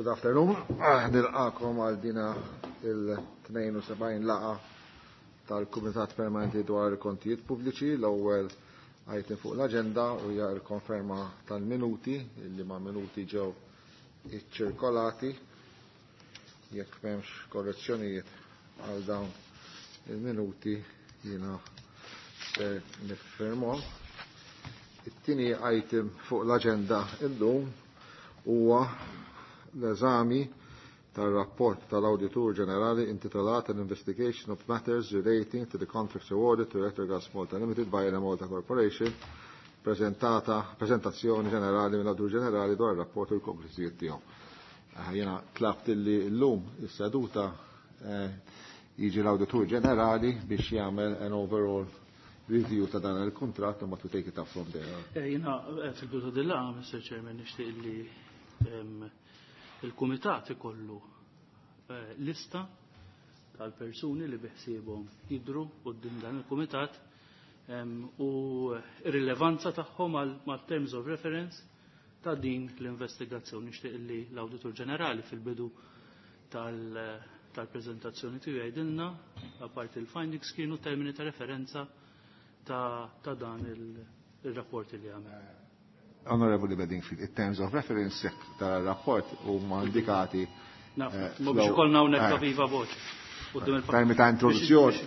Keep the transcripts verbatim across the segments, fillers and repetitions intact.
Good afternoon. Ah, nilqakom għal dina il-tnejn u sebgħin laqgħa tal-Kumitat Permanenti dwar il-Kontijiet Pubbliċi. L-ewwel item fuq l-aġenda u hija l-konferma tal-minuti, illi ma' minuti ġew iċċirkolati. Jekk m'hemmx korrezzjonijiet għal dawn il-minuti, jiena ser niffirmhom. It-tieni item fuq l-aġenda illum huwa l-eżami tal-rapport tal-Awditur Ġenerali intitolat An Investigation of Matters Relating to the Contracts Awarded to Electrogas Malta Limited by Enemalta Corporation, prezentata, prezentazzjoni ġenerali mill-Awditur Ġenerali dwar ir-rapport u l-konklużijiet tiegħu. Eh, jiena tlabt illi llum is-seduta eh, jiġi l-Awditur Ġenerali biex jagħmel an overall review ta' dan il-kuntratt u ma to take it up from there. Eh, jiena fil-bidu dil-laqgħa, Mister Chairman, nixtieq illi ehm, il-kumitat ikollu eh, lista tal-persuni li biħsiebhom jidru quddiem dan il-kumitat ehm, u r-rilevanza tagħhom mal-terms of reference ta' din l-investigazzjoni. Nixtieq li l-Awditur Ġenerali fil-bidu tal-preżentazzjoni tiegħu jgħidilna, apparti il-findings, kienu termini ta' referenza ta', ta dan il-rapport li għamel. Onorevoli Bedingfield, in terms of reference tal-rapport huma indikati. Naf, ma biex ikollna hawnhekk ta' viva voce. Termi ta' introduzzjoni,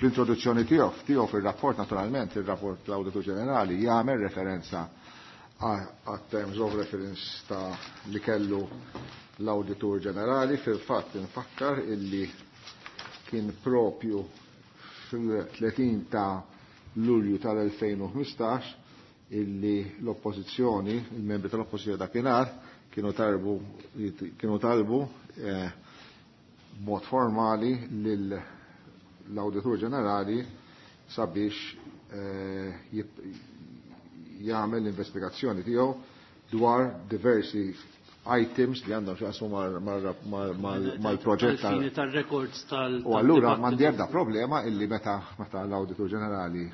fl-introduzzjoni tiegħu, tiegħu fir-rapport naturalment, ir-rapport l-Awditur Ġenerali jagħmel referenza għat terms of reference ta' li kellu l-Awditur Ġenerali. Fil-fatt infakkar illi kien propju fil-tletin ta' Lulju tal-elfejn u ħmistax illi l-oppożizzjoni, il-membri tal-oppożizzjoni dakinhar kienu talbu, kienu talbu, eh, b'mod formali lill-Awditur Ġenerali sabiex, eh, jib-, jagħmel l-investigazzjoni tiegħu dwar diversi items li għandhom x'jaqsmu mal-proġett tal- Għal-fini tal-records tal- U allura m'għandi ebda problema illi meta, meta l-Awditur Ġenerali,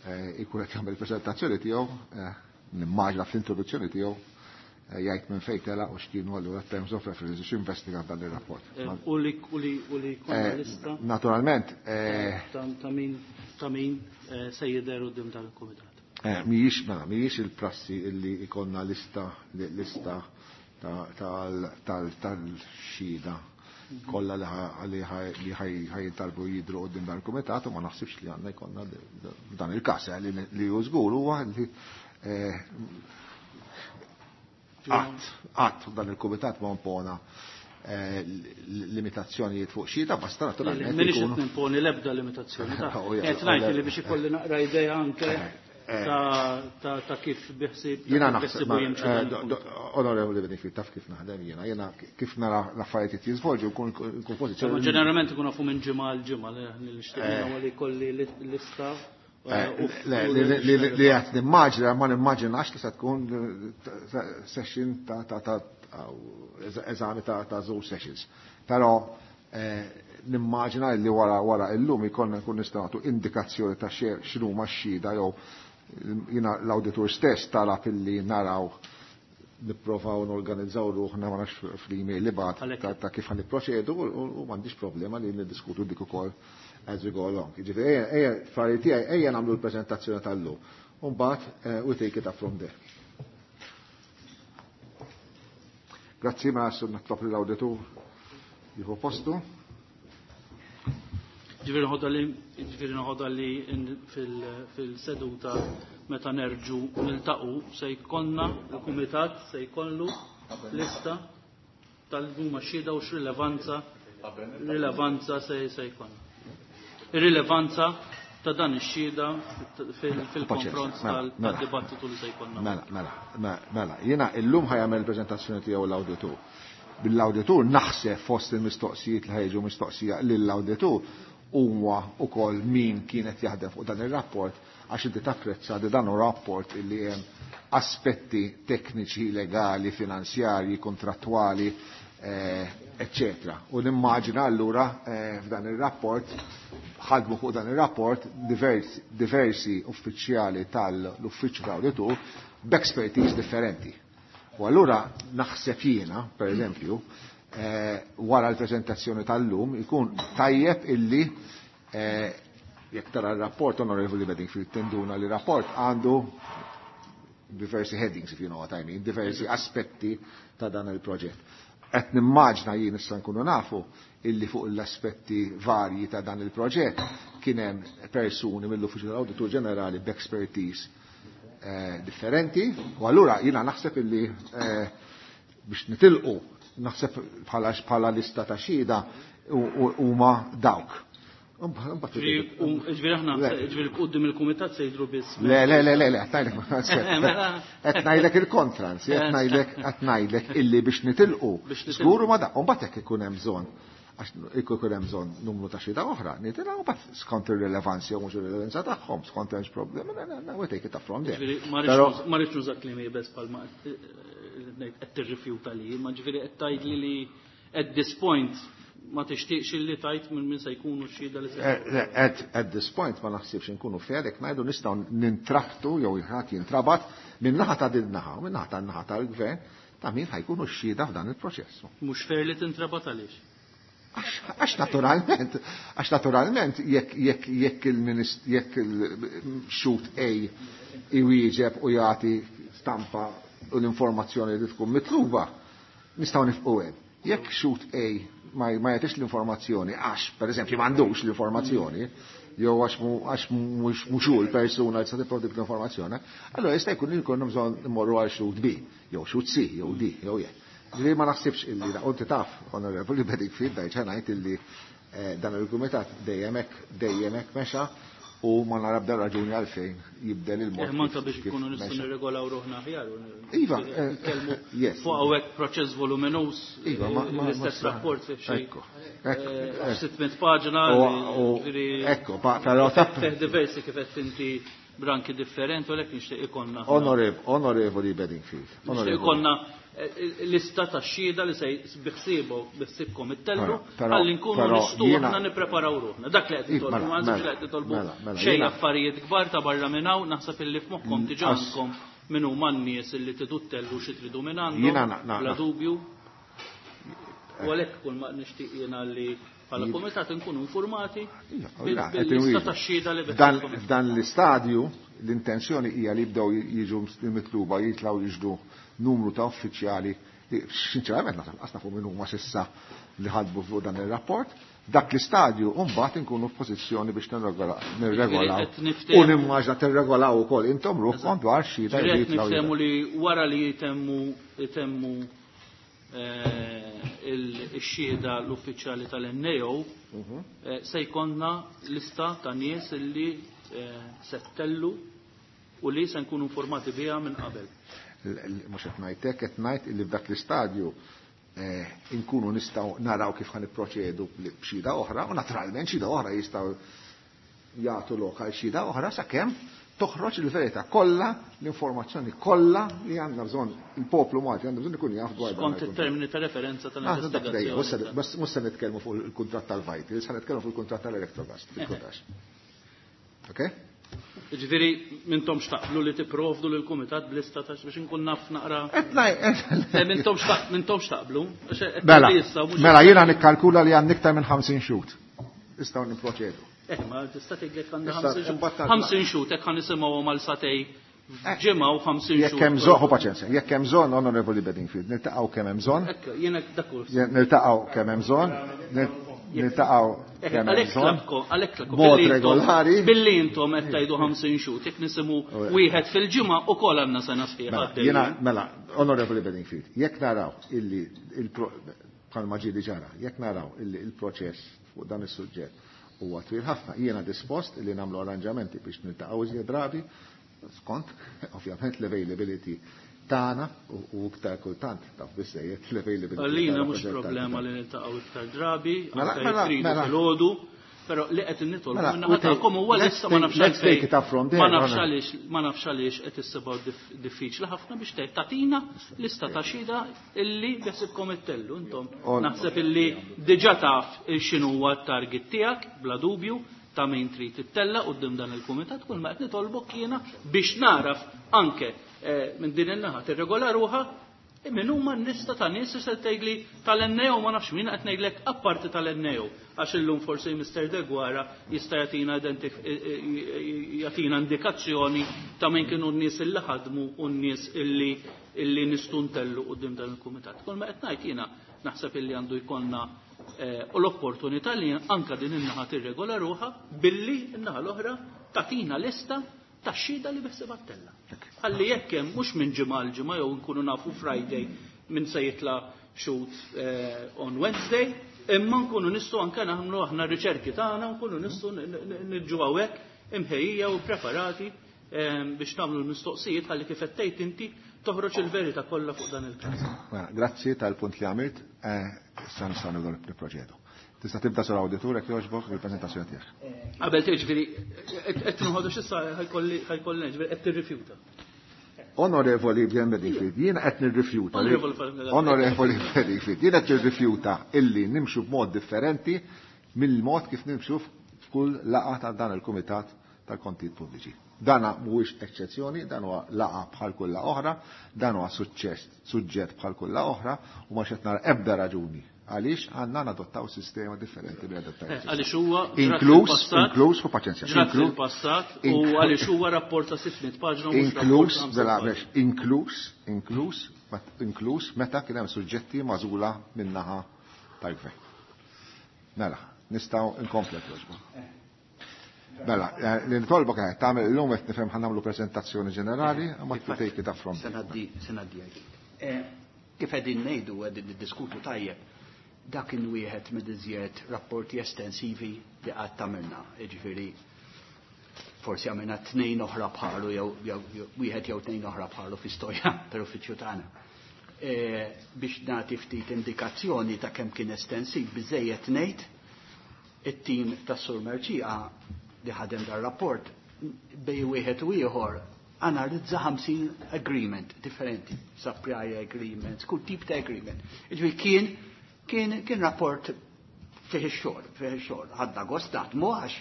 eh, ikun qed jagħmel il-preżentazzjoni tiegħu, eh, nimmaġna fl-introduzzjoni tiegħu, eh, jgħid minn fejn telaq u x'kienu allura terms of reference biex investiga dan ir-rapport. Eh, u li, u li, u li jkollna Eh, lista Naturalment, eh, ta', ta' min, ta' min, eh, se jidher quddiem tal-Kumitat. Eh, mhijiex, mela, mhijiex il-prassi illi ikonna lista, lista ta', tal, tal, tal-xhieda kollha li ħa-, li ħa-, li ħaj-, ħajtalbu jidhru quddiem dan il-kumitat, u ma naħsibx li għandna jkollna dan il-każ, eh, li, li hu żgur huwa li, eh, qatt, qatt dan il-kumitat ma impona, eh, limitazzjonijiet fuq xhieda, basta naturalment Minix ikunu qed nimponi l-ebda limitazzjoni, ta' Oh, ja, qed ngħid oh, li biex ikolli naqra idea anke Eh, eh. ta', ta', ta' kif biħsib, Jiena ta' kif naħseb, biħsibu ma, jimxi eh, dan do-, il-punt. do-, Onorevoli Bedingfield, taf kif naħdem jiena, jiena kif nara l-affarijiet jiżvolġu, nkun, nkun pożizzjoni. Ma ġeneralment ikun nafu minn ġimgħa għal ġimgħa, li nixtieq Eh. nagħmel li jkolli li-, lista, Eh, eh, u le, u li, li, li, li li qed nimmaġina, ma nimmaġinax li se tkun session ta', ta', ta', eżami ta', ta' żewġ sessions. Però, eh, nimmaġina li wara, wara illum ikollna nkun nistgħu nagħtu indikazzjoni ta' xie-, x'inhuma x-xhieda, jew jiena l-awditur stess talab illi naraw nipprovaw norganizzaw ruħna, ma nafx fl-email li bagħat Għalhekk. ta', ta' kif ħanipproċedu, u, u, u m'għandix problema li niddiskutu dik ukoll as we go along. Jiġifieri, ejja, ejja, fari tiegħi, ejja nagħmlu l-preżentazzjoni tal-lum. U mbagħad, eh, we take it up from there. Grazzi, ma għassu nitlob lill-awditur jieħu postu. Ġifieri nħodha li, ġifieri nħodha li in-, fil-, fil-seduta meta nerġu niltaqgħu se jkollna il-kumitat se jkollu lista tal-huma xhieda u x'rilevanza, rilevanza se, se jkollna. Ir-rilevanza ta' dan ix-xhieda fil-, fil-konfront Mela, tal-, mela. tad-dibattitu li se jkollna. Mela, mela, mela, mela. Jiena illum ħajamel il-preżentazzjoni tiegħu l-awditur. Bil-awditur naħseb fost il-mistoqsijiet li ħajġu mistoqsija lill-awditur huwa wkoll min kienet jaħdem fuq dan ir-rapport, għax inti tapprezza li dan hu rapport illi hemm aspetti tekniċi, legali, finanzjarji, kontrattwali, eh, eccetera. U nimmaġina allura, eh, f'dan ir-rapport, ħadmu fuq dan ir-rapport diversi, diversi uffiċjali tal-uffiċċju tal-awditur b'expertise differenti. U allura naħseb jiena, per eżempju, wara l-preżentazzjoni tal-lum ikun tajjeb illi jekk tara r-rapport, Onorevoli Bedingfield, tinduna li rapport għandu diversi headings, if you know what I mean, diversi aspetti ta' dan il-proġett. Qed nimmaġna jien issa nkunu nafu illi fuq l-aspetti varji ta' dan il-proġett kien hemm persuni mill-Uffiċċju tal-Awditur Ġenerali b'expertise eh, differenti, u allura jiena naħseb illi eh, biex nitilqu naħseb bħala bħala lista ta' xhieda huma dawk. Ġifieri aħna ġifieri quddiem il-kumitat se jidhru biss. Le, le, le, le, le, qed ngħidlek il-kontra, anzi, qed ngħidlek qed ngħidlek illi biex nitilqu. Żgur ma da, u mbagħad hekk ikun hemm bżonn għax ikun hemm bżonn numru ta' xhieda oħra, nitilgħu mbagħad skont ir-rilevanza jew mhux ir-rilevanza tagħhom, skont hemmx problemi, we take it up from there. Ma rridx nuża kliem iebes bħalma qed tirrifjuta li, ma ġifieri qed tgħidli li at this point ma tixtieqx illi tajt minn min se jkunu x-xhieda li se. At, at this point ma naħsibx inkunu fair jekk ngħidu nistgħu nintrabtu jew ħadd jintrabat minn naħa ta' din naħa u minn naħa tan-naħa tal-gvern ta' min ħajkunu x-xhieda f'dan il-proċess. Mhux fair li tintrabat għaliex? Għax naturalment, għax naturalment jekk jekk jekk il-minist jekk il-xhud A iwieġeb u jagħti stampa u l-informazzjoni li tkun mitluba, nistgħu nifqu hemm. Jekk xhud A ma jagħtix l-informazzjoni għax, per eżempju, m'għandux l-informazzjoni, jew għax għax mhux hu l-persuna li se tipprovdi l-informazzjoni, allora jista' jkun li jkollna bżonn immorru għal xhud B, jew xhud C, jew D, jew E. Ġifieri ma naħsibx illi da, inti taf, Onorevoli Bedingfield, dajċa ngħid illi dan il-kumitat dejjem hekk dejjem hekk mexa u ma nara bda raġuni għalfejn jibdel il-mod. Manka biex ikunu nistgħu nirregolaw ruħna aħjar. Iva, nitkellmu fuq hawnhekk proċess voluminus, Iva, l-istess rapport fih xi. sitt mitt paġna. Ekku, però taf. Fih diversi kif qed inti branki differenti u għalhekk nixtieq ikollna. Onorevoli Bedingfield. Nixtieq ikollna lista ta' xhieda li se biħsiebu biħsibkom ittellu ħalli nkunu nistgħu aħna nippreparaw ruħna. Dak li qed nitolbu, ma naħsibx li qed nitolbu xejn affarijiet kbar ta' barra minn hawn, naħseb illi f'moħħkom diġà għandkom min huma n-nies illi tridu ttellu xi tridu minn għandhom, bla dubju. U għalhekk kull ma nixtieq jiena li bħala kumitat nkunu informati bil-lista ta' xhieda li biħsibkom. F'dan l-istadju l-intenzjoni hija li jibdew jiġu mitluba jitlgħu jiġdu numru ta' uffiċjali li sinċerament naħseb qas nafu min huma s'issa li ħadbu fuq dan ir-rapport. Dak l-istadju mbagħad inkunu f'pożizzjoni biex nirregolaw. U nimmaġna tirregolaw ukoll intom ruħkom dwar xhieda li jitlgħu. Niftehmu li wara li jitemmu jitemmu il-xhieda l-uffiċjali tal-N A O se jkollna lista ta' nies li se ttellu u li se nkunu informati biha minn qabel. Mhux qed ngħid hekk, qed ngħid illi f'dak l-istadju inkunu nistgħu naraw kif ħa nipproċedu b'xhieda oħra u naturalment xhieda oħra jistgħu jagħtu lok għal xhieda oħra sakemm toħroġ il-verità kollha, l-informazzjoni kollha li għandna bżonn il-poplu Malti għandu bżonn ikun jaf dwar dan. Skont it-termini ta' referenza tal-investigazzjoni. Mhux se nitkellmu fuq il-kuntratt tal-Vitals, se nitkellmu fuq il-kuntratt tal-Electrogas, fil-kutax. Okay? Ġifieri m'intomx taqblu li tipprovdu lil kumitat b'lista ta' biex inkun naf naqra. M'intomx m'intomx taqblu. Mela, mela jiena nikkalkula li għandna iktar minn ħamsin xhud. Nistgħu nipproċedu. Eh, ma tista' tgħidlek għandna ħamsin xhud hekk ħa nisimgħuhom għal satej ġimgħa u ħamsin xhud. Jekk hemm bżonn, ħu paċenzja, jekk hemm bżonn, Onorevoli Bedingfield, niltaqgħu kemm hemm bżonn. Ekk, jiena dak hu. Niltaqgħu kemm hemm bżonn. Niltaqgħu kemm hemm bżonn. Għalhekk tlabkom. Mod regolari. Billi intom qed tgħidu ħamsin xhud, jekk nisimgħu wieħed fil-ġimgħa ukoll għandna sena sħiħa. Jiena mela, Onorevoli Bedingfield, jekk naraw illi bħalma ġieli ġara, jekk naraw illi il-proċess fuq dan is-suġġett huwa twil ħafna, jiena dispost illi nagħmlu arranġamenti biex niltaqgħu iżjed drabi, skont ovvjament l-availability tagħna u iktar kultant taf biżejjed l-availability. Għalina mhux problema li niltaqgħu iktar drabi, anke tridu filgħodu, però li qed nitolbu minnaħa tagħkom huwa lista ma nafx għalfejn. Ma nafx għaliex, ma nafx għaliex qed issibgħu diffiċli ħafna biex tgħid tagħtina lista ta' xhieda illi beħsibkom ittellu intom. Naħseb illi diġà taf x'inhu huwa t-target tiegħek bla dubju ta' min trid ittella quddiem dan il-kumitat, kull ma qed nitolbok jiena biex naraf anke minn din in-naħa tirregola ruħha Min huma n-lista ta' nies se tgħidli tal-N A O, ma nafx min qed ngħidlek apparti tal-N A O, għax illum forsi Mister Deguara jista' jagħtina jagħtina indikazzjoni ta' min kienu n-nies illi ħadmu u n-nies illi illi nistuntellu quddiem dan il-kumitat. Kull ma qed ngħid jiena, naħseb illi għandu jkollna eh, u l-opportunità li anka din in-naħa tirregola ruħha billi n-naħa l-oħra tagħtina lista ta' xhieda li beħsiebha ttella'. Ħalli jekk hemm mhux minn ġimgħa l ġimgħa jew nkunu nafu Friday min se jitla' xhud eh, on Wednesday, imma nkunu nistgħu anke nagħmlu aħna riċerki tagħna, nkunu nistgħu niġu hawnhekk imħejjija u preparati eh, biex nagħmlu l-mistoqsijiet ħalli kif qed tgħid inti toħroġ il-verità kollha fuq dan il-każ. Mela, grazzi tal-punt li għamilt, eh, issa nistgħu nibdew nipproċedu. Tista' tibda, Sur Awditur, jekk jogħġbok, il-preżentazzjoni tiegħek. Qabel ġifieri qed nħodu x'issa ħa jkolli ħa jkolli ġifieri qed tirrifjuta. Onorevoli Bedingfield, jiena qed nirrifjuta. Onorevoli. Onorevoli Bedingfield, jiena qed nirrifjuta illi nimxu b'mod differenti mill-mod kif nimxu f'kull laqgħa ta' dan il-Kumitat tal-Kontijiet Pubbliċi. Dana mhuwiex eċċezzjoni, dan huwa laqgħa bħal kull oħra, dan huwa suċċess, suġġett bħal kull oħra u ma xed nara ebda raġuni għaliex għandna nadottaw sistema differenti li adottaw. Eh, għaliex huwa inkluż inkluż fu paċenzja. Ġrat fil-passat u għaliex huwa rapport ta' sitt mitt paġna u mhux inkluż rapport ta' mela, ħamsa. Biex, inkluż inkluż inkluż meta kien hemm suġġetti magħżula min-naħa tal-gvern. Mela, nistgħu nkomplu jogħġbu. Mela, eh, li nitolbok qed tagħmel illum qed nifhem ħa nagħmlu preżentazzjoni ġenerali, ma take it up from. Se ngħaddi, se ngħaddi għalik. Eh, Kif qegħdin ngħidu, qegħdin niddiskutu tajjeb, dak kien wieħed mid-iżjed rapporti estensivi li qatt għamilna. Jiġifieri forsi għamilna tnejn oħra bħalu jew jew wieħed jew tnejn oħra bħalu fi-istorja tal-uffiċċju tagħna. E, biex nagħti ftit indikazzjoni ta' kemm kien estensiv, biżejjed ngħid it-tim tas-Sur Mercieca li ħadem dar-rapport bej wieħed u ieħor analizza ħamsin agreement differenti, supply agreements, kull tip ta' agreement. Jiġifieri kien kien kien rapport fih ix-xogħol, fih ix-xogħol. Ħadna gost naħdmu għax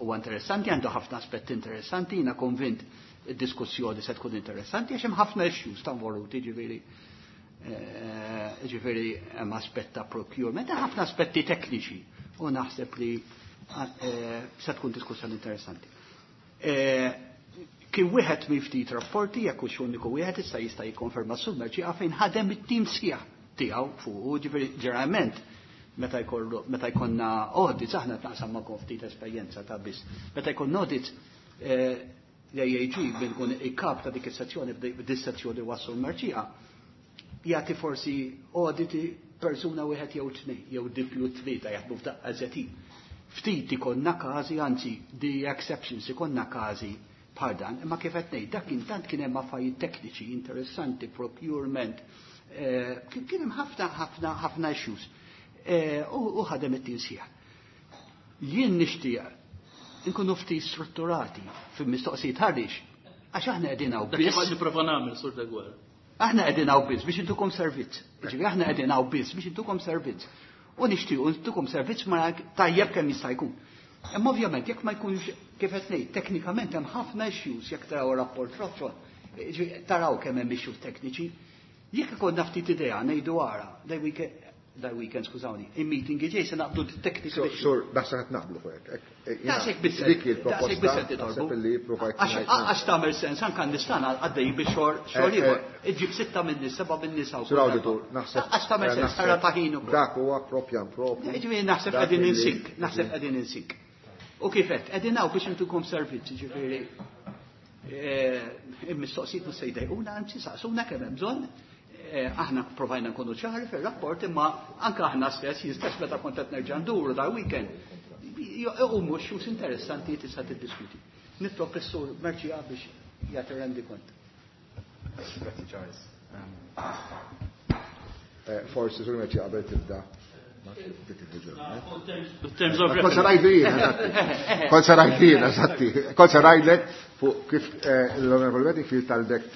huwa interessanti, għandu ħafna aspetti interessanti, jiena konvint id-diskussjoni se tkun interessanti għax hemm ħafna issues ta' involuti, ġifieri eh, ġifieri hemm aspett ta' procurement, hemm ħafna aspetti tekniċi u naħseb li eh, se tkun diskussjoni interessanti. Eh, Kien wieħed minn ftit rapporti, jekk hux uniku wieħed, issa jista' jikkonferma Sur Mercieca, fejn ħadem it-tim sħiħ tiegħu fuq, ġifieri ġeneralment meta jkollu meta jkollna audits, aħna tnaqsam ma' ftit esperjenza ta' biss. Meta jkollna audits, eh, l-A A G bil-kun il-kap ta' dik is-sezzjoni, b'dis-sezzjoni wassu l-Mercieca, jagħti forsi auditi persuna wieħed jew tnejn jew dipju tlieta jaħdmu f'daqqa żetin. Ftit ikollna każi, anzi the exceptions ikollna każi bħal dan, imma kif qed ngħid, dak intant kien hemm affarijiet tekniċi interessanti, procurement, eh, kien kien hemm ħafna ħafna ħafna issues. Eh, U u ħadem it-tim sħiħ. Jien nixtieq nkunu ftit strutturati fil-mistoqsijiet għaliex għax aħna qegħdin hawn Dak kif biss. qed nipprova nagħmel, Sur Deguara. Aħna qegħdin hawn biss biex intukom servizz. Ġifieri aħna qegħdin hawn biss biex intukom servizz. U nixtiequ intukom servizz ma tajjeb kemm jista' jkun. Imma ovvjament jekk ma jkunx, kif qed ngħid, teknikament hemm ħafna issues, jekk taraw rapport roċol, ġifieri taraw kemm hemm issues tekniċi. Jekk ikollna ftit idea ngħidu ara, daj weekend, daj weekend, skużawni, il-meeting ġej se naqbdu technical issues. Sur, naħseb qed naqblu fuq hekk. Daqshekk biss. Dik il-proposta. Daqshekk biss qed titolbu. Naħseb illi provajt Għax ngħid. Għax tagħmel sens anke nistana għaddej biex xogħol xogħol Eh, ieħor. eh. Iġib sitta minn nies, seba' minn nisa Sur Awditur, naħseb. Għax tagħmel eh, sens, naħseb tara ta' ħin ukoll. Dak huwa propjan propju. Ġifieri naħseb Dak qegħdin illi- insik, naħseb qegħdin insik. U kif qed, qegħdin hawn biex intukom servizz, ġifieri eh, il-mistoqsijiet mhux se jdejquna, anzi saqsuna kemm hemm bżonn. Eh, Aħna provajna nkunu ċari fir-rapport, imma anke aħna stess, jien stess meta kont qed nerġa' nduru dar weekend, u mhux issues interessanti tista' tiddiskuti. Nitlob is-Sur Mercieca biex jagħti rendikont. Grazzi, Charles. Um, Eh, Forsi Sur Mercieca qabel tibda. In terms of Kont se ngħidu jien, eżatti. Kont se ngħid jien, eżatti. Kont se ngħidlek fuq kif eh, l-Onorevoli Bedingfield talbek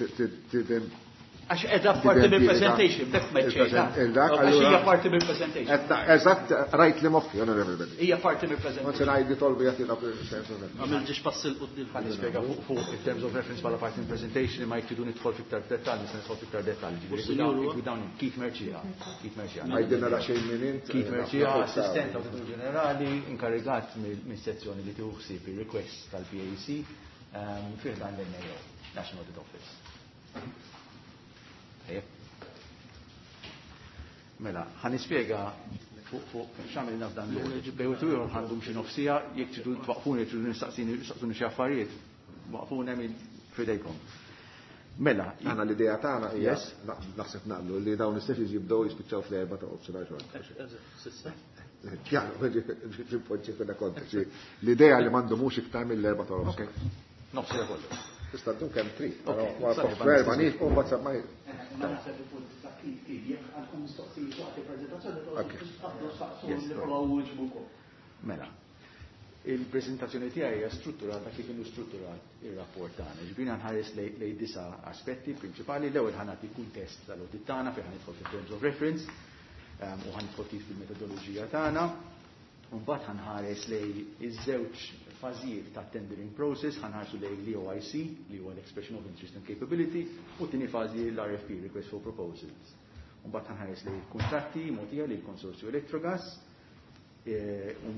Għax edha parti mill-presentation, b'hekk ma Għax hija parti mill-presentation. Eżatt, rajt li moħħi, Onorevoli Bedingfield. Hija parti mill-presentation. Ma se ngħidi tolbu jagħti terms of reference. Għamil ġiex pass 'il quddiem. Ħa nispjega fuq il-terms of reference bħala parti mill-presentation, ma jekk tridu nidħol fiktar dettall, nista' nidħol fiktar dettall. Ġifieri Keith Mercieca. Keith Mercieca. Għajdilna daqsxejn min int. Keith Mercieca, assistent Awditur Ġenerali, inkarigat mis-sezzjoni li tieħu ħsieb ir-request tal-P A C fi ħdan l-N A O, National Audit Office. Mela, ħa nispjega fuq fuq x'għamilna f'dan l-audit. Bejn wieħed ieħor ħa ndum xi nofs siegħa, jekk tridu twaqfuni, jekk tridu nistaqsini nistaqsuni xi affarijiet, waqfuni hemm f'idejkom. Mela, Aħna l-idea tagħna hija, naħseb naqblu li dawn is-sessions jibdew jispiċċaw fl-erba' ta' nofsinhar. Kjaru, ġimpoġġi fil kontekst. L-idea li m'għandhomux iktar mill-erba' ta' nofsinhar. Nofs siegħa kollox. Tista' ddum kemm trid, però fl-erba' nieqfu mbagħad ma Ma naħseb il-punt ta' kif kif jekk għandkom mistoqsijiet waqt il-preżentazzjoni, taqbdu saqsu, nippruvaw nwieġbukom. Mela, il-prezentazzjoni tiegħi hija strutturata kif inhu strutturat ir-rapport tagħna. Ġbina nħares lejn disa' aspetti prinċipali. L-ewwel ħa nagħti kuntest tal-audit tagħna fejn ħa nidħol fit-terms of reference um, u ħa nidħol kif fil-metodoloġija tagħna. Mbagħad ħa nħares lejn iż-żewġ fażijiet ta' tendering process, ħa nħarsu lejn l-E O I C, li huwa l-Expression of Interest and Capability, u tieni fażi l-R F P, Request for Proposals. Mbagħad ħa nħares lejn kuntratti mogħtija lil konsorzju Electrogas, e,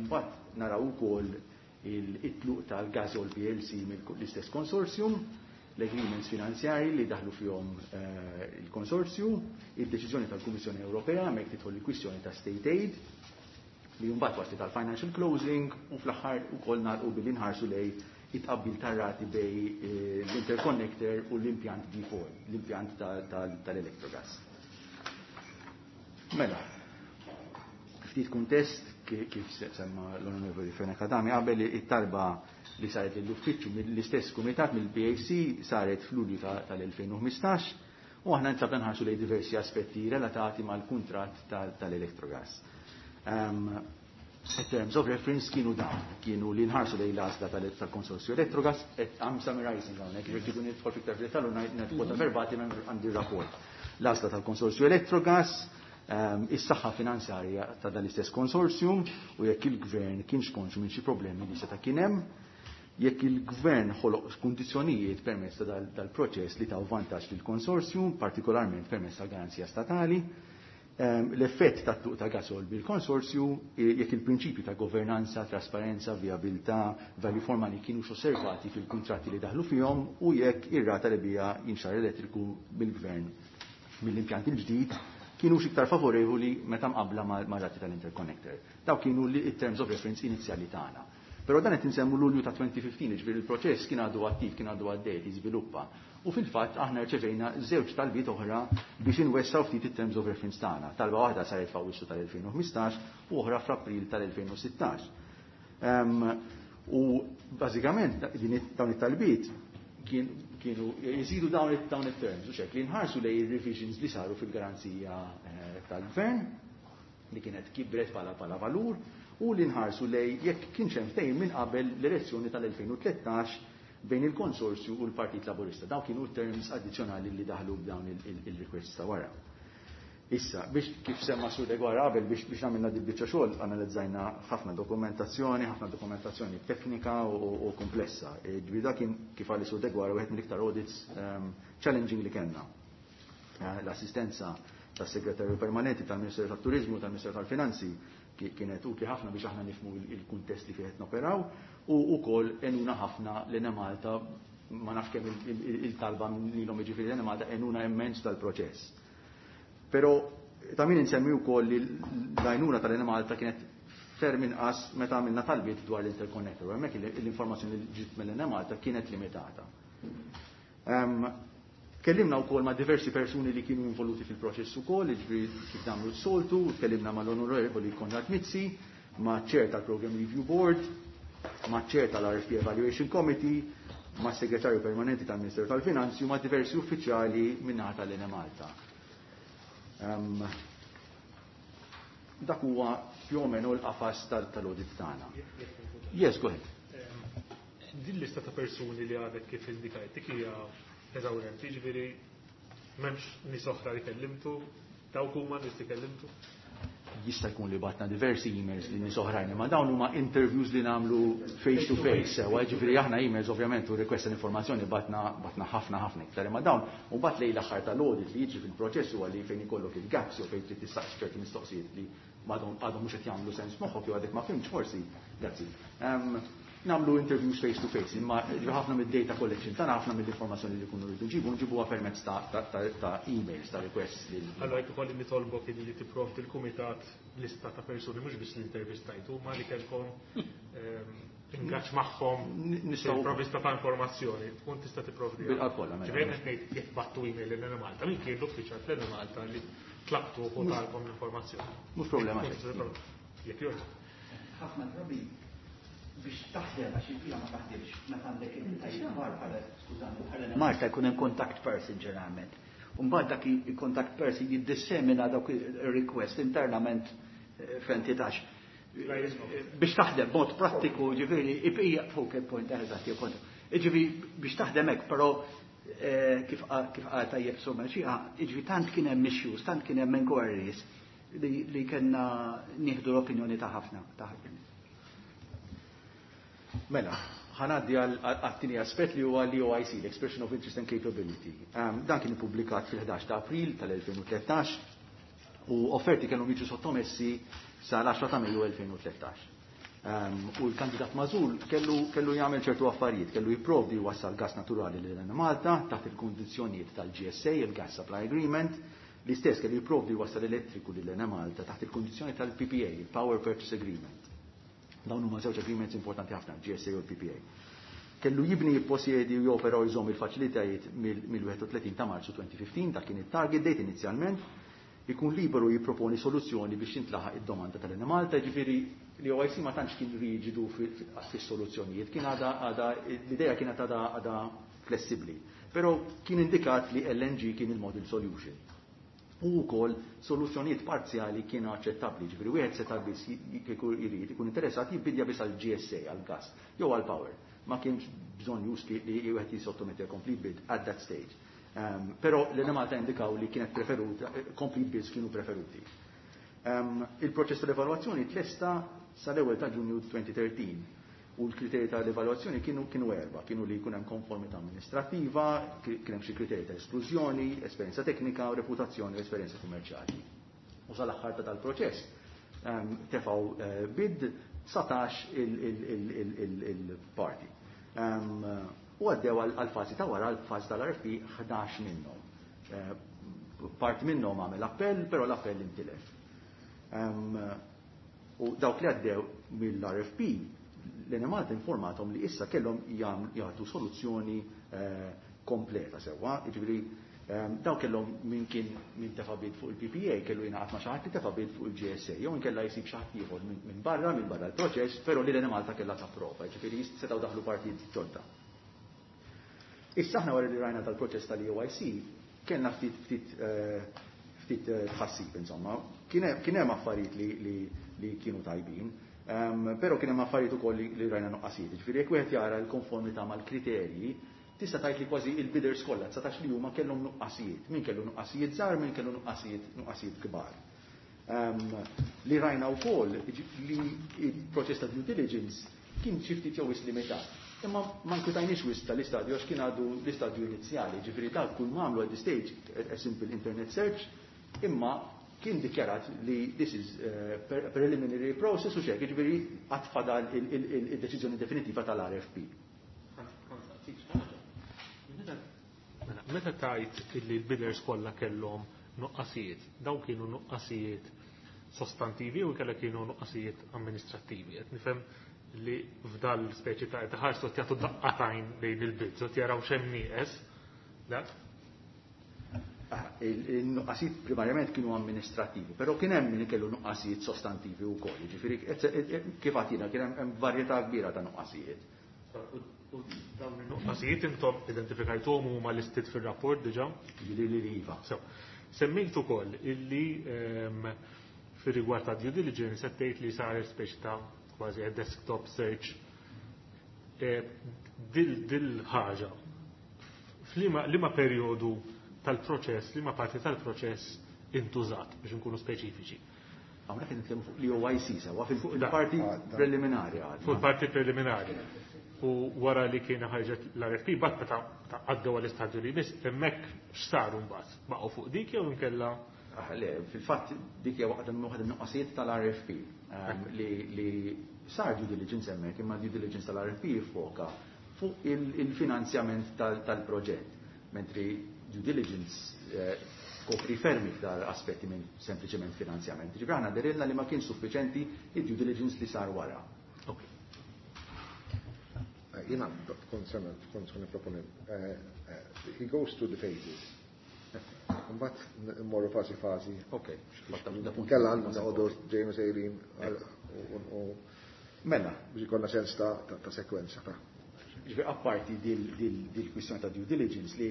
mbagħad naraw ukoll il-tluq tal-Gasol P L C mill-istess konsorzjum, l-agreements finanzjari li daħlu fihom eh, il-konsorzju, il-deċiżjoni tal-Kummissjoni Ewropea mek tidħol il-kwistjoni ta' state aid, li mbagħad waslet tal-financial closing, u fl-aħħar ukoll nagħlqu billi nħarsu lejn it-tqabbil tar-rati bejn eh, l-interconnector u l-impjant D four, l-impjant tal-Electrogas. Mela, ftit kuntest, kif semma l-Onorevoli Fenech Adami qabel, it-talba li saret l-uffiċċju mill-istess kumitat mill-P A C saret f'Lulju tal-elfejn u ħmistax u aħna ntlabna nħarsu lejn diversi aspetti relatati mal-kuntratt tal-Electrogas. Um, terms of reference kienu dawn, kienu li nħarsu lejn l-għażla tal-konsorzju Electrogas, et I'm summarizing hawnhekk, jekk tridu nidħol fiktar f'dettall u ngħid verbatim għandi rapport. L-għażla tal-konsorzju Electrogas, um, is-saħħa finanzjarja ta' dan l-istess konsorzjum u jekk il-gvern kienx konxu minn xi problemi li seta' kien hemm, jekk il-gvern ħoloq kundizzjonijiet permezz ta' dal-proċess li taw vantaġġ lill-konsorzjum, partikolarment permezz ta' garanzija statali, l-effett ta' tluq ta' Gasol bil-konsorzju, jekk il-prinċipju ta' governanza, trasparenza, viabilità, value for money kienu osservati fil-kontratti li daħlu fihom u jekk ir-rata li bija jinxar elettriku bil-gvern mill-impjant il-ġdid kienu iktar favorevoli meta mqabla ma' rati tal-interconnector. Daw kienu li terms of reference inizjali tagħna. Però dan qed insemmu Lulju ta' elfejn u ħmistax, ġifieri il-proċess kien għadu attiv, kien għadu għaddej, jiżviluppa. U fil-fatt aħna rċevejna żewġ talbiet oħra biex inwessaw ftit it-terms of reference tagħna. Talba waħda saret f'Awwissu tal-elfejn u ħmistax u oħra f'April tal-elfejn u sittax. Um, u bażikament dawn it-talbiet kienu jżidu dawn it-terms, u ċek li nħarsu lejn il-revisions li saru fil-garanzija eh, tal-gvern li kienet kibret bħala bħala valur u li nħarsu lejn jekk kienx hemm ftehim minn qabel l-elezzjoni tal-elfejn u tlettax bejn il-konsorzju u l-Partit Laburista. Daw kienu terms addizzjonali li daħlu b'dawn il-requests ta' wara. Issa, biex kif semma Sur Deguara qabel, biex biex għamilna di biċċa xogħol, analizzajna ħafna dokumentazzjoni, ħafna dokumentazzjoni teknika u, u komplessa. Ġifieri dak kien, kif qal Sur Deguara, wieħed mill-iktar audits um, challenging li kellna. Eh, l-assistenza tas-segretarju permanenti tal-Ministeru tat-Turizmu, tal-Ministeru tal-Finanzi kienet utli ħafna biex aħna nifhmu il-kuntest li fih noperaw u wkoll għenuna ħafna l-Enemalta, ma nafx kemm il-talba lilhom, jiġifieri l-Enemalta għenuna immens tal-proċess. Però ta' min insemmi wkoll li l-għajnuna tal-Enemalta kienet ferm inqas meta għamilna talbiet dwar l-interconnector, u hemmhekk l-informazzjoni li ġiet mill-Enemalta kienet limitata. Kellimna wkoll ma' diversi persuni li kienu involuti fil-proċess ukoll, jiġifieri kif nagħmlu s-soltu, kellimna mal-Onorevoli Konrad Mizzi, ma' chair tal-Program Review Board, ma' chair tal-R F P Evaluation Committee, ma' segretarju permanenti tal-Ministeru tal-Finanzi u ma' diversi uffiċjali min-naħa tal-Enemalta. Um, dak huwa più o meno l-qafas tal-audit tagħna. Yes, go ahead. Din lista ta' persuni li għadek kif indikajt, dik hija eżawrenti, ġifieri M'hemmx nies oħra li kellimtu, dawk huma nies li kellimtu? Jista' jkun li bgħatna diversi emails lil nies oħrajn, imma dawn huma interviews li nagħmlu face to face, sewa, ġifieri aħna emails ovvjament u request informazzjoni bgħatna bgħatna ħafna ħafna iktar, imma dawn u mbagħad lejn l-aħħar tal-audit li jiġi fil-proċess huwa li fejn ikollok il-gaps jew fejn trid tistaqsi ċerti mistoqsijiet li m'għadhom għadhom mhux qed jagħmlu sens moħħok jew għadek ma fhimtx forsi, grazzi. Nagħmlu interviews face to face, imma ħafna mid-data collection tagħna, ħafna mill-informazzjoni li kunu rridu nġibu, nġibuha permezz ta', ta, ta, ta emails, ta' requests. Lil Allora jekk ikolli nitolbok li tipprovdi l-kumitat lista ta' persuni mhux biss li intervistajtu, ma li kellkom ingaġġ magħhom Nistgħu provvista ta' informazzjoni, tkun tista' tipprovdi. Bil-qalb kollha, mela. Ġifieri qed ngħid jekk bgħattu email lil Malta, min kien l-uffiċjal fl Malta li tlabtu u talkom l-informazzjoni? Mhux problema. Jekk jogħġbok. Ħafna drabi biex taħdem, għax il-fila ma taħdimx, meta għandek il-tajjeb bħala, skużani, bħala Malta jkun hemm contact person ġeneralment. Mbagħad dak il-contact person jiddissemina dawk il-request internament f'entità. Biex taħdem mod prattiku, ġifieri, hija focal point, eżatt, jew kont. Ġifieri biex taħdem hekk, però kif kif qal tajjeb somma xi ġifieri tant kien hemm issues, tant kien hemm inquiries li, li kellna nieħdu l-opinjoni ta' ħafna, ta' ħafna. Mela, ħa ngħaddi għat-tieni aspett li huwa l-E O I C, l-Expression of Interest and Capability. Um, dan kien ippubblikat fil-ħdax ta' April tal-elfejn u tlettax u offerti kienu jiġu sottomessi sal-għaxra ta' Mejju elfejn u tlettax. Um, u l-kandidat magħżul kellu, kellu jagħmel ċertu affarijiet, kellu jipprovdi wassal gas naturali lil Malta taħt il-kundizzjonijiet tal-G S A, il-Gas Supply Agreement, l-istess kellu jipprovdi wassal elettriku lil Malta taħt il-kundizzjoni tal-P P A, il-Power Purchase Agreement. Dawn huma żewġ agreements importanti ħafna, G S A u l-P P A. Kellu jibni, jipposjedi u jopera u jżomm il-faċilitajiet mill-wieħed u tletin ta' Marzu elfejn u ħmistax, dak kien it-target date inizjalment, ikun liberu jipproponi soluzzjoni biex jintlaħaq id-domanda tal-Enemalta, ġifieri l-E O I C ma tantx kien riġidu fis-soluzzjonijiet, kien għada għada l-idea kienet għada għada flessibbli. Però kien indikat li L N G kien il-model solution. U wkoll soluzzjonijiet parzjali kienu aċċettabbli, ġifieri wieħed seta' biss kieku jrid ikun interessat jibbidja biss għal G S A, għal gas, jew għal power. Ma kienx bżonn juski li wieħed jisottometti complete bid at that stage. Um, però l-Enemalta indikaw li kienet preferuta, complete bids kienu preferuti. Um, il-proċess tal-evalwazzjoni tlesta sal-ewwel ta' Ġunju elfejn u tlettax u l-kriterji tal-evalwazzjoni kienu kienu erba, kienu li jkun hemm konformità amministrattiva, kien hemm xi kriterji ta' esklużjoni, esperjenza teknika, reputazzjoni u esperjenza kummerċjali. U sal-aħħar ta' tal-proċess um, tefgħu uh, bid dsatax il-parti. Um, u għaddew għal-fazi ta' wara, għal-fazi tal-R F P, ħdax minnhom. Uh, part minnhom għamel appell, però l-appell intilef. Um, u dawk li għaddew mill-R F P, l-Enemalta informatom li issa kellhom jagħtu soluzzjoni eh, kompleta sewwa, jiġifieri eh, daw kellhom min kien min tefa' bid fuq il-P P A kellu jingħaqad ma' xi ħadd li tefa' bid fuq il-G S A, jew inkella jsib xi ħadd ieħor minn barra minn barra l-proċess, però li l-Enemalta kellha tapprova, jiġifieri setgħu daħlu partijiet ġodda. Issa aħna wara li rajna tal-proċess tal-E O I C kellna ftit ftit eh, ftit tħassib insomma. Kien hemm affarijiet li, li, li kienu tajbin. Um, però kien hemm affarijiet ukoll li, li rajna nuqqasijiet. Ġifieri jekk wieħed jara l-konformità mal-kriterji, tista' tgħid li kważi il-bidders kollha dsatax li huma kellhom nuqqasijiet. Min kellu nuqqasijiet żgħar, min kellu nuqqasijiet nuqqasijiet kbar. Um, li rajna wkoll li il-proċess ta' due diligence kien xi ftit jew limitat. Imma ma nkwitajniex wisq tal-istadju għax kien għadu l-istadju inizjali, ġifieri dak kull m'għamlu at this stage a simple internet search, imma kien dikjarat li this is uh, preliminary process u xek, ġifieri għad fadal il-deċiżjoni definitiva tal-R F P. Meta tajt illi l-bidders kollha kellhom nuqqasijiet, dawn kienu nuqqasijiet sostantivi u kellha kienu nuqqasijiet amministrattivi? Qed nifhem li f'dal speċi ta' ħarsu jagħtu daqqa t'għajn lejn il-bids, jaraw x'hemm nieqes. Il-nuqqasijiet primarjament kienu amministrativi, però kien hemm min kellu nuqqasijiet sostantivi wkoll. Ġifieri kif għatina kien hemm varjetà kbira ta' nuqqasijiet. U dawn il-nuqqasijiet intom identifikajtuhom, huma listed fir-rapport diġà? Li li iva. So, semmejt ukoll illi fir-rigward ta' due diligence qed tgħid li sar speċi ta' kważi a desktop search. Dil dil ħaġa f'liema liema perjodu tal-proċess, liema parti tal-proċess intużat biex nkunu speċifiċi. Hawnhekk qed nitkellmu fuq l-E O I C sewwa, fuq il-parti preliminari għadna. Fuq il-parti preliminari. U wara li kien ħarġet l-R F P, bat meta għaddew għall-istadju li jmiss, hemmhekk x'saru mbagħad? Baqgħu fuq dik jew inkella? Ah, le, fil-fatt dik hija waħda waħda min-nuqqasijiet tal-R F P ehm, li li sar due diligence hemmhekk, imma due diligence tal-R F P jiffoka fuq il-finanzjament tal-proġett, mentri due diligence eh, tkopri ferm iktar aspetti minn sempliċement finanzjament. Ġifieri aħna dehrilna li ma kien suffiċenti id-due diligence li sar wara. Ok. Eh, Jiena kont se kont se nipproponi, eh, eh, he goes through the phases. Mbagħad mmorru fażi fażi. Ok. Kella għandna noqogħdu ġejnu sejrin u Mela, biex ikollna sens ta' ta' sekwenza ta' Ġifieri apparti dil-kwistjoni ta' due diligence li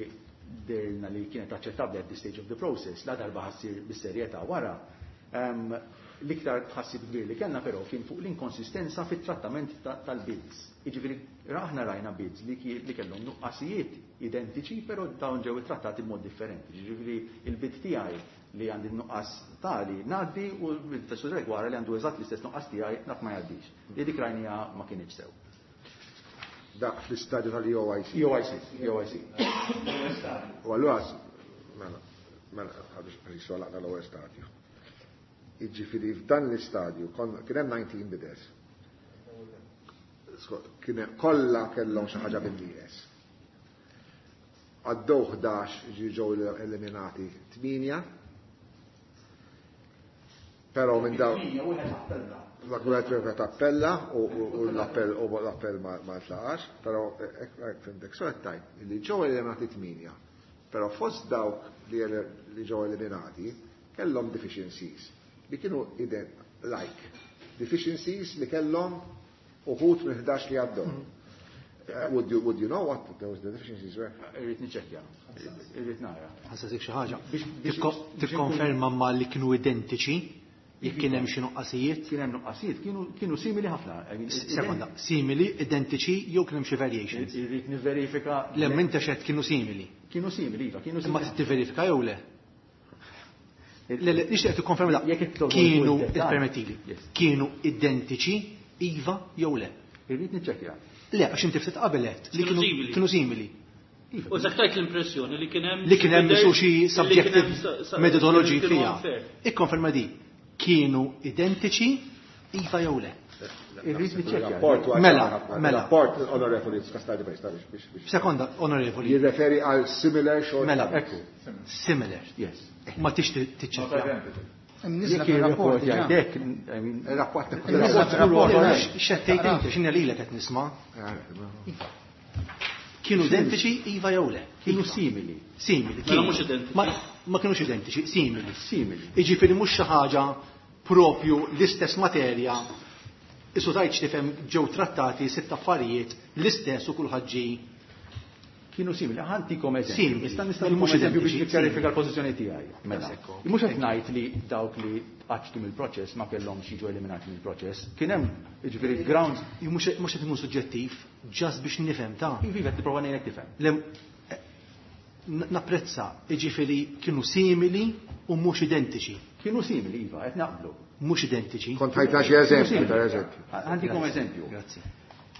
dehrilna li kienet aċċettabbli at this stage of the process, la darba ħa ssir bis-serjetà wara, ehm, l-iktar tħassib kbir li kellna però kien fuq l-inkonsistenza fit-trattament tal-bids. Jiġifieri aħna rajna bids li li kellhom nuqqasijiet identiċi, però dawn ġew ittrattati b'mod differenti. Jiġifieri il-bid tiegħi li għandi nuqqas tali ngħaddi u l-bid ta' wara li għandu eżatt l-istess nuqqas tiegħi dak ma jgħaddix. Li dik rajnija ma kienx sew. Dak fl-istadju tal-E O I C. E O I C, E O I C. U allura, mela, mela, għabiex għalix għalaqna l-ewwel stadju. Jiġifieri f'dan l-istadju kien hemm disa' bidders. Kien kollha kellhom xi ħaġa bin-nieqes. Għaddew ħdax, ġew eliminati tmienja. Però minn dawn Dak wieħed wieħed appella u l-appell u l-appell ma ntlaqax, però hekk fhimtek so tajt li ġew eliminati tmienja. Però fost dawk li ġew eliminati kellhom deficiencies li kienu like deficiencies li kellhom uħud minn ħdax li għaddew. Uh, would you would you know what those deficiencies were? Irrid niċċekkja. Irrid nara. Ħa nsaqsik xi ħaġa. Tikkonferma ma li kienu identiċi jekk kien hemm xi nuqqasijiet? Kien hemm nuqqasijiet, kienu kienu simili ħafna. Sekonda, simili, identiċi jew kien hemm xi variations? Irrid nivverifika. Le, m'inta xed kienu simili. Kienu simili, iva, kienu simili. Imma tivverifika jew le? Le, le, nixtieq tikkonferma da. Kienu, ippermettili, kienu identiċi, iva jew le? Irrid niċċekkja. Le, għax inti ftit qabel għedt li kienu simili. U tajt l-impressjoni li kien hemm li kien hemm xi subjective methodology fiha. Ikkonferma di. Kienu identiċi, iva jew le? Irrid niċċekkja. Mela, mela. Rapport, onorevoli Castaldi, biex. Sekonda, onorevoli. Jirreferi għal similar short. Mela, similar. Yes. Ma tix tiċċekkja. Jekk il-rapport jgħidek, Il-rapport. X'għedt inti, x'inha lilek qed nisma'? Kienu identiċi, iva jew le? Kienu simili. Simili. Mela mhux identiċi. Ma kienux identiċi, simili. Simili. Jiġifieri mhux xi ħaġa propju l-istess materja. Isu tajt tifhem ġew trattati sitt affarijiet l-istess u kulħadd ġie Kienu simili. Ħa ntikom eżempju. Simili. Nista' nista' Mhux eżempju biex identiċi. nikkjarifika l-pożizzjoni tiegħi. Mela. Sekko. Mhux qed ngħid li dawk li tqaċċtu mill-proċess ma kellhomx jiġu eliminati mill-proċess. Kien hemm, jiġifieri, grounds. Mhux mhux qed ikun suġġettiv, just biex nifhem ta' Iva, qed nipprova ngħidlek tifhem. Le, napprezza, jiġifieri kienu simili u mhux identiċi. Kienu simili, iva, qed naqblu. Mhux identiċi. Kont ħajta xi eżempju, per eżempju. Ħa ntikom eżempju. Grazzi.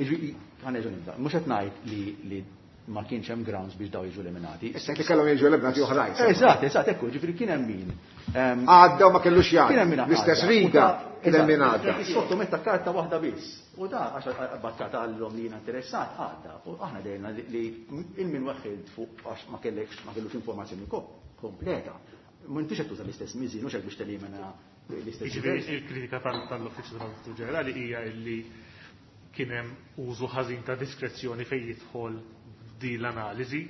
Jiġifieri, ħa nerġa' nibda. Mhux qed ngħid li li ma kienx hemm grounds biex daw jiġu eliminati. Issa li kellhom jiġu eliminati oħrajn. Eżatt, eżatt, ekku, ġifieri kien hemm min. Għadda u ma kellux Kien hemm min jgħaddi. L-istess riga kien hemm min għadda. Sottometta karta waħda biss. U da għax bat karta għallhom li jiena interessat għadda. U aħna dehrilna li il-min weħħilt fuq għax ma kellekx ma kellux informazzjoni kompleta. M'intix qed tuża l-istess miżin, mhux hekk biex telimina l-istess. Jiġifieri il-kritika tal-Uffiċċju tal-Awditur Ġenerali hija li kien hemm użu ħażin ta' diskrezzjoni fejn jidħol di l-analiżi,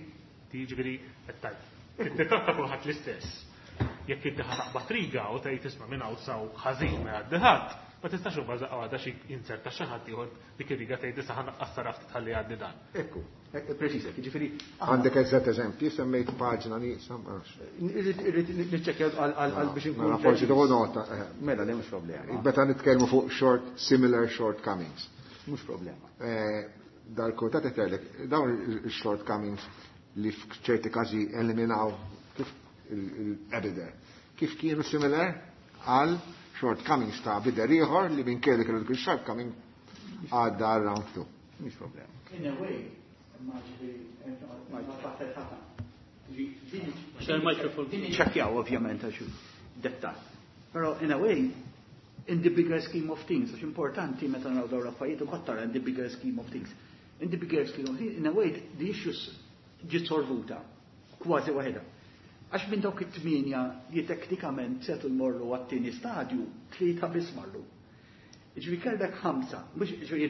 jiġifieri qed tgħid. Titratta kulħadd l-istess. Jekk inti ħa taqbad riga u tgħid, "Isma', minn hawn saw ħażin ma jgħaddi ħadd," ma tistax imbagħad għadha xi inserta xi ħadd ieħor dik ir-riga tgħid, "Issa ħa naqqas ftit ħalli jgħaddi dan." Ekku, preċiż, jiġifieri. Għandek eżatt eżempji, semmejt paġna nieqsa, ma nafx. Irrid niċċekkja għal biex inkun. Mela forsi tieħu nota. eh. Mela, le, mhux problema. Meta nitkellmu fuq short, similar shortcomings. Mhux problema. Eh, Dal-kumitat qed jgħidlek dawn il-shortcomings li f'ċerti każi eliminaw Kif il-bidder, kif kienu similar għal shortcomings ta' bidder ieħor li minn kelli kellu dik il-shortcoming għadda għal round two. Mhix problema. In a way, ma ġifieri, ma tfaħħel ħafna. Din ċekkjaw ovvjament għax dettal. Però in a way, in the bigger scheme of things, għax importanti meta naraw dawn l-affarijiet ukoll tara in the bigger scheme of things. In the bigger scheme of things, in a way, the issues ġiet solvuta kważi waħedha. Għax minn dawk it-tmienja li teknikament setu jmorru għat-tieni stadju, tlieta biss marru. Ġifieri kellek ħamsa, mhux ġifieri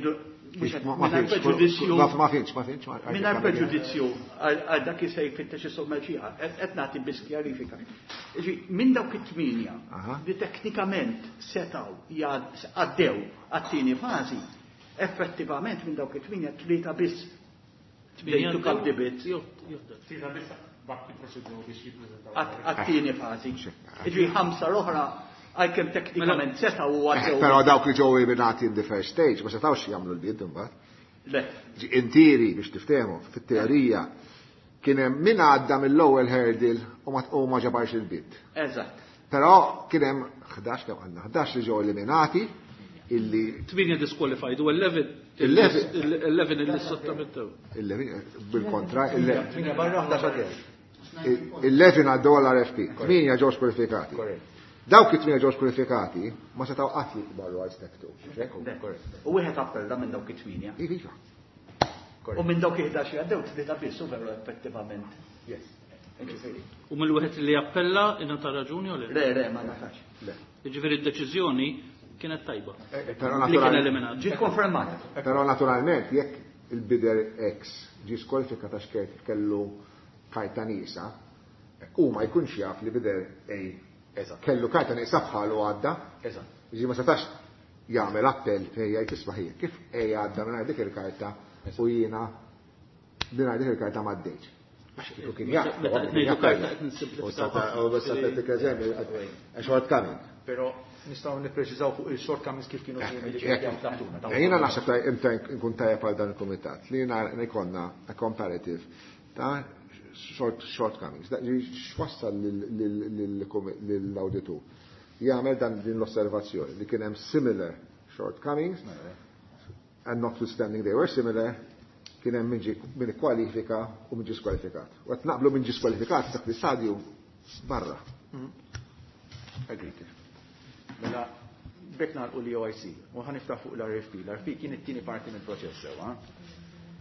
mingħajr preġudizzju. Ma finx, ma finx. Mingħajr preġudizzju għal dak li se jfittex is-sommerġija, qed nagħti biss kjarifika. Ġifieri minn dawk it-tmienja li teknikament setgħu għaddew għat-tieni fażi, effettivament minn dawk it-tmienja tlieta biss. They took up the bid. Tlieta biss bak il-proċedura biex jippreżentaw. Għat-tieni fażi. Ġifieri ħamsa l-oħra għalkemm teknikament setgħu u għaddew. Però dawk li ġew eliminati in the first stage ma setgħux jagħmlu l-bid imbagħad. Le. Intiri biex tiftehmu fit-teorija kien hemm min għadda mill-ewwel hurdle u ma ġabarx il-bid. Eżatt. Però kien hemm ħdax kemm għandna ħdax li ġew eliminati illi Tmienja disqualified u eleven eleven illi sottomettew. Eleven bil-kontra Tmienja barra ħdax għaddew. Eleven għaddew għal R F P, tmienja ġew skwalifikati. Dawk it-tmienja ġew skwalifikati ma setgħu qatt jikbarru għal step two. U wieħed appella minn dawk it-tmienja. Iva. U minn dawk il-ħdax li għaddew tlieta biss u veru effettivament. Yes. U mill-wieħed li appella ingħata raġuni u le? Le, le, ma nafx. Le. Jiġifieri d-deċiżjoni kienet tajba. Però Li kien eliminat. Ġiet konfermata. Però naturalment jekk il-bidder X ġie skwalifikat għax kellu karta nieqsa, u ma jkunx jaf li bidder A kellu karta nieqsa bħalu għadda. Eżatt. Ġi ma setax jagħmel appell fejn jgħid isma' ħija, kif A għadda mingħajr dik il-karta u jiena mingħajr dik il-karta ma għaddejtx. Għax kieku kien jaf, Meta kien qed ngħidu jaf. karta qed nsimplifikaw U seta' ħafna. u seta' dik eżempju, a shortcoming. Però nistgħu nippreċiżaw fuq il-shortcomings kif kienu kienu li Jekk- taħtuna. Jiena naħseb ta' imta nkun tajjeb għal dan il-kumitat li jiena jkollna a comparative ta' short, shortcomings. Da, x'wassal lill-awditur jagħmel dan din l-osservazzjoni li kien hemm similar shortcomings and notwithstanding they were similar kien hemm min ġie min ikkwalifika u min ġie skwalifikat. U qed naqblu min ġie skwalifikat dak l-istadju barra. Agreed. Mela, bekk nagħlqu l-E O I C u ħa niftaħ fuq l-R F P. L-R F P kien it-tieni parti mill-proċess sewwa.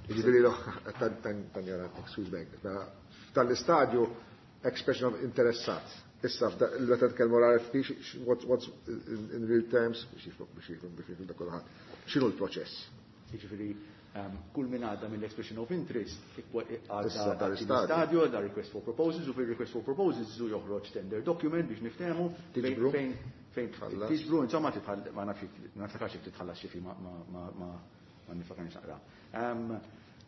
Jiġifieri l tanjora, excuse me, tal-istadju expression of interessat. Issa, meta tkellmu l-R F P, what's, what's in, in real terms, biex jifhmu, biex jifhmu, biex jifhmu dak kulħadd. X'inhu l-proċess? Jiġifieri, ehm, kull min għadda mill-expression of interest, ikwa-, għadda Issa għadda dal-istadju. stadju, għadda request for proposals, u fil-request for proposals zu joħroġ tender document biex niftehmu fejn Tiġbru? fejn fejn Tħallas. tiġbru, insomma, titħall-, ma nafx, ma niftakarx jekk titħallas xi fi, ma, ma, ma, ma, ma nifakarx naqra. Ehm,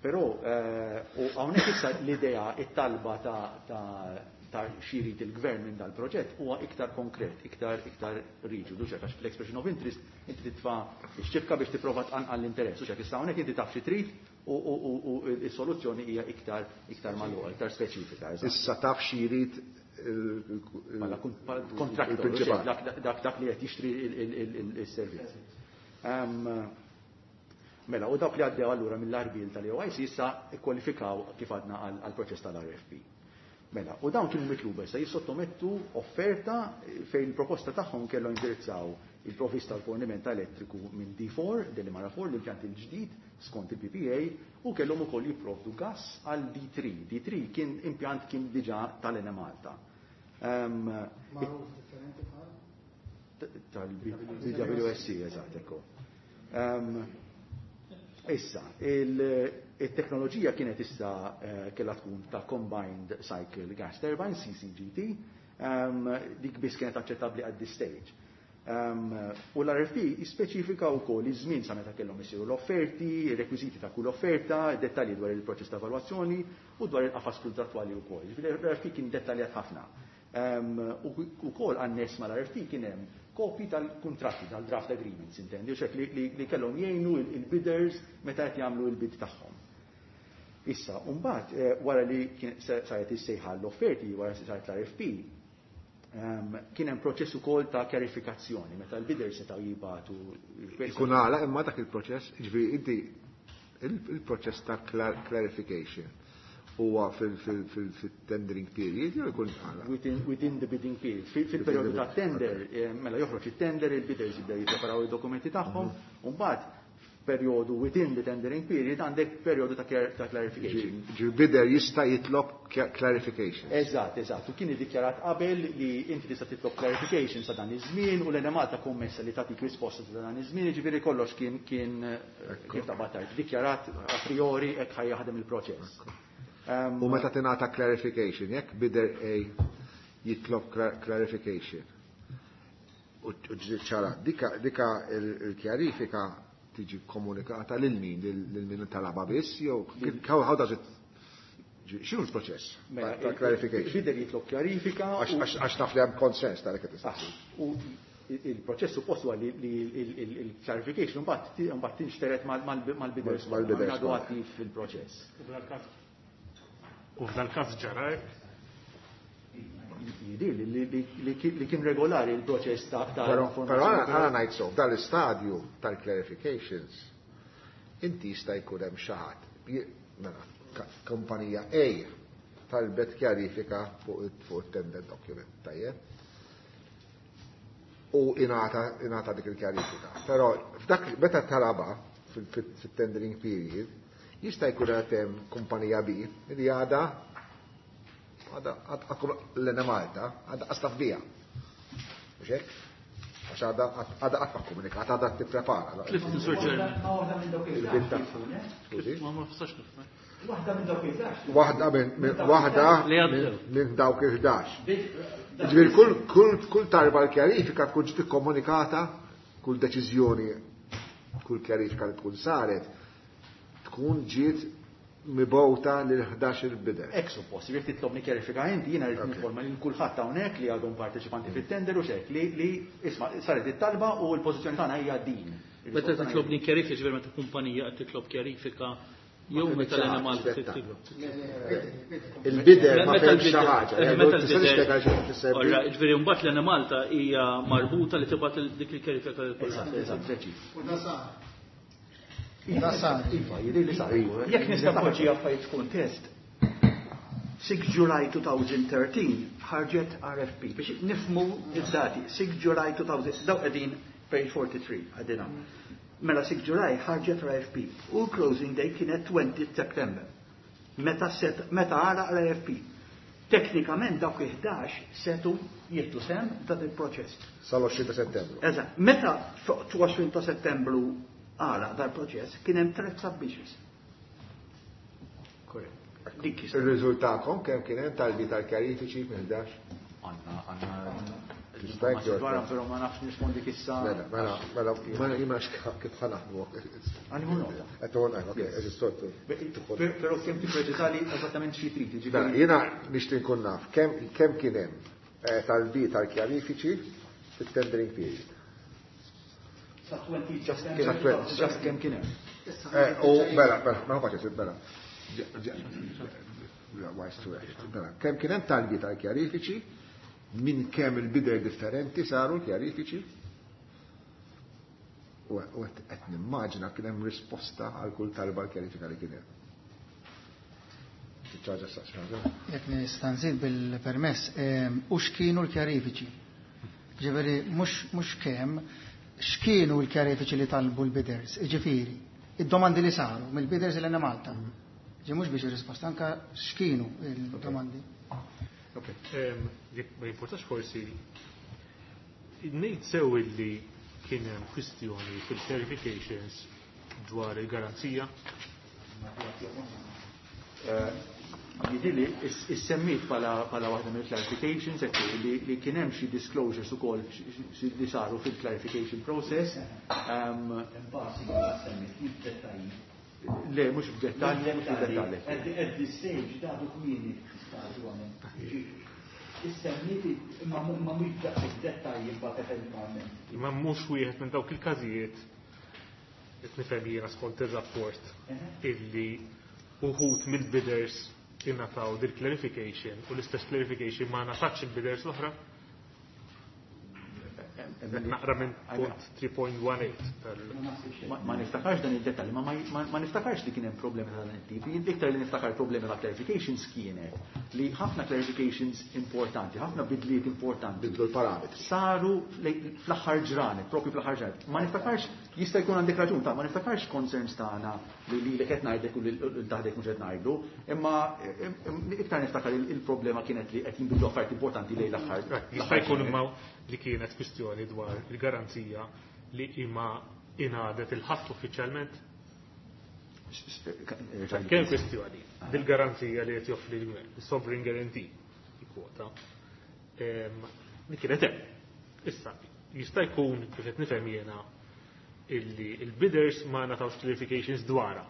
però, eh, u hawnhekk issa l-idea, it-talba ta', ta', ta' xi jrid il-gvern minn dal-proġett huwa iktar konkret, iktar, iktar riġidu, ċek, għax fl-expression of interest inti titfa' x-ċibka biex tipprova tqanqal l-interess, u ċek issa hawnhekk inti taf xi trid u, u, u, u s-soluzzjoni hija iktar, iktar magħluqa, iktar speċifika. Eżatt. Issa taf xi jrid il-, il-, Bħala kun-, bħala kontraktor, il-prinċipal. dak, dak, dak, dak li qed jixtri il-, il-, il-, il-, il-servizz. Ehm, mela, u dawk li għaddew allura mill-arbil tal-E O I C issa ikkwalifikaw kif għadna għal, għal proċess tal-R F P. Mela, u dawn kienu mitluba issa jissottomettu offerta fejn il-proposta tagħhom kellhom jindirizzaw il-provvista tal-forniment elettriku minn D four, Delimara four, l-impjant il-ġdid skont il-P P A, u kellhom ukoll jipprovdu gas għal D three. D three kien impjant kien diġà tal-Enemalta. Ehm, Magħruf differenti bħal? Tal-B W S C, eżatt, ekku. Ehm, issa, il-, il-teknoloġija kienet issa, eh, kellha tkun ta' Combined Cycle Gas Turbine, C C G T, ehm, dik biss kienet aċċettabbli at this stage. Ehm, u l-R F P jispeċifika wkoll iż-żmien sa meta kellhom isiru l-offerti, ir-rekwiżiti ta' kull offerta, dettalji dwar il-proċess ta' evalwazzjoni u dwar il-qafas kontrattwali wkoll. Jiġifieri l-R F P kien dettaljat ħafna. Ehm, u wkoll annes mal-R F P kien hemm kopji tal-kuntratti, tal-draft agreements, intendi, u xek li, li, li kellhom jgħinu il-, il-bidders meta qed jagħmlu l-bid tagħhom. Issa, mbagħad eh, wara li saret is-sejħa l-offerti, wara saret l-R F P, ehm, kien hemm proċess ukoll ta' kjarifikazzjoni meta l-bidder setgħu jibagħtu. Ikun għala imma dak il-proċess, ġifieri inti il-proċess ta' clarification huwa fil-tendering period jew ikun għala? Within the bidding period. Fil-periodu ta' tender, eh, mela joħroġ it-tender, il-bidders jibdew jippreparaw id-dokumenti tagħhom, u mbagħad periodu within the tendering period għandek periodu ta' clarification. Ġi bidder jista' jitlob clarification. Eżatt, eżatt. U kien iddikjarat qabel li inti tista' titlob clarification sa dan iż-żmien u l-Enemalta kommessa li tagħtik risposta sa dan iż-żmien, jiġifieri kollox kien kien kif ta' tgħid, dikjarat a priori hekk ħa jaħdem il-proċess. U meta tingħata clarification, jekk bidder A jitlob clarification. U ċara, dika il-kjarifika tiġi komunikata lil min, lil min talaba biss, jew how does it, x'inhu l-proċess mela, ta' clarification? Bidder jitlob kjarifika. Għax naf li hemm konsens tal qed. U il-proċess suppost huwa li il-clarification mbagħad tinxteret mal-bidders. Mal-bidders. Għadu attiv fil-proċess. U f'dal-każ ġara hekk? Jidir li kien regolari il-proċess ta' Però għana ngħid so, dal-istadju tal-clarifications, inti jista' jkun hemm xi ħadd, mela, kumpanija A talbet kjarifika fuq it-tender document, tajjeb? U ingħata dik il-kjarifika. Però f'dak meta talaba fil-tendering period, jista' jkun hemm kumpanija B li għada għada l-Enemalta, għada qas taf biha. Mhux hekk? Għax għada għada qatt ma komunikat, għada tipprepara. Tlift, Sur Chairman. Waħda minn dawk Il-bidda. il Ma ma nistax nifhem. Waħda minn dawk il-ħdax. Waħda minn waħda Li għaddew. minn dawk il-ħdax. Ġifieri kull kull kull tarba l-kjarifika tkun ġiet ikkomunikata, kull deċiżjoni, kull kjarifika li tkun saret, tkun ġiet mibgħuta lil ħdax il-bidder. Hekk suppost, jekk titlobni kjarifika inti, jiena rrid ninforma lil kulħadd hawnhekk li għadhom parteċipanti fit-tender u xek li li isma' saret it-talba u l-pożizzjoni tagħna hija din. Meta titlobni kjarifika, ġifieri meta kumpanija qed titlob kjarifika jew meta l-Enemalta titlob. Il-bidder ma Meta fehmx xi l-bidder- ħaġa. eh, meta Tista' l-bidder- tispjega xi tfisser Ora, ġifieri mbagħad l-Enemalta hija marbuta li tibgħat dik il-kjarifika lil kulħadd. Eżatt, preċiż. U da sar. Da sar. Iva, jidher li sar. Jekk nista' poġġi affarijiet f'kuntest, sitta July elfejn u tlettax ħarġet R F P biex nifmu id-dati. sitta July elfejn, daw qegħdin page forty-three għadina. Mela sitta July ħarġet R F P u l-closing day kienet għoxrin September. Meta set meta għala R F P. Teknikament dawk il-ħdax setgħu jieħdu sehem dan il-proċess. Sal-għoxrin ta' Settembru. Eżatt, meta fuq għoxrin ta' Settembru għala dal-proċess kien hemm tliet submissions. Korrett. Dik is- Il-riżultakom kemm kien hemm talbi tal-kjarifiċi minn ħdax? Għanna, għanna. Tista' jgħid. Dwar, però ma nafx nispondi issa. Mela, mela, mela, mela, jima kif ħa naħdmu. Għandi nota. Qed ok, eżi soltu. Però kemm tippreċiżali eżattament xi trid, Mela, jiġifieri. jiena nixtieq nkun naf kemm kemm kien hemm eh, talbi tal-kjarifiċi fit-tendering period. Sa għoxrin Just Sa kemm just kemm kien hemm. Eh, U mela, mela, ma faċi, mela. Mela, kemm kien hemm talbi tal-kjarifiċi, minn kemm il-bidder differenti saru l-kjarifiċi? U u qed nimmaġina kien hemm risposta għal kull talba l-kjarifika li kien hemm. Ċaġa sa ċaġa. Jekk nista' nżid bil-permess, em, u x'kienu l-kjarifiċi? Ġifieri mhux mhux kemm, x'kienu l-kjarifiċi li talbu l-bidders? Ġifieri, id-domandi li saru mill-bidders il Malta. Ġi mhux biex ir-risposta, anka x'kienu il-domandi. Ok, Em, jekk ma jimportax forsi, ngħid sew illi kien hemm kwistjoni fil-clarifications dwar il-garanzija? Jidhirli issemmit bħala bħala waħda mill clarifications, ekku, li, li kien hemm xi disclosures ukoll xi- li saru fil-clarification process. Um, le, mhux f'dettalji, mhux f'dettalji. At at this stage, dadu kmieni stadu għamel. Issemmit ma ma mhux daqshekk dettalji mbagħad eventwalment. Imma mhux wieħed minn dawk il-każijiet, qed nifhem jiena skont ir-rapport, illi uħud mill-bidders ingħataw dil clarification u l-istess clarification ma ngħatatx il-bidders l-oħra? Naqra minn punt three point one eight tal- Ma niftakarx dan id-dettall, ma, ma, ma niftakarx li kien hemm problemi ta' dan it-tip. Iktar li niftakar problemi ta' clarifications kienet li ħafna clarifications importanti, ħafna bidliet importanti. Bidlu l-parametri. Saru fl-aħħar ġranet, propju fl-aħħar ġranet. Ma niftakarx, jista' jkun għandek raġun ta' ma niftakarx concerns tagħna li lilek qed ngħidlek u lil taħdek mhux qed ngħidu, imma iktar niftakar il-problema kienet li qed jinbidlu affarijiet importanti lejn l-aħħar. Jista' jkun imma li kienet kwistjoni dwar il-garanzija li imma ingħadet il-ħadd uffiċjalment? Kien kwistjoni bil-garanzija li qed joffri l-gvern, il-sovereign guarantee, il-kwota, li kienet hemm. Issa, jista' jkun kif qed nifhem jiena illi il-bidders ma ngħatawx clarifications dwarha.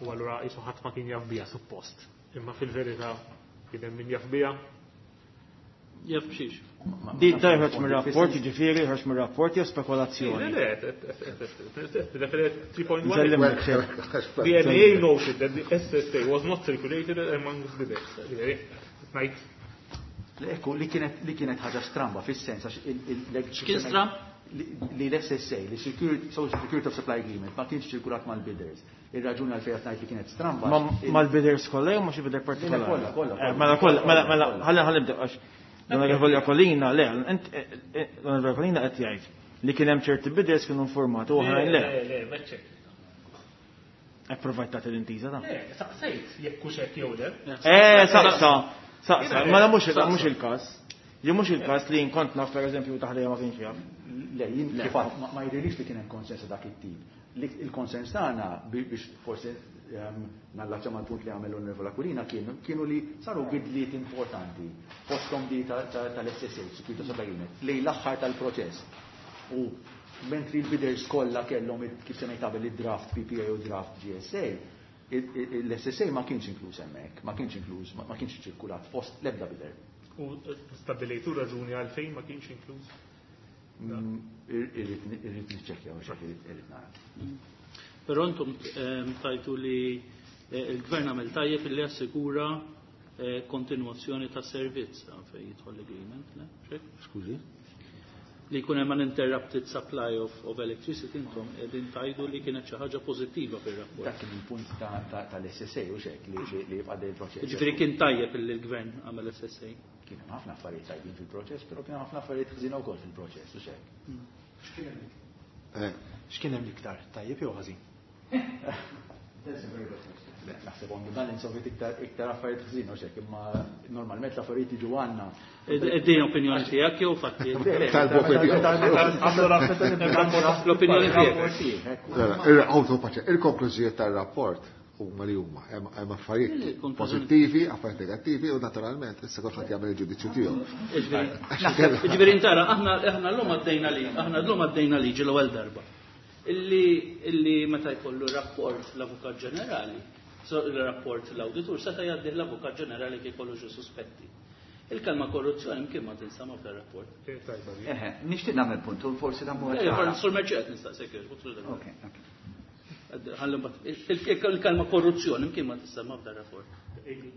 U allura qisu ħadd ma kien jaf biha suppost. Imma fil-verità kien hemm min jaf biha. Jaf b'xiex. Di tajħoġ mir-rapport, jiġifieri ħarġ mir-rapport jew spekulazzjoni. Le, le, le, three point one. The M A A noted that the S S A was not circulated among the bidders. Ngħid. Ekku, li kienet, li kienet ħaġa stramba fis-sens għax il-, il-, il-, X'kien stramb? Li l-S S A, li Security, Social Security of Supply Agreement, ma kienx ċirkulat mal-bidders. Ir-raġuni għalfejn qed ngħid li kienet stramba. Ma-, mal-bidders kollha jew ma xi bidder partikolari? Kollha, kollha, Eh, mela kollha, mela, mela, ħalli, ħalli nibdew għax l-Onorevoli Aquilina, le, int, eh, eh, l-Onorevoli Aquilina qed jgħid li kien hemm ċerti bidders kienu informati u oħrajn le. Le, le, le, ċerti. E provajt tagħti l-intiża ta'. Le, saqsejt jekk hux hekk jew le. Eh, saqsa, saqsa, mela mhux Saqsa. mhux il-każ. Li mhux il-każ li jien kont naf pereżempju taħdejja ma kienx jaf. Le, jien kif għad, ma, ma jidhirlix li kien hemm konsens ta' dak it-tip. Li il-konsens tagħna bi-, biex forsi, ehm, nallaċċa mal-punt li għamel l-Onorevoli Aquilina kienu, kienu li saru bidliet importanti fosthom di ta-, ta-, tal-S S A, Security Supply Agreement, lejn l-aħħar tal-proċess. U mentri l-bidders kollha kellhom it-, kif semmejt qabel id-draft P P A u draft G S A, il-, il-, l-S S A ma kienx inkluż hemmhekk, ma kienx inkluż, ma, ma kienx ċirkulat fost l-ebda bidder. U stabbilejtu raġuni għalfejn ma kienx inkluż? Mm, irrid, irrid niċċekkja u x'hekk irrid, irrid nara. Però intom, ehm, tajtu li, eh, il-gvern għamel tajjeb li assikura, eh, kontinuazzjoni ta' servizz fejn jidħol l-agreement, le? Xek? Skużi? Li jkun hemm uninterrupted supply of, of electricity, intom qegħdin tajdu li kienet xi ħaġa pożittiva fir-rapport. Dak kien il-punt ta', ta', tal-S S A u xek li, li, li jibqa' dej il-proċess. Jiġifieri kien tajjeb li l-gvern għamel S S A. Kien hemm ħafna affarijiet tajbin fil-proċess, però kien hemm ħafna affarijiet ħżiena wkoll fil-proċess u xek. X'kien hemm? Eh. X'kien hemm iktar, tajjeb jew ħażin? That's a very good question. Le, naħseb on the balance of it iktar, iktar affarijiet ħżin, u xek, imma normalment l-affarijiet jiġu għandna. Din opinjoni tiegħek jew fatti? Tal-opinjoni. L-opinjoni tiegħek. Il-konklużijiet tar-rapport huma li huma hemm, hemm affarijiet Il-konklużjoni. pożittivi, affarijiet negattivi u naturalment issa kulħadd jagħmel il-ġudizzju tiegħu. Jiġifieri, jiġifieri intara, aħna, aħna llum għaddejna li, aħna llum għaddejna liġi l-ewwel darba. Illi, illi meta jkollu rapport l-Avukat Ġenerali, so il-rapport l-Awditur seta' jgħaddih l-Avukat Ġenerali kif jkollu xi suspetti. Il-kelma korruzzjoni mkien ma tinsama f'dan rapport. Eħe, nixtieq nagħmel punt u forsi dan huwa Eh, ċara. Sur Merċiet nistaqsek, sur Merċiet. Ok, ok. Ħallu mbagħad, il-, il-, il-kelma korruzzjoni mkien ma tinsama f'dan rapport.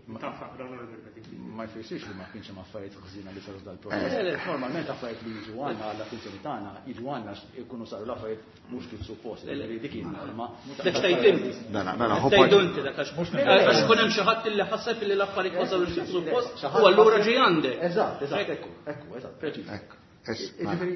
Ma jfissirx li ma kienx hemm affarijiet ħżiena li saru dal-proċess. Le, le. Normalment affarijiet li jiġu għandna għall-attenzjoni tagħna, jiġu għandna jkunu saru l-affarijiet mhux kif suppost, Le, le. li dik hija norma. Dak x'tajt inti. Mela, mela, Dak hu tgħidu point. inti dak għax Mhux għax ikun hemm xi ħadd li ħaseb li l-affarijiet ma sarux kif suppost, u allura ġej għandek. Eżatt, eżatt, ekku, ekku, eżatt, preċiż. Ekku. Es, Jiġifieri,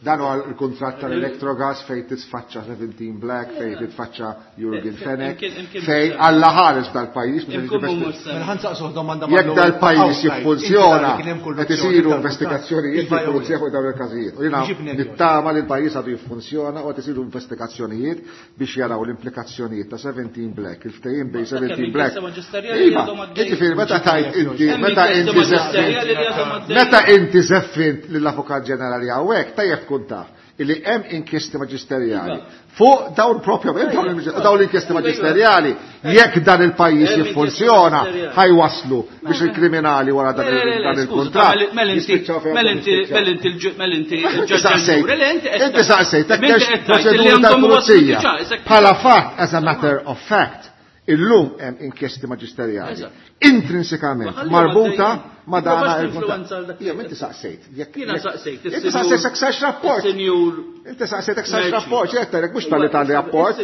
dan huwa l-kuntratt tal-Electrogas fejn tisfaċċa seventeen Black, fejn titfaċċa Jurgen Fenech, fejn Alla ħares dal-pajjiż, meta Imkien tiġi mhux Mela ħa nsaqsuh domanda Jekk mal-ewwel dal-pajjiż outside, jiffunzjona, inti kien hemm qed isiru korruzzjoni investigazzjonijiet Iva jew le. fil-pulizija fuq dawn il-każijiet. U jiena Ġibni għal. nittama li l-pajjiż għadu jiffunzjona u qed isiru investigazzjonijiet biex jaraw l-implikazzjonijiet ta' seventeen Black, il-ftehim bejn Kemm seventeen inkjesta Black. maġisterjali li Iva, għadhom għaddejjin. jiġifieri meta tajt inti, Hemm meta inkjesta inti maġisterjali li żeffint, għadhom għaddejjin. meta inti żeffint lill-Avukat Ġenerali hawnhekk, tajjeb tkun taf illi hemm inkjesti maġisterjali fuq dawn propju, hemm dawn il-, dawn l-inkjesti maġisterjali, jekk dan il-pajjiż Hemm inkjesti jiffunzjona, maġisterjali. ħajwaslu biex il-kriminali wara dan Le, le, le, il-, dan skuża, il-kuntratt mela inti, jispiċċaw fejn mela inti, jispiċċaw. mela inti l-ġu-, mela inti Inti l-ġaġġ saqsejt, ġuri, le, inti qed inti saqsejt, Inti hekk qed tgħid li proċeduri għandhom waslu tal-pulizija. diġà, isek Bħala fatt, as a matter of fact, Illum hemm inkjesti maġisterjali intrinsikament marbuta ma' dana il-kuntratt. Ija, inti saqsejt. Jiena saqsejt. Inti saqsejt jekk sarx rapport. Inti saqsejt jekk sarx rapport, x'qed mhux talli talli rapport,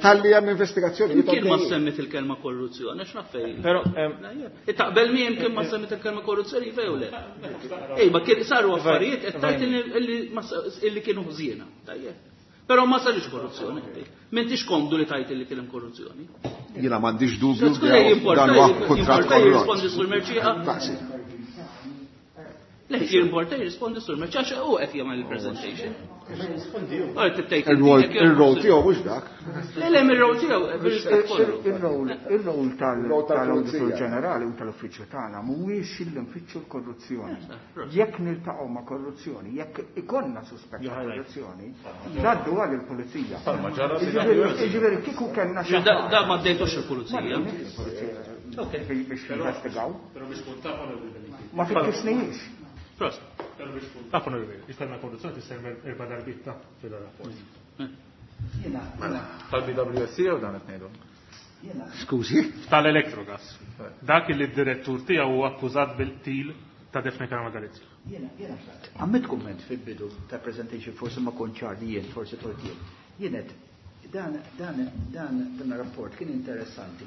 talli hemm investigazzjoni. Kien ma semmit il-kelma korruzzjoni, għax naf fejn. Però taqbel mi kien ma semmit il-kelma korruzzjoni fejn u le. Ej, ma kien saru affarijiet qed tgħid illi kienu ħżiena. Tajjeb. Però ma sarix korruzzjoni. M'intix komdu li tajt li kien hemm korruzzjoni. Jiena m'għandix dubju dan huwa kuntratt korrott. Jirrispondi sur Mercieca. Le, jimporta jirrispondi sur Mercieca għax hu qed jagħmel il-presentation. Il-rol tiegħu mhux dak. Le, le, ir-rol tiegħu. Ir-rol tal-Awditur Ġenerali u tal-Uffiċċju tagħna mhuwiex li nfittxu l-korruzzjoni. Jekk niltaqgħu ma' korruzzjoni, jekk ikollna suspett ta' korruzzjoni, ngħaddu għal il-pulizija. Jiġifieri kieku kellna xi. Da ma ddejtux il-pulizija. Biex jinvestigaw. Ma fittixnihiex. Prost. Taf onorevoli, il-kelma korruzzjoni tissemma erba' darbiet ta' fil-rapport. Tal-B W S C jew dan qed ngħidu? Skużi? Tal-Electrogas. Dak li d-direttur tiegħu huwa akkużat bil-qtil ta' Daphne Caruana Galizia. Jiena, jiena għamilt kumment fil-bidu ta' presentation, forsi ma kontx ċar li jien, forsi tort jien. Jien dan, dan, dan, dan rapport kien interessanti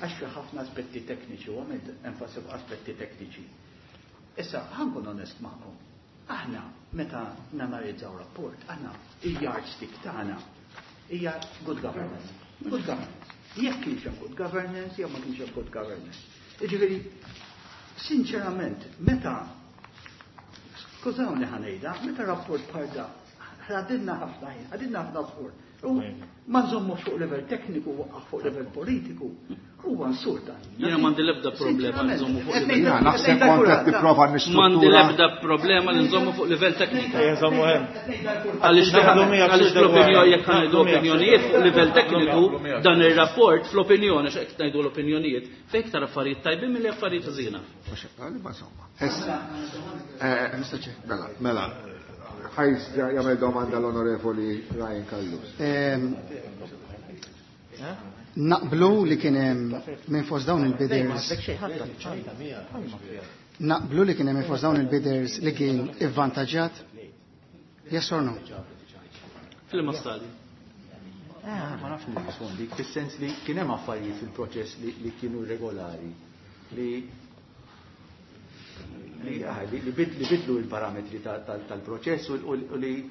għax fi ħafna aspetti tekniċi u għamilt enfasi fuq aspetti tekniċi. Issa, ħankun onest magħkom. Aħna, meta nanalizzaw rapport, aħna il-yardstick tagħna hija good governance. Good governance. Jekk kienx hemm good governance, jew ma kienx hemm good governance. Jiġifieri, sinċerament, meta skużawni ħanejda, meta rapport bħal da, ħadilna ħafna ħin, ħadilna ħafna sforz. U ma nżommu fuq livell tekniku u fuq livell politiku, huwa nsur dan. Jiena m'għandi l-ebda problema li nżommu fuq livell. Jiena naħseb kont qed tipprova nistruttura. M'għandi l-ebda problema li nżommu fuq livell tekniku. Ejja, nżommu hemm. Għaliex għaliex l-opinjoni jekk ngħidu opinjonijiet fuq livell tekniku, dan ir-rapport fl-opinjoni x'qed ngħidu l-opinjonijiet fejn iktar affarijiet tajbin milli affarijiet ħżiena. Insomma. Mela, mela. Ħajs jagħmel domanda l-Onorevoli Ryan Callus. Naqblu li kien hemm minn fost dawn il-bidders. Naqblu li kien hemm minn fost dawn il-bidders li kien ivvantaġġjat? Yes or no? Fil-ma stadju. Ma nafx nirrispondi, fis-sens li kien hemm affarijiet fil-proċess li kienu regolari li li bidlu il-parametri tal-proċess u li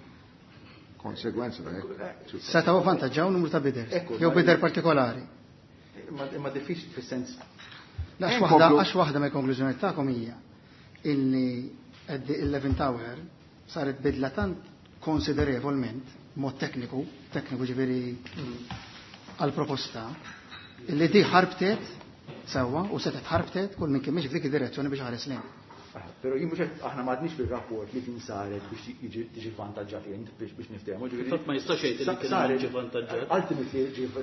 konsegwenza da hekk. Setgħu vantaġġaw numru ta' bidders, jew bidder partikolari. Imma diffiċli fis-sens. Għax waħda għax waħda mill-konklużjoni tagħkom hija illi l-Eleven Tower saret bidla tant konsiderevolment mod tekniku, tekniku ġifieri għal-proposta, illi di ħarbtet sewwa u setgħet ħarbtet kull min kien mhix f'dik id-direzzjoni biex ħares lejn. Pero jien mhux qed aħna m'għadniex fir-rapport li kien saret biex jiġi tiġi vantaġġat int biex biex niftehmu. Fatt ma jistax jgħid li kien ġi vantaġġat. Ultimately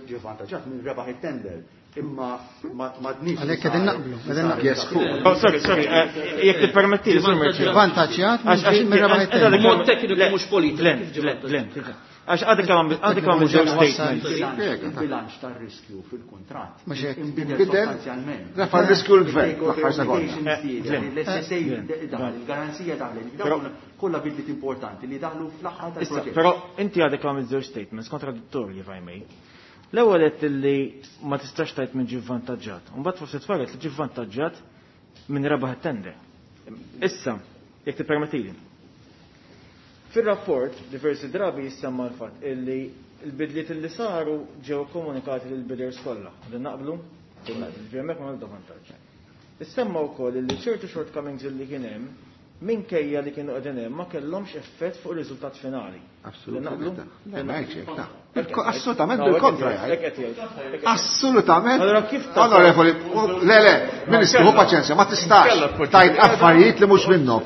ġi vantaġġat minn rebaħ it-tender. Imma m'għadniex. Għalhekk qegħdin naqblu, qegħdin naqblu. Yes, cool. Oh, sorry, sorry, jekk tippermetti, Sur Mercieca. Vantaġġjat minn rebaħ it-tender. Mod tekniku mhux politiku. Len, len, len. Għax għadek kemm għadek kemm żewġ statements. Il-bilanċ tar-riskju fil-kuntratt. Mhux hekk. Inbidel Inbidel, sostanzjalment. refa' r-riskju l-gvern, l-aħħar sekonda. L-S S A daħal, il-garanzija daħlet, dawn kollha bidliet importanti li daħlu fl-aħħar tal-proġett. Però inti għadek kemm żewġ statements kontradittorji if I may. L-ewwel qed li ma tistax tgħid minn ġie vantaġġat. Imbagħad forsi tfaret li ġie vantaġġat minn rebaħ it-tender. Issa, jekk tippermettili. Fil-rapport, diversi drabi jissemma l-fatt illi l-bidliet li saru ġew komunikati lil bidders kollha. Din naqblu? Din naqblu, ġew hemmhekk ma nagħmlu vantaġġ. Issemma wkoll illi ċertu shortcomings illi kien hemm minkejja li kienu qegħdin hemm ma kellhomx effett fuq ir-riżultat finali. Assolutament. Din naqblu? Le, ma hekk xejn, ta. Assolutament bil-kontra jgħid. Assolutament. Allora kif ta' Onorevoli, le, le, Ministru, hu paċenzja, ma tistax tajt affarijiet li mhux minnhom.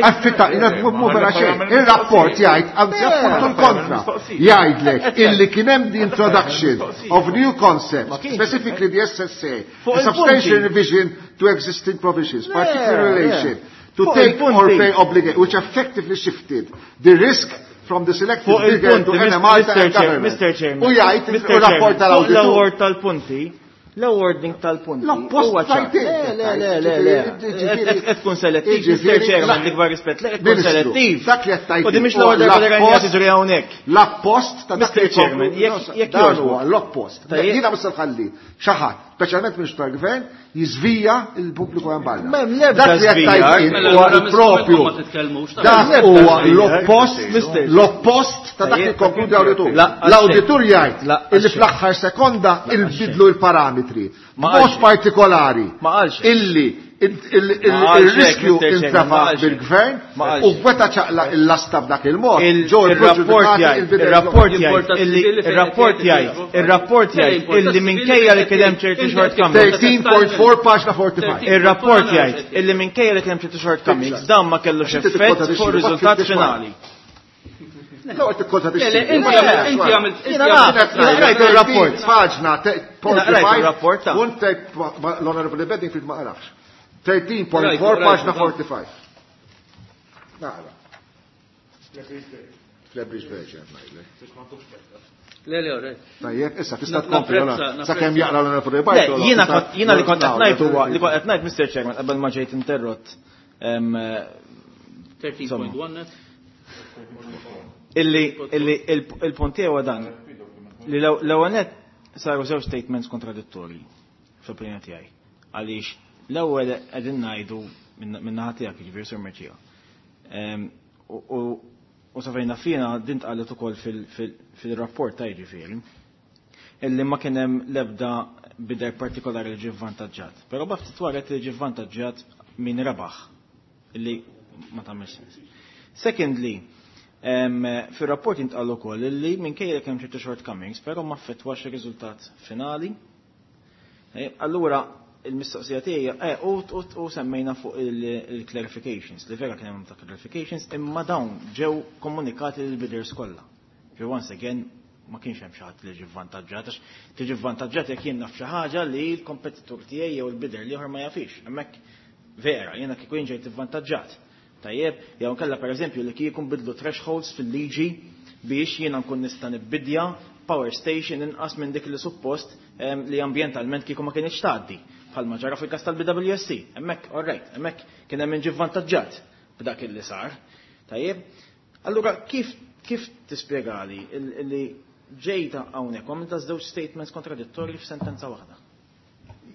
Affitta, mhu vera xejn. Ir-rapport jgħid, anzi appuntu l-kontra. Jgħidlek illi kien hemm the introduction of new concepts, specifically the S S A, a substantial revision to existing provisions, particularly relation to take or pay obligation, which effectively shifted the risk from the selected Fuq bigger il-punti, to N M Malta Mister and Chair, government. Mister Chairman, U jgħid Mister il-rapport Chairman, tal-awditur. fuq l-award tal-punti, L-awarding tal-punti. L-oppost Le, le, le, le, le. Qed tkun selettiv, Mister Chairman, l-ikbar rispett, le qed tkun selettiv. Dak li qed tgħid. U di mhix l-ewwel darba li rajna tiġri hawnhekk. L-oppost ta' Mister Chairman, jekk dan huwa l-oppost. Jiena mhux se nħalli xi ħadd, speċjalment Ministru tal-Gvern, jiżvija l-pubbliku hemm barra. Dak li qed tgħid huwa l-propju. Dak huwa l-oppost, l-oppost ta' dak li konkludi l-awditur. L-awditur jgħid illi fl-aħħar sekonda il-bidlu l-parametri. Mod partikolari illi il-riskju intrafa bil-gvern u gweta ċaqla il-lasta b'dak il-mod. Il-rapport jgħid, il-rapport jgħid, il-rapport jgħid, il-rapport jgħid illi minkejja li kien hemm ċerti shortcomings. thirteen point four paġna forty-five. Il-rapport jgħid illi minkejja li kien hemm ċerti shortcomings dan ma kellux effett fuq ir-riżultat finali. No, qed tikkontradixxi. Inti għamilt rajt il-rapport. Paġna rajt il-rapport. Punt l-Honorable Bedingfield ma qrafx. thirteen point four paġna forty-five. Naqra. Flebriġ Verġen, ngħidlek. Le, le, le. Tajjeb, issa tista' tkompli sakemm jaqra l-Honorable Bartolo. Jiena li kont qed ngħid huwa li kont qed ngħid Mister Chairman qabel ma ġejt interrott. thirteen point one Illi illi il-punt tiegħu dan li l-ewwel nett saru żewġ statements kontradittorji fl-opinjoni tiegħi. Għaliex l-ewwel qegħdin ngħidu min-naħa tiegħek, jiġifieri Sur Mercieca. U sa fejn fina din tqalet ukoll fil-rapport ta' jiġifieri illi ma kien hemm l-ebda bidder partikolari li ġie vvantaġġat. Però baftit wara li ġie vvantaġġat min rebaħ illi ma tagħmel sens. Secondly, fir-rapport jintqal ukoll illi minkejja kemm ċertu shortcomings, però ma affettwax ir-riżultat finali. Allura il-mistoqsija tiegħi eh, u semmejna fuq il-clarifications, li vera kien hemm ta' clarifications, imma dawn ġew komunikati lil bidders kollha. Ġew once again ma kienx hemm xi ħadd li ġie vvantaġġat, għax tiġi vvantaġġat jekk jien naf xi ħaġa li l-kompetitur tiegħi jew il-bidder l-ieħor ma jafix. Hemmhekk vera, jiena kieku jien ġejt ivvantaġġat. Tajjeb, jew nkella pereżempju li kieku nbidlu thresholds fil-liġi biex jiena nkun nista' nibbidja power station inqas minn dik li suppost li ambjentalment kieku ma kienx tgħaddi. Bħalma ġara fil-każ tal-B W S C. Hemmhekk, all right, hemmhekk kien hemm ġie vvantaġġat b'dak illi sar. Tajjeb, allura kif kif tispjegali li ġejta hawnhekk u għamilta żewġ statements kontradittorji f'sentenza waħda?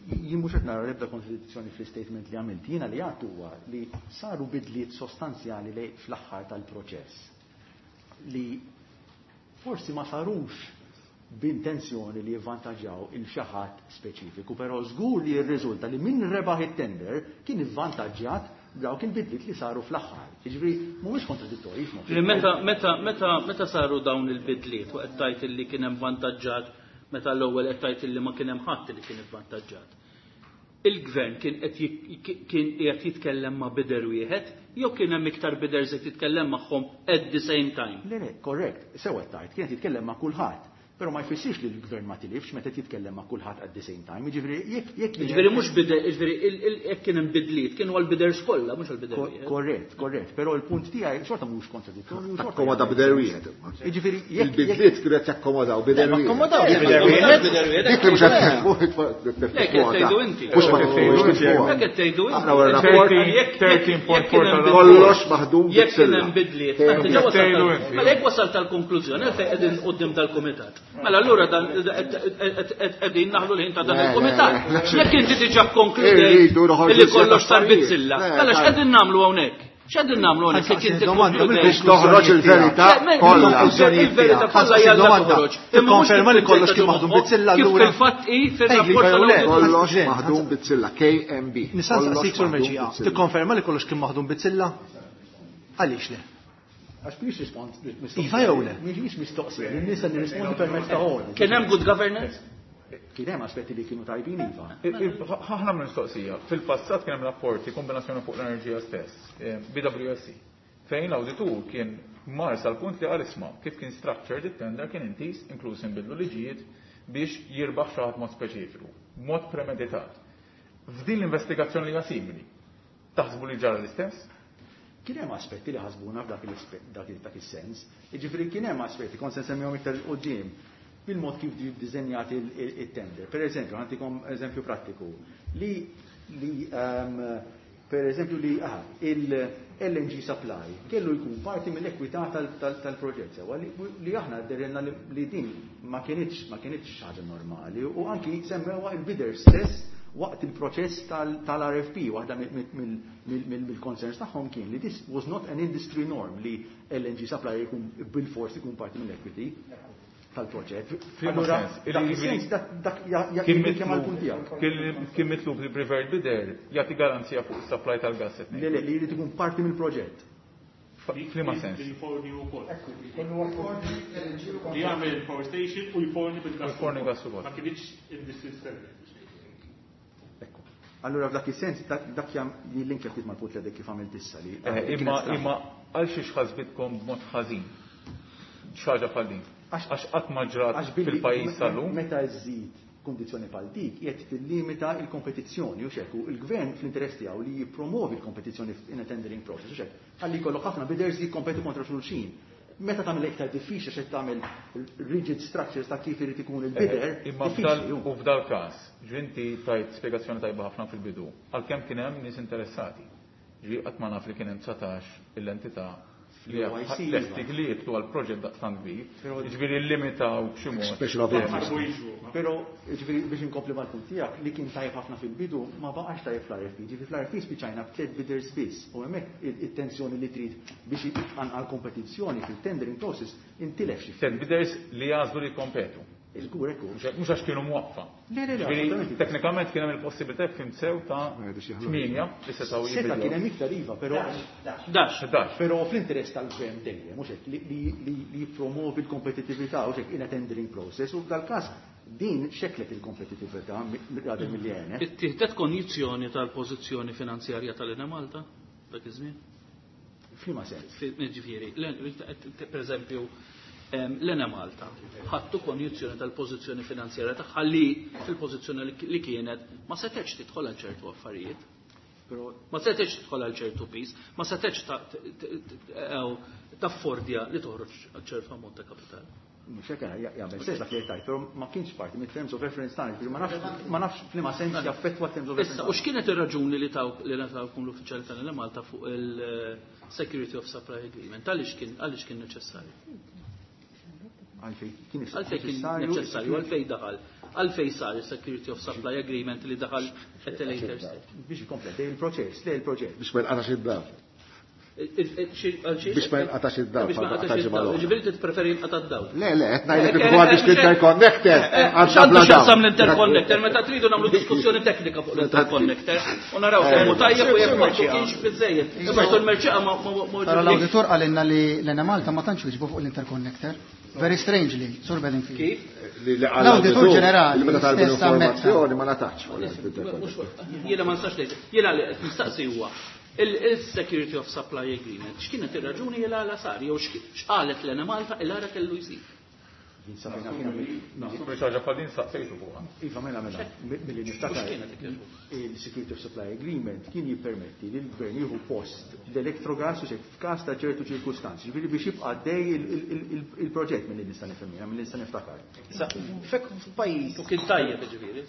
Jien mhux qed nara l-ebda kontradizzjoni fl-istatement li għamilt. Jiena li għad huwa li saru bidliet sostanzjali li fl-aħħar tal-proċess li forsi ma sarux b'intenzjoni li jivvantaġġaw il xi ħadd speċifiku, però żgur li jirriżulta li min rebaħ it-tender kien ivvantaġġjat dawk il-bidliet li saru fl-aħħar. Jiġifieri mhuwiex kontradittorji f'nofs. Li meta, meta, meta, meta saru dawn il-bidliet u qed tgħid illi kien hemm vantaġġat meta l-ewwel qed tgħid illi ma kien hemm ħadd li kien ivvantaġġat. Il-gvern kien qed kien qiegħed jitkellem ma' bider wieħed jew kien hemm iktar biders qed jitkellem magħhom at the same time? Le, le, korrekt, sew qed tgħid, kien qed jitkellem ma' kulħadd. Però ma jfissirx li l-gvern ma tilifx meta jitkellem ma' kulħadd at the same time. Jiġifieri jekk jekk Jiġifieri mhux bider, jiġifieri jekk kien hemm bidliet, kienu għall-biders kollha, mhux għall-bider wieħed. Korrett, korrett, però l-punt tiegħi xorta mhux kontradittorju, xorta Akkomoda bider wieħed. Jiġifieri jekk il-bidliet kienu qed jakkomodaw bider Le, ma wieħed. akkomodaw bider wieħed. Dik li mhux qed tifhmu, Le, kif tgħidu inti. Mhux ma tifhmux kif huwa. Hekk qed tgħidu inti. Aħna wara rapport. Jekk thirteen point four jekk kien hemm Kollox maħdum Jekk kien bit-silla. hemm bidliet, mela diġà wasalt Tgħidu tal- inti. mela jekk wasalt tal-konklużjoni, għalfejn qegħdin quddiem tal-kumitat. Mela allura dan qegħdin naħlu l-ħin ta' dan Le, le, il-kumitat. le, le, Jekk inti diġà konkludejt Irridu noħorġu illi iżjed kollox sar affarijiet. bizzilla, Le, mela tajjeb. x'qegħdin nagħmlu hawnhekk? X'qegħdin nagħmlu hawnhekk jekk inti Domanda, konkludejt? Biex toħroġ il-verità Le, me- kollha. Il-verità kollha Ħassib jalla domanda. toħroġ. Imma mhux Ikkonferma li kollox kien kif maħdum bizzilla kif allura. fil-fatt hi fir-rapport Ejja, le. tal-awditur. Kollox Ġen, maħdum bizzilla, K M B. Nista' Kollox nsaqsik sur maħdum Mercieca, bizzilla. tikkonferma li kollox kien maħdum bizzilla? Għaliex le? Għax mhix rispons mistoqsija. Iva jew le? Mhix mistoqsija, nista' nirrispondi permezz ta' ordni. Kien hemm good governance? Kien hemm aspetti li kienu tajbin iva. Ħafna mistoqsija. Fil-passat kien hemm rapporti kombinazzjoni fuq l-enerġija stess, eh, B W S C, fejn l-awditur kien mar sal-punt li qal isma' kif kien structured it-tender kien intis inkluż inbidlu liġijiet biex jirbaħ xi ħadd mod speċifiku, mod premeditat. F'din l-investigazzjoni li hija simili, taħsbu li ġara l-istess? Kien hemm aspetti li ħasbuna f'dak il-dak il-, dak is-sens. Jiġifieri kien hemm aspetti, kont se nsemmihom iktar 'il quddiem. bil-mod kif ġie ddiżenjat il-tender. Per eżempju, ħa ntikom eżempju prattiku, li li per eżempju li il-L N G supply kellu jkun parti mill-ekwità tal-proġett, sewa li aħna dehrilna li din ma kienitx ma kienitx ħaġa normali u anki semmewha il-bidder stess waqt il-proċess tal-R F P. Waħda mill-concerns tagħhom kien li this was not an industry norm li L N G supply jkun bil-fors ikun parti mill-equity tal-proġett. Allura, dak Kien mitlub li preferred bidder jagħti garanzija fuq is-supply tal-gas. Le, le, li jrid ikun parti mill-proġett. F'liema sens? Li jforni wkoll. Li jagħmel power station u jforni bil-gas. Jforni gas ukoll. Ma kienx industry standard. Allura f'dak is-sens dak jillinkja ftit mal-punt li kif għamilt issa li. Eh, imma imma għal xiex ħasbitkom b'mod ħażin xi ħaġa bħal din? Għax qatt ma ġrat fil-pajjiż sal-lum. Meta żżid kondizzjoni bħal dik, qed tillimita il-kompetizzjoni u xekku il-gvern fl-interess tiegħu li jippromovi l-kompetizzjoni in a tendering process u xek ħalli jkollok ħafna bidders li jikkompetu kontra xulxin. Meta tagħmel iktar diffiċli x'qed tagħmel rigid structures ta' kif irid ikun il-bidder. Eh, imma u f'dal każ, ġinti tajt spjegazzjoni tajba ħafna fil-bidu, għalkemm kien hemm nies interessati. Ġi qatt ma naf li kien hemm dsatax l-entità li lesti li jidħlu għal proġett daqstant kbir, ġifieri limitaw b'xi mod. Però ġifieri biex inkompli mal-punt tiegħek li kien tajjeb ħafna fil-bidu ma baqax tajjeb fl-R F P. Ġifieri fl-R F P spiċajna b'tliet bidders biss u hemmhekk it-tensjoni li trid biex tqanqal kompetizzjoni fil-tendering process intilef xi. Tliet bidders li jagħżlu li jkompetu. Żgur ekku. Mhux għax kienu mwaqfa. Le, le, le. Teknikament kien hemm il-possibilità fim sew ta' tmienja li setgħu Seta' kien hemm iktar, iva, però Dax. Dax. Però fl-interess tal-gvern dejjem, mhux hekk, li jippromovi l-kompetittività u hekk in a tendering process u f'dal-każ din xeklet il-kompetittività rather milli għenet. Ittieħdet konjizzjoni tal-pożizzjoni finanzjarja tal-Enemalta dak iż-żmien? F'liema sens? Ġifieri, per eżempju, l-Enemalta ħattu konjizzjoni tal-pożizzjoni finanzjarja tagħha li fil-pożizzjoni li kienet ma setgħetx tidħol għal ċertu affarijiet. Ma setgħetx tidħol għal ċertu piż, ma setgħetx taffordja li toħroġ għal ċertu ammont ta' kapital. Mhux hekk, jagħmel sens dak li tajt, però ma kienx parti mit-terms of reference tagħna, ma nafx ma nafx f'liema sens jaffettwa terms of reference. Issa, u x'kienet ir-raġuni li taw li ngħatawkom l-uffiċjali tal-Malta fuq il-Security of Supply Agreement? Għaliex kien għaliex kien neċessarju? Għalfej kien Għalfej kien neċessarju, għalfej daħal. Għalfej sar il-Security of Supply Agreement li daħal at a later stage. Biex ikompleti il-proċess, le il-proġett. Biex ma jinqatax id-dawl. Biex ma jinqatax id-dawl. Biex ma jinqatax id-dawl. Ġifieri tippreferi jinqata' d-dawl. Le, le, qed ngħidlek kif biex l-interconnector. X'għandu x'jaqsam l-interconnector meta tridu nagħmlu diskussjoni teknika fuq l-interconnector u naraw kemm hu tajjeb u jekk ma kienx biżejjed. Imma l-merċeqa ma Però l-awditur qalilna li l-Enemalta ma tantx wieġbu fuq l-interconnector. Very strangely, Sur Bedingfield. Kif? L-Awditur Ġenerali Meta talbu stess ammetta. l-informazzjoni ma ngħatax fuq l-interconnector. Jiena ma nistax ngħid. Jiena li qed nistaqsi huwa il-Security of Supply Agreement. X'kienet ir-raġuni il għala sar jew x'qalet l-Enemalta il għara kellu jsir? Naħseb li ħaġa bħal din saqsejtu fuqha. Iva, mela, mela, milli niftakar il-Security of Supply Agreement kien jippermetti li l-gvern jieħu post l-Electrogas u xek f'każ ta' ċertu ċirkustanzi, ġifieri biex jibqa' għaddej il-proġett milli nista' nifhem jiena, milli nista' niftakar. Fek f'pajjiż. U kien tajjeb ġifieri,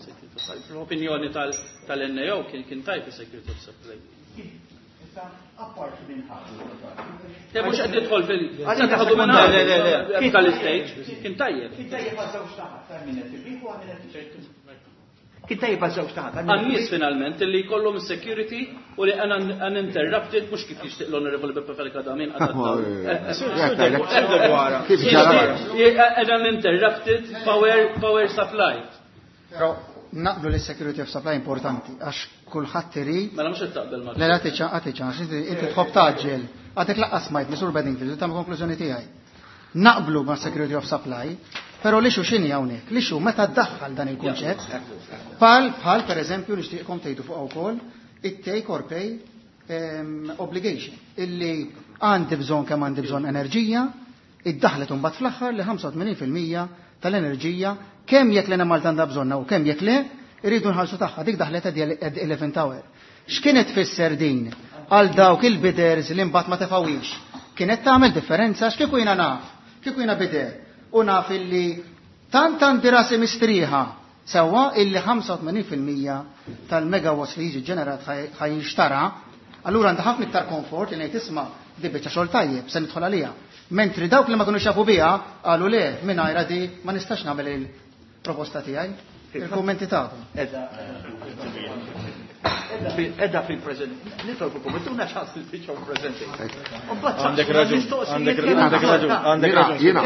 fl-opinjoni tal-N A O kien kien tajjeb il-Security of Supply Agreement. Apparti minn ħaġa. Te mhux qed nidħol fil ħadu minn le le le tal-stage. Kien tajjeb. Kien tajjeb għal żewġ naħat, ta' min qed irbiħ u għal min qed Kien tajjeb għal żewġ naħat. Għan-nies finalment li jkollhom security u li uninterrupted, mhux kif jixtieq l-Honorable Beppe Fenech Adami. Kif ġara? Uninterrupted power power supply. Però naqblu li security of supply importanti għax kulħadd irid. Mela mhux qed taqbel ma' Le, le, għatiċa, għatiċa, għax inti inti tħobb taġġel. Għadek lanqas smajt, Sur Bedingfield, tagħmel konklużjoni tiegħi. Naqblu ma' security of supply, però l-issue x'inhi hawnhekk? L-issue meta ddaħħal dan il-kunċett, bħal bħal per eżempju nixtieqkom tgħidu fuq ukoll it-take or pay em, obligation illi għandi bżonn kemm għandi bżonn enerġija, iddaħlet imbagħad fl-aħħar li ħamsa u tmenin fil-mija tal-enerġija kemm jekk l-Enemalta għandha bżonna u kemm jekk le, irridu nħallsu tagħha, dik daħlet at the eleventh hour. X'kienet tfisser din għal dawk il-bidders li mbagħad ma tefawix? Kienet tagħmel differenza x'kieku jiena naf, kieku jiena bidder u naf illi Tant għandi rasi mistrieħa sewwa illi ħamsa u tmenin fil-mija tal-megawatts li jiġi ġenerat ħa jinxtara, allura għandha ħafna iktar komfort li ngħid, isma', di biċċa xogħol tajjeb, se nidħol għalija. Mentri dawk li ma kinux jafu biha qalu, le, mingħajr di ma nistax nagħmel il-proposta tiegħi. Il-kummenti tagħkom. Edha fil-prezent. Nitolbu komituna ċans il-biċċa presentation. Għandek raġun, għandek raġun, għandek raġun. Jiena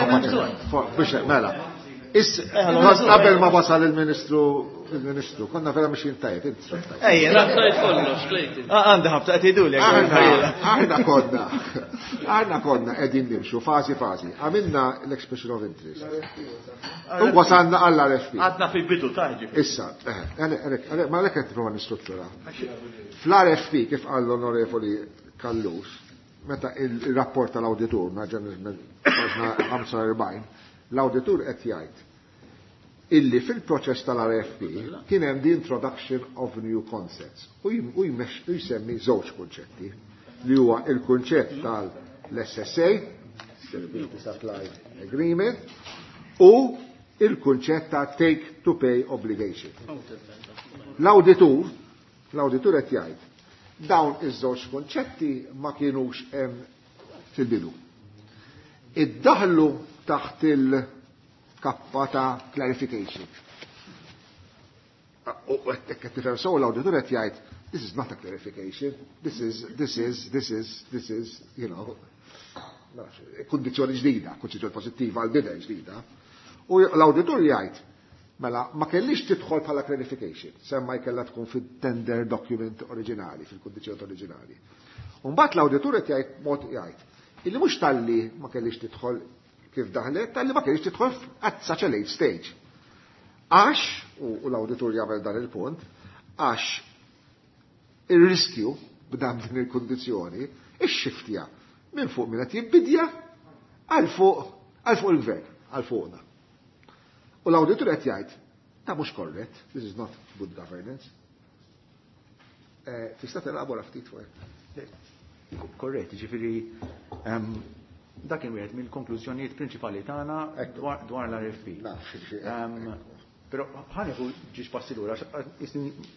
biex mela. Qabel ma wasal il-Ministru, il-Ministru, konna vera mexjin tajjeb, inti tajjeb. Ejja, Tajt kollox, Clayton. Għandi ħabta qed jgħiduli. Aħna konna, aħna konna qegħdin nimxu fażi fażi. Għamilna l-expression of interest. U wasalna għall-R F P. Għadna fil-bidu ta' ġifieri. Issa, ma lek qed nipprova nistruttura. Fl-R F P, kif qal l-Onorevoli Callus, meta il-rapport tal-awditur, paġna ħamsa u erbgħin, l-awditur qed jgħid illi fil-proċess tal-R F P kien hemm the introduction of new concepts u jsemmi żewġ kunċetti, li huwa il-kunċett tal-S S A, Service Supply Agreement, u il-kunċett ta' take to pay obligation. L-awditur, l-awditur qed jgħid dawn iż-żewġ kunċetti ma kienux hemm fil-bidu. Iddaħlu taħt il-kappa ta' clarification. U qed tifhem sew, l-awditur qed jgħid, this is not a clarification, this is, this is, this is, this is, you know, kondizjoni ġdida, kondizjoni pozittiva għal bidder ġdida. U l-awditur jgħid, mela, ma kellix tidħol bħala clarification, semma jkella tkun fit-tender document oriġinali, fil-kondizjoni oriġinali. Umbagħad l-awditur qed jgħid mod jgħid, illi mhux talli ma kellix tidħol kif daħlet, talli ma kellix tidħol at such a late stage. Għax, u l-awditur jagħmel dan il-punt, għax il-riskju b'dam din il-kondizjoni, ix-xiftja minn fuq minn qed jibbidja għal fuq għal fuq il-gvern, għal fuqna. U l-awditur qed jgħid, ta' mhux korrett, this is not good governance. Eh, tista' telabora ftit fuq? Korrett, ġifieri dak kien wieħed mill-konklużjonijiet prinċipali tagħna dwar l-R F P. Però ħa nieħu żewġ passi lura,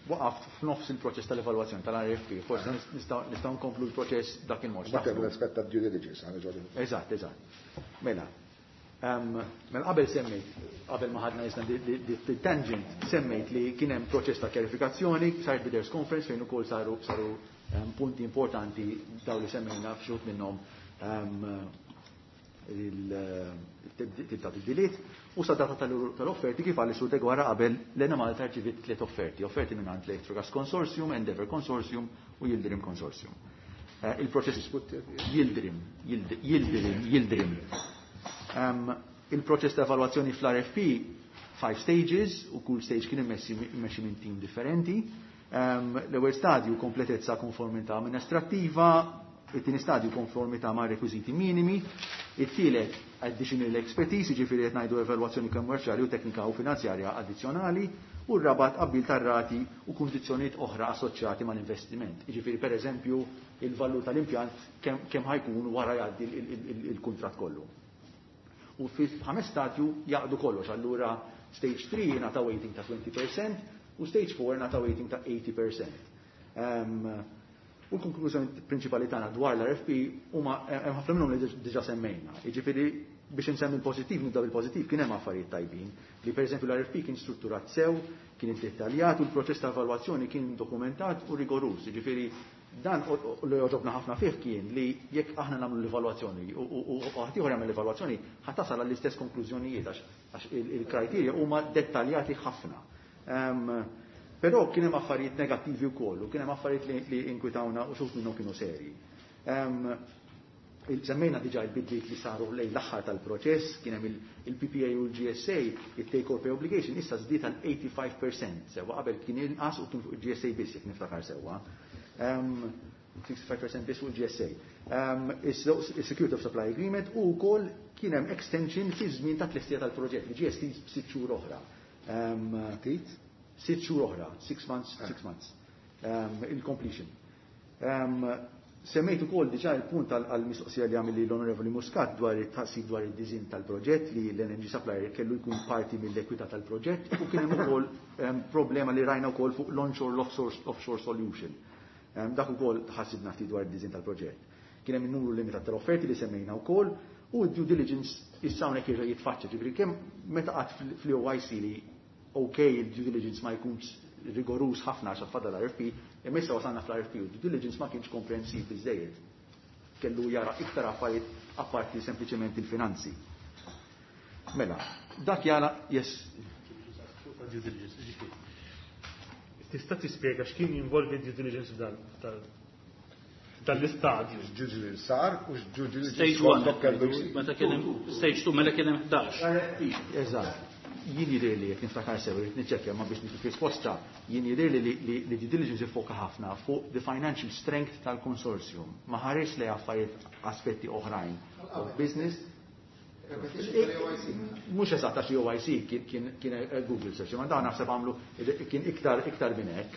waqaft f'nofs il-proċess tal-evalwazzjoni tal-R F P, forsi nistgħu nkomplu l-proċess dak il-mod. Mbagħad l-aspett ta' due diligence, ħa niġu. Eżatt, eżatt. Mela, mela qabel semmejt, qabel ma ħadna jisna di tangent, semmejt li kien hemm proċess ta' kjarifikazzjoni, sar bidders conference fejn ukoll saru saru punti importanti daw li semmejna, f'xut minnhom il-tibda tibdiliet u sa data tal-offerti, kif għalli su Deguara qabel, l-Enemalta rċivit tliet offerti, offerti minn għand Electrogas Consortium, Endeavour Consortium u Yildirim Consortium. Il-proċess Yildirim, Yildirim, Yildirim. Il-proċess ta' evalwazzjoni fl-R F P, five stages, u kull stage kien immexxi minn team differenti. L-ewwel stadju, kompletezza, konformità amministrattiva, it-tieni stadju, konformità ma' rekwiżiti minimi, it-tielet, additional expertise, jiġifieri qed ngħidu evalwazzjoni kommerċjali u teknika u finanzjarja addizzjonali, u r-raba', tqabbil tar-rati u kundizzjonijiet oħra assoċjati mal-investiment. Jiġifieri pereżempju il-valur tal-impjant kemm ħa jkun wara jgħaddi il-kuntratt kollu. U fil-ħames stadju jaqdu kollox, allura stage three ngħata weighting ta' twenty percent u stage four ngħata weighting ta' eighty percent. U l-konklużjoni prinċipali tagħna dwar l-R F P huma hemm ħafna minnhom li diġà semmejna. Jiġifieri biex insemmi l-pożittiv, nibda bil-pożittiv, kien hemm affarijiet tajbin li pereżempju l-R F P kien strutturat sew, kien iddettaljat u l-proċess ta' evalwazzjoni kien dokumentat u rigorus. Jiġifieri dan li għoġobna ħafna fih kien li jekk aħna nagħmlu l-evalwazzjoni u ħaddieħor jagħmel l-evalwazzjoni, ħa tasal għall-istess konklużjonijiet għax il-kriterja huma dettaljati ħafna. Però kien hemm affarijiet negattivi wkoll u kien hemm affarijiet li inkwitawna u xi wħud minnhom kienu serji. Semmejna diġà il-bidliet li saru lejn l-aħħar tal-proċess, kien hemm il-P P A u l-G S A, il-take or pay obligation, issa żdied għal eighty-five percent sewwa, qabel kien inqas u kien fuq il-G S A biss, jekk niftakar sewwa. sixty-five percent biss fuq il-G S A. Is-Security of Supply Agreement u wkoll kien hemm extension fi żmien ta' tlestija tal-proġett li ġie estiż b'sitt xhur oħra. Ftit? Sitt xhur oħra, six months, six months. Il-completion. Semmejt ukoll diġà il-punt għall-mistoqsija li għamilli l-Onorevoli Muscat dwar it-taqsib dwar id-diżin tal-proġett li l-energy supplier kellu jkun parti mill-ekwità tal-proġett u kien hemm ukoll problema li rajna wkoll fuq l-onshore l-offshore solution. Dak ukoll ħassibna ftit dwar id-diżin tal-proġett. Kien hemm in-numru limitat tal-offerti li semmejna wkoll u d-due diligence issa hawnhekk jerġa' jitfaċċa, ġifieri kemm meta qatt fl-O I C li ok, il-due diligence ma jkunx rigorus ħafna għax fadal R F P, imma issa wasalna fl-R F P u due diligence ma kienx komprensiv biżejjed. Kellu jara iktar affarijiet apparti sempliċement il-finanzi. Mela, dak jara, yes. Due diligence, ġifieri. Tista' tispjega x'kien jinvolvi due diligence f'dan tal-istadju? Due diligence sar u due diligence Stage one, meta kien hemm stage two, mela kien hemm ħdax. Eżatt. Jien jidher li jekk niftakar sew, irid niċċekkja ma biex nifik risposta, jien jidher li li due diligence iffoka ħafna fuq the financial strength tal-consortium. Ma ħares li affarijiet aspetti oħrajn of business. Mhux eżatt għax O I C kien kien Google search, ma dawn naħseb għamlu kien iktar iktar minn hekk.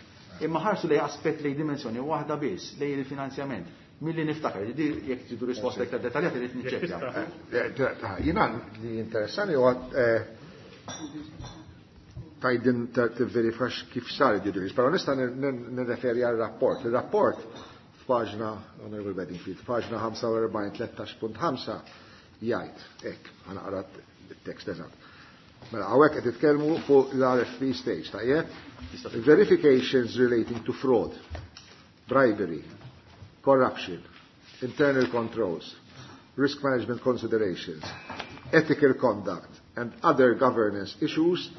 Imma ħarsu lej aspett lej dimensjoni waħda biss, lej il-finanzjament. Milli niftakar, jekk tridu risposta iktar dettaljata irid niċċekkja. Jiena li interessani huwa tajdin tivverifikax kif sar id-due diligence, però nista' nirreferi għal rapport. Il-rapport f'paġna, Honorable Bedingfield, f'paġna ħamsa u erbgħin tlettax punt ħamsa jgħid, hekk, ħa naqra t-tekst eżatt. Mela, hawnhekk qed titkellmu fuq l-R F P stage, tajjeb? Verifications relating to fraud, bribery, corruption, internal controls, risk management considerations, ethical conduct, and other governance issues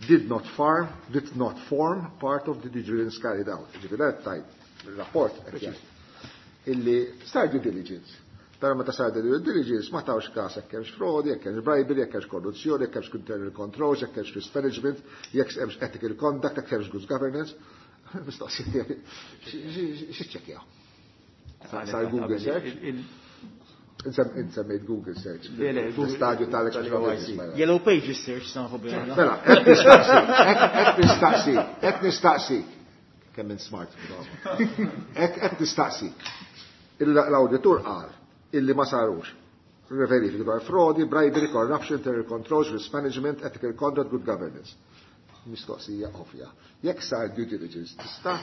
did not, farm, did not form part of the due diligence carried out. Ġifieri tajt, il-rapport qed jgħid illi sar due diligence. Però meta sar due diligence ma tawx każ jekk hemmx frodi, jekk hemmx bribery, jekk hemmx korruzzjoni, jekk hemmx internal controls, jekk hemmx risk management, jekk hemmx ethical conduct, jekk hemmx good governance. Mistoqsija x'iċċekkjaw? Sar Google search? Insemmejt Google search. Le, le, L-istadju tal tal-O I C. Yellow Pages search nafu biha. Mela, qed nistaqsi, qed nistaqsi, qed nistaqsi. Kemm minn smart. Qed nistaqsi. L-auditur qal illi ma sarux. Verifiki dwar frodi, bribery, corruption, internal controls, risk management, ethical conduct, good governance. Mistoqsija ovvja. Jekk sar due diligence, tista'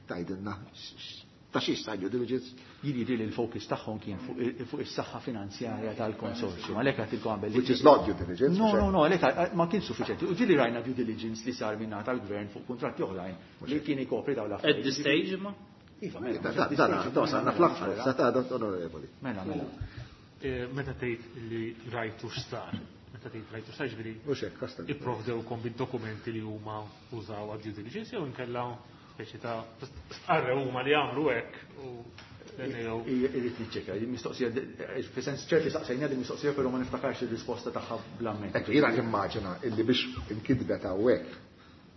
tgħidilna ta' xiex sar due diligence? Jien jidher li l-focus tagħhom kien fuq is-saħħa finanzjarja tal-konsorzju. Għalhekk għedtilkom qabel. Which is not due diligence. No, no, no, għalhekk ma kien suffiċjenti. U ġieli rajna due diligence li sar minn tal-gvern fuq kuntratti oħrajn li kien ikopri dawn l-affarijiet. At this stage ma? Iva, mela. Da, da, da, sanna fl-aħħar, sa ta' onorevoli. Mela, mela. Meta tgħid li rajtu x'sar, meta tgħid rajtu x'sar ġifieri Mhux hekk, kasta. Ipprovdewkom bid-dokumenti li huma użaw għad due diligence jew inkella speċi ta' stqarrew huma li jagħmlu hekk u Irrid niċċekka, mistoqsija, fi sens ċerti saqsejna din mistoqsija, però ma niftakarx ir-risposta tagħha bl-amment. Ekk, jiena nimmaġina illi biex inkitbet hawnhekk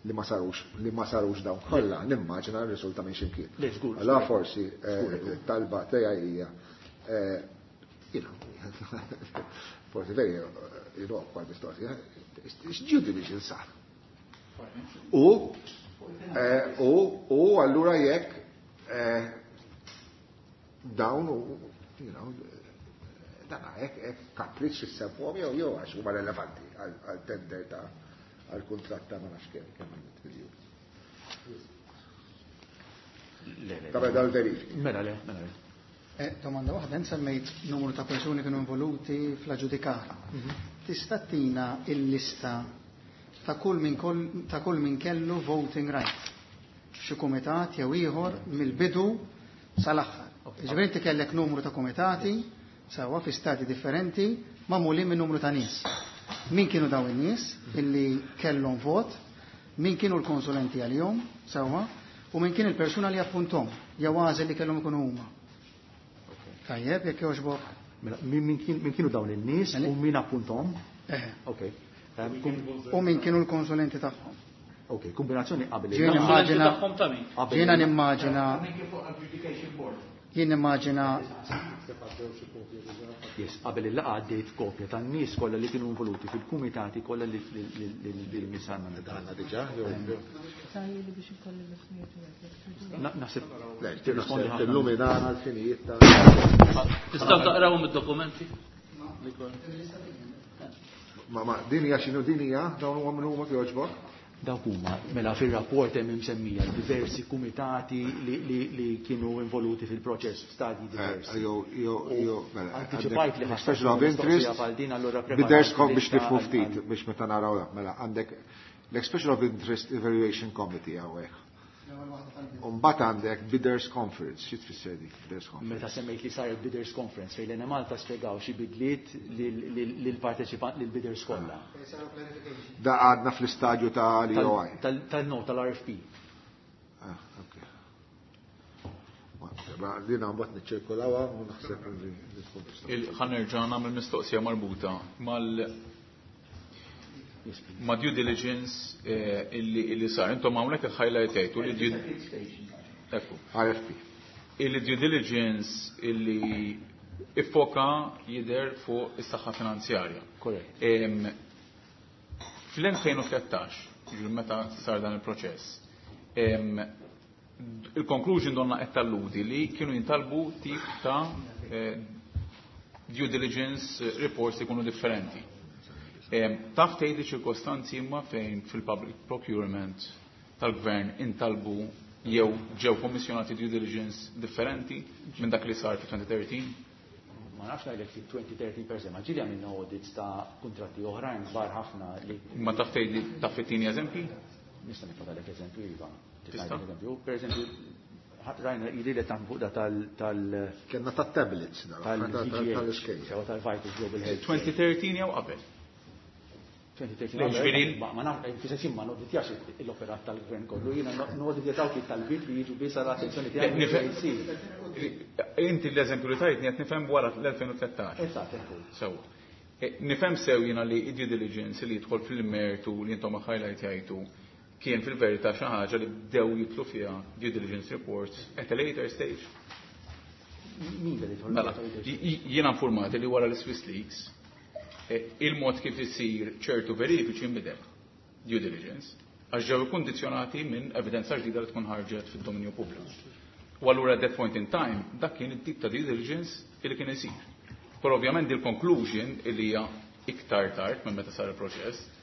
li ma sarux li ma sarux dawn kollha, nimmaġina r-risulta minn x'imkien. Le, żgur. Allora forsi talba tiegħi hija you know, forsi veri you know, kwa mistoqsija, x'due diligence sar? U u u allura jekk dawn u you know, dan hekk hekk kapriċ issemmuhom jew jew għax huma relevanti għal tender ta' għal kuntratt ta' ma nafx kemm kemm miljun. Ta' dal-verifiki. Mela le, mela le. Eh, domanda waħda, semmejt numru ta' persuni kienu involuti fl-aġġudikar. Tista' tina il-lista ta' kull min ta' kull min kellu voting right f'xi kumitat jew ieħor mill-bidu sal-aħħar. Ġifieri inti kellek numru ta' kumitati sewwa fi stati differenti magħmulin minn numru ta' nies. Min kienu dawn in-nies illi kellhom vot, min kienu l-konsulenti għalihom sewwa, u min kien il-persuna li appuntom jew għażel li kellhom ikunu huma. Tajjeb, jekk jogħġbok. Mela, min kienu dawn in-nies u min appuntom? Eh. Ok. U min kienu l-konsulenti tagħhom. Ok, kombinazzjoni qabel. Ġiena nimmaġina. Jiena nimmaġina. Jien nimmaġina Naħseb għaddew xi kopja diġà. Yes, qabel il-laqgħa għaddejt kopja tan-nies kollha li kienu involuti fil-kumitati kollha li li Għandna diġà jew biex ikolli l-ismijiet. Naħseb tirrispondi ħafna. Illuminana l-finijiet ta' Tistgħu taqrawhom id-dokumenti? Ma ma din hija x'inhu din hija dawn huma min huma jogħġbok? Dawk huma, mela fir-rapport hemm imsemmija diversi kumitati li, li, li kienu involuti fil-proċess f'stadji diversi. Jew jew jew mela. Anticipajt li Expression of interest. bħal din allura Bidders biex nifhmu ftit biex meta naraw mela għandek l-Expression of Interest Evaluation Committee hawnhekk. Umbagħad għandek Bidders Conference, xi tfisser dik Bidders Conference? Meta semmejt li saret Bidders Conference fejn l-Enemalta spjegaw xi bidliet lill-parteċipant lill-bidders kollha. Da għadna fl-istadju ta' l-E O I. Tal-no, tal-R F P. Ah, ok. Ma dina mbagħad niċċirkulawha u naħseb li tkun tista'. Ħa nerġa' nagħmel mistoqsija marbuta mal ma' due diligence eh, illi illi sar. Intom hawnhekk highlightejtu li due Ekku. R F P. Illi due diligence illi iffoka jidher fuq is-saħħa finanzjarja. Korrett. Em, Fl-elfejn u tlettax, ġifieri meta sar dan il-proċess, em, il-conclusion donna qed talludi li kienu jintalbu tip ta' eh, due diligence reports ikunu differenti. Em, Taf tgħidli ċirkostanzi imma fejn fil-public procurement tal-gvern intalbu jew ġew kommissjonati due diligence differenti minn dak li sar fi elfejn u tlettax? Ma nafx ngħidlek fi elfejn u tlettax per se, ma ġieli għamilna audits ta' kuntratti oħrajn kbar ħafna li Ma taf tgħidli, taf ittini eżempji? Nista' nifadalek eżempju, iva. Tista'? Eżempju, per eżempju, rajna jidri li taħdmu fuq da tal tal Kellna ta' tablets tal-V G H, tal-iskejjel. Sew tal-Vitals Global Health. elfejn u tlettax jew qabel? elfejn u tlettax. Ġifieri- Ma ma naf, fis ma noditjax l-operat tal-gvern kollu, jiena noditja dawk it-talbiet li jiġu biss għal attenzjoni tiegħi. Nifhem- Inti l-eżempju li tajtni qed nifhem wara l-elfejn u tlettax. Eżatt, ekku. Sewa. E, Nifhem sew jiena li due diligence li jidħol fil-mertu li intom highlight jgħidu kien fil-verità xi ħaġa li bdew jidħlu fiha due diligence reports at a later stage. Min li jidħol? Mela, j- jiena informati li wara l-Swiss Leaks eh, il-mod kif isir ċertu verifiċi nbidel due diligence għax ġew kondizjonati minn evidenza ġdida li tkun ħarġet fid-dominju pubbliku. U allura at that point in time dak kien it-tip ta' due diligence li kien isir. Però ovvjament il-conclusion li hija iktar tard minn meta sar il-proċess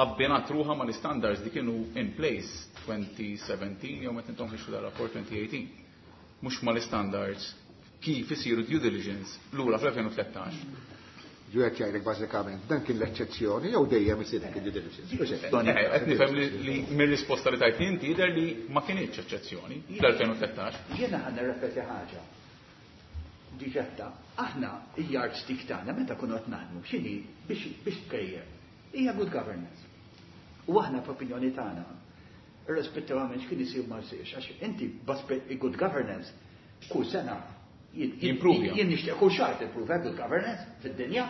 abbinat ruħha ma l-standards li kienu in place elfejn u sbatax jew meta intom ħriġtu dar-rapport elfejn u tmintax. Mhux ma l-standards kif isiru due diligence lura fl-elfejn u tlettax. Ġu qed jgħidlek bażikament dan kien l-eċċezzjoni jew dejjem isir hekk due diligence. Mhux hekk? Eh, Qed nifhem li li mir-risposta li tajt inti jidher li ma kienx eċċezzjoni fl-elfejn u tlettax. Jiena ħa nirrepeti ħaġa. Diġetta, aħna il-yardstick tagħna meta kunu qed naħdmu x'inhi biex biex tkejjel. Hija good governance. U aħna f'opinjoni tagħna, irrispettivament x'kien isir ma jsirx, għax inti baspe good governance kull sena jien- jien Jimprovja. Jien nixtieq kull xahar timprove good governance fid-dinja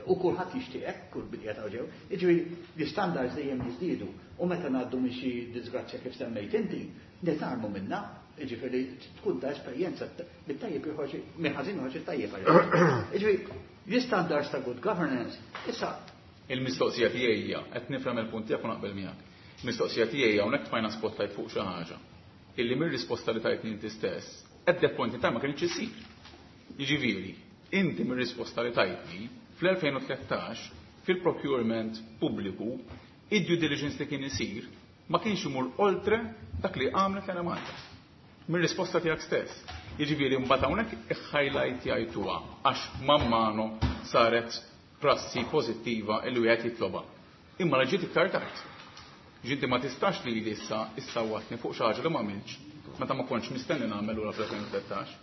u kulħadd jixtieq, kull bidja ta' ġew. Jiġifieri l-istandards dejjem jiżdiedu u meta ngħaddu minn xi disgrazzja kif semmejt inti, nitgħallmu minna, jiġifieri tkun ta' esperjenza mit-tajjeb joħroġ minn ħażin joħroġ it-tajjeb. Jiġifieri l-istandards ta' good governance issa Il-mistoqsija tiegħi hija, qed nifhem il-punt tiegħek u naqbel miegħek. Il-mistoqsija tiegħi hija hawnhekk tfajna spotlight fuq xi ħaġa illi mir-risposta li tajtni inti stess, at that point in time ma kienx isir. Jiġifieri, inti mir-risposta li tajtni fl-elfejn u tlettax fil-procurement pubbliku id-due diligence li kien isir ma kienx imur oltre dak li għamlet l Malta. Mir-risposta tiegħek stess. Jiġifieri mbagħad hawnhekk highlight jgħiduha għax man mano saret prassi pożittiva illi wieħed jitloba. Imma la ġiet iktar tard. Ġinti ma tistax li issa issawwatni fuq xi ħaġa li ma għamiltx meta ma kontx mistenni nagħmel lura fl-elfejn u tlettax.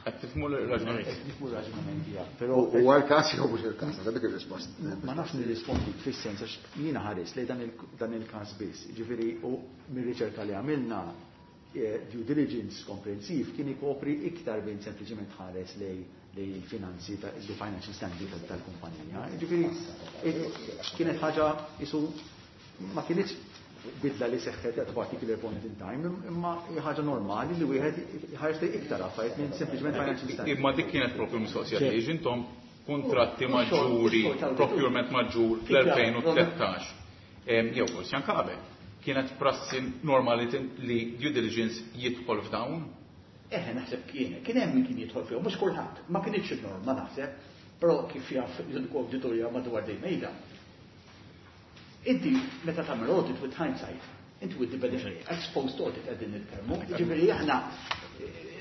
Qed tifhmu l-raġunament. Nifhmu r-raġunament tiegħek, però U għal-każ jew mhux il-każ, dik ir-risposta. Ma nafx nirrispondi fis-sens għax jiena ħares li dan il- dan il-każ biss. Ġifieri u mir-riċerka li għamilna eh, due diligence komprensiv kien ikopri iktar minn sempliċement ħares lej lej il-finanzi, ta' il financial standing tal- tal-kumpanija. Ġifieri eh, kienet ħaġa isu ma kienx bidla li seħħet at particular point in time, imma ħaġa normali li wieħed ħares li iktar affarijiet minn sempliċement financial standards. Imma dik kienet propju mistoqsija tiegħi, intom kuntratti maġġuri, procurement maġġur fl-elfejn u tlettax, jew forsi anke qabel, kienet prassi normali li due diligence jidħol f'dawn? Eħe, naħseb kien, kien hemm min kien jidħol fihom, mhux kulħadd, ma kienx norma naħseb, però kif jaf l-awditorja madwar dejjem mejda. Inti meta tagħmel audit with hindsight, inti with the benefit, ex post audit qegħdin nitkellmu, jiġifieri aħna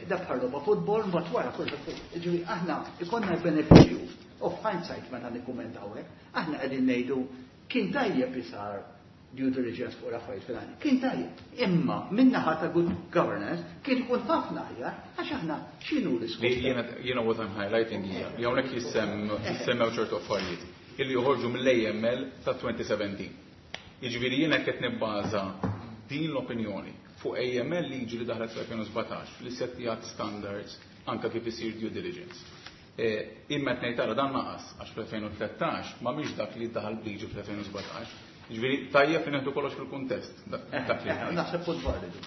da bħal logħba futbol mbagħad wara kulħadd. Jiġifieri aħna ikollna l-benefiċċju of hindsight meta nikkummentaw hekk, aħna qegħdin ngħidu kien tajjeb li sar due diligence fuq l-affarijiet fil-għani. Kien tajjeb. Imma min-naħa ta' good governance kien ikun ħafna aħjar għax aħna x'inhu l-iskop. Li jiena, jiena what I'm highlighting hija li hawnhekk jissem, jissemmew ċertu affarijiet illi joħorġu mill-A M L ta' twenty seventeen. Jiġifieri jiena qed nibbaża din l-opinjoni fuq A M L liġi li daħlet fl-elfejn u sbatax li settijat standards anka kif isir due diligence. Eh, imma qed ngħid tara dan naqas għax fl-elfejn u tlettax ma mhix dak li daħal b'liġi fl-elfejn u sbatax. Jiġifieri tajjeb li neħdu kollox fil-kuntest. Dak li Eh, eh, naħseb punt validu.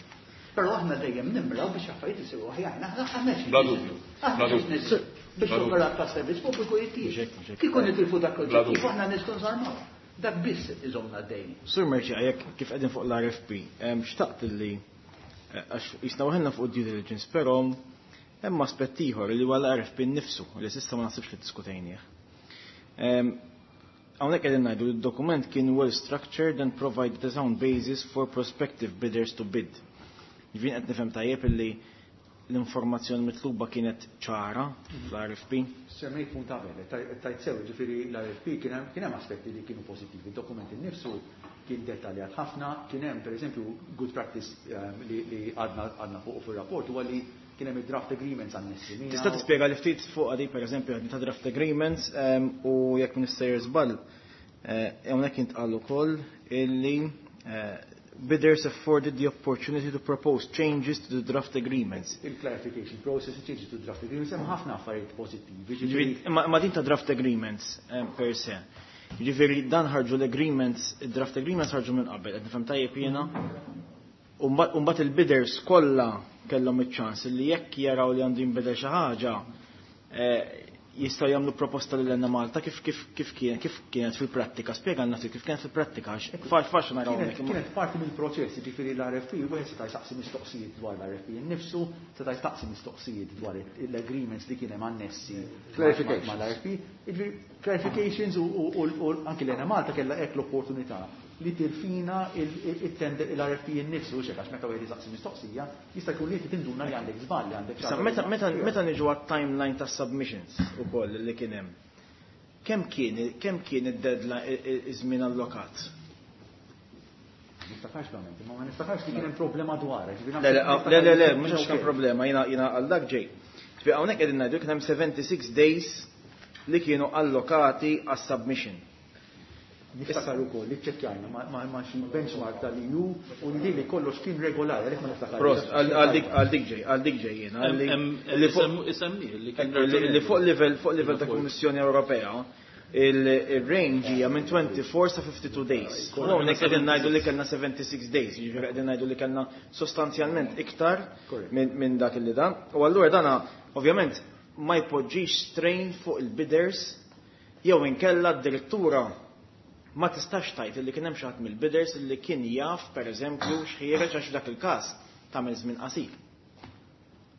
Però aħna dejjem nimraw biex affarijiet isiru aħjar. Aħna aħna xi Bla dubju. Aħna Bla dubju. xi nies biex Bla dubju. l-operat ta' servizz pubbliku jittieħed. Mhux hekk, mhux hekk. Kieku nitilfu dak Bla l-oġġettiv, dubju. aħna nistgħu nżarmaw. Dak biss iżomna d-dejn. Sur Merċi, jekk kif qegħdin fuq l-R F P, em, xtaqt li, eh, għax jisna waħelna fuq due diligence, però hemm aspett ieħor li huwa l-R F P nnifsu li s'issa ma naħsibx li diskutejnieh. Em, hawnhekk qegħdin ngħidu li d-dokument kien well structured and provided a sound basis for prospective bidders to bid. Ġifieri qed nifhem tajjeb illi l-informazzjoni mitluba kienet ċara fl-R F P. Semmejt punt qabel, taj-, tajt sew, ġifieri l-R F P kien hemm, kien hemm aspetti li kienu pożittivi, id-dokument innifsu kien dettaljat ħafna, kien hemm pereżempju good practice, ehm, li, li għadna, għadna fuq fir-rapport huwa li kien hemm id-draft agreements annessi miegħu. Tista' tispjega li ftit fuq għadi pereżempju għadni ta' draft agreements, ehm, u jekk minister żball, eh, hawnhekk intqal ukoll illi, eh, bidders afforded the opportunity to propose changes to the draft agreements. Il-clarification process, changes to the draft agreements, hemm ħafna affarijiet pożittivi. Ġifieri, imma, imma din ta' draft agreements, eh, per se. Ġifieri dan ħarġu l-agreements, il-draft agreements ħarġu minn qabel, qed nifhem tajjeb jiena. U mbagħad, u mbagħad il-bidders kollha kellhom iċ-ċans li jekk jaraw li għandu jinbidel xi ħaġa, eh, jistgħu jagħmlu proposta lil Enemalta kif, kif, kif kien, kif kienet fil-prattika. Spjegalna ftit kif kienet fil-prattika, għax faċ-, faċli naraw Kienet, hekk, imma kienet parti mill-proċess, jiġifieri l-R F P, wieħed seta' jsaqsi mistoqsijiet dwar l-R F P innifsu, seta' jsaqsi mistoqsijiet dwar l-agreements li kien hemm annessi Clarifications. mal-R F P. Jiġifieri clarifications u, u, u, u anki l-Enemalta kellha hekk l-opportunità li tirfina il-R F P innifsu, xek, għax meta wieħed jisaqsi mistoqsija, jista' jkun li tinduna li għandek żball, li għandek Issa, xi meta, ħaġa. meta, meta niġu għat-timeline ta' submissions ukoll li kien hemm, kemm kien, kemm kien id-deadline, i-, i-, iż-żmien allokat? Niftakarx verament, imma ma niftakarx li kien hemm problema dwar, ġifieri Le, le, naħseb le, le, le, kien mhux għax kien okay. problema, jiena, jiena għal dak ġej. Ġifieri hawnhekk qegħdin ngħidu kien hemm seventy-six days li kienu allokati għas-submission. Niftakar ukoll li ċċekkjajna ma-, ma-, ma' xi benchmark tal-E U u li li kollox kien regolari, għalhekk ma niftakarx. Prost, għal-, għal dik, għal dik ġej, għal dik ġej jiena, Em, li- em, li fuq isemmu-, isemmi li kien Ekku, li-, li fuq livell, fuq livell ta' Rapport. Kummissjoni Ewropea, il-, il-range hija minn twenty-four sa fifty-two days. U hawnhekk qegħdin ngħidu li kellna seventy-six days, jiġifieri qegħdin ngħidu li kellna sostanzjalment iktar Correct. minn, minn dak li dan. U allura dana ovvjament ma jpoġġix strain fuq il-bidders jew inkella d-direttura ma tistax tajt li kien hemm xi ħadd mill-bidders li kien jaf pereżempju x'ħiereġ għax dak il-każ tagħmel żmien qasir.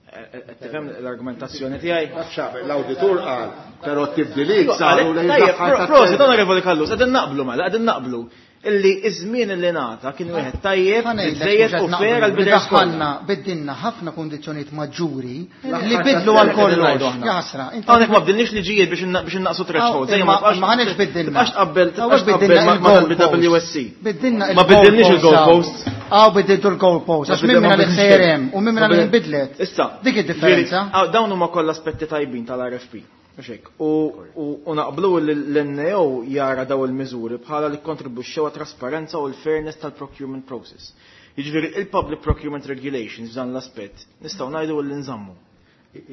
Qed tifhem l-argumentazzjoni tiegħi? Għax l-awditur qal, però t-tibdiliet saru lejn Tajjeb, l-aħħar pro-, ta' prosit, tender. Onorevoli Callus, qegħdin naqblu mela, qegħdin naqblu illi iż-żmien li ngħata kien wieħed tajjeb, Ħa ngħidlek biżejjed mhux qed u fair naqblu, għal bidders kollha. Daħħalna, biddilna ħafna kundizzjonijiet maġġuri L-aħħar li ta' bidlu għal tender. kollox. Ngħidu aħna. Ja ħasra, inti Hawnhekk ma bdilniex liġijiet biex inna-, biex innaqsu threshold. Aw, Ejja, imma ma tibqax ma ħaniex biddilna. Tibqax tqabbel, Hawnhekk tibqax tqabbel biddilna ma-, ma il-goal tal-B W S C. post. Biddilna Ma biddilniex il-goal il-goal post. post. Aw, biddiltu l-goal post. Ma Għax minn minna biddilna li ħsejrem u minn minna li Ma biddil- nbidlet. Issa, Dik id-differenza. ġifieri, aw, dawn huma kollha aspetti tajbin tal-R F P. Mhux hekk. U, u, u naqblu li l-N A O jara daw il-miżuri bħala li kontribwixxew għat-trasparenza u l-fairness tal-procurement process. Jiġifieri il-Public Procurement Regulations f'dan l-aspett nistgħu ngħidu li nżammu.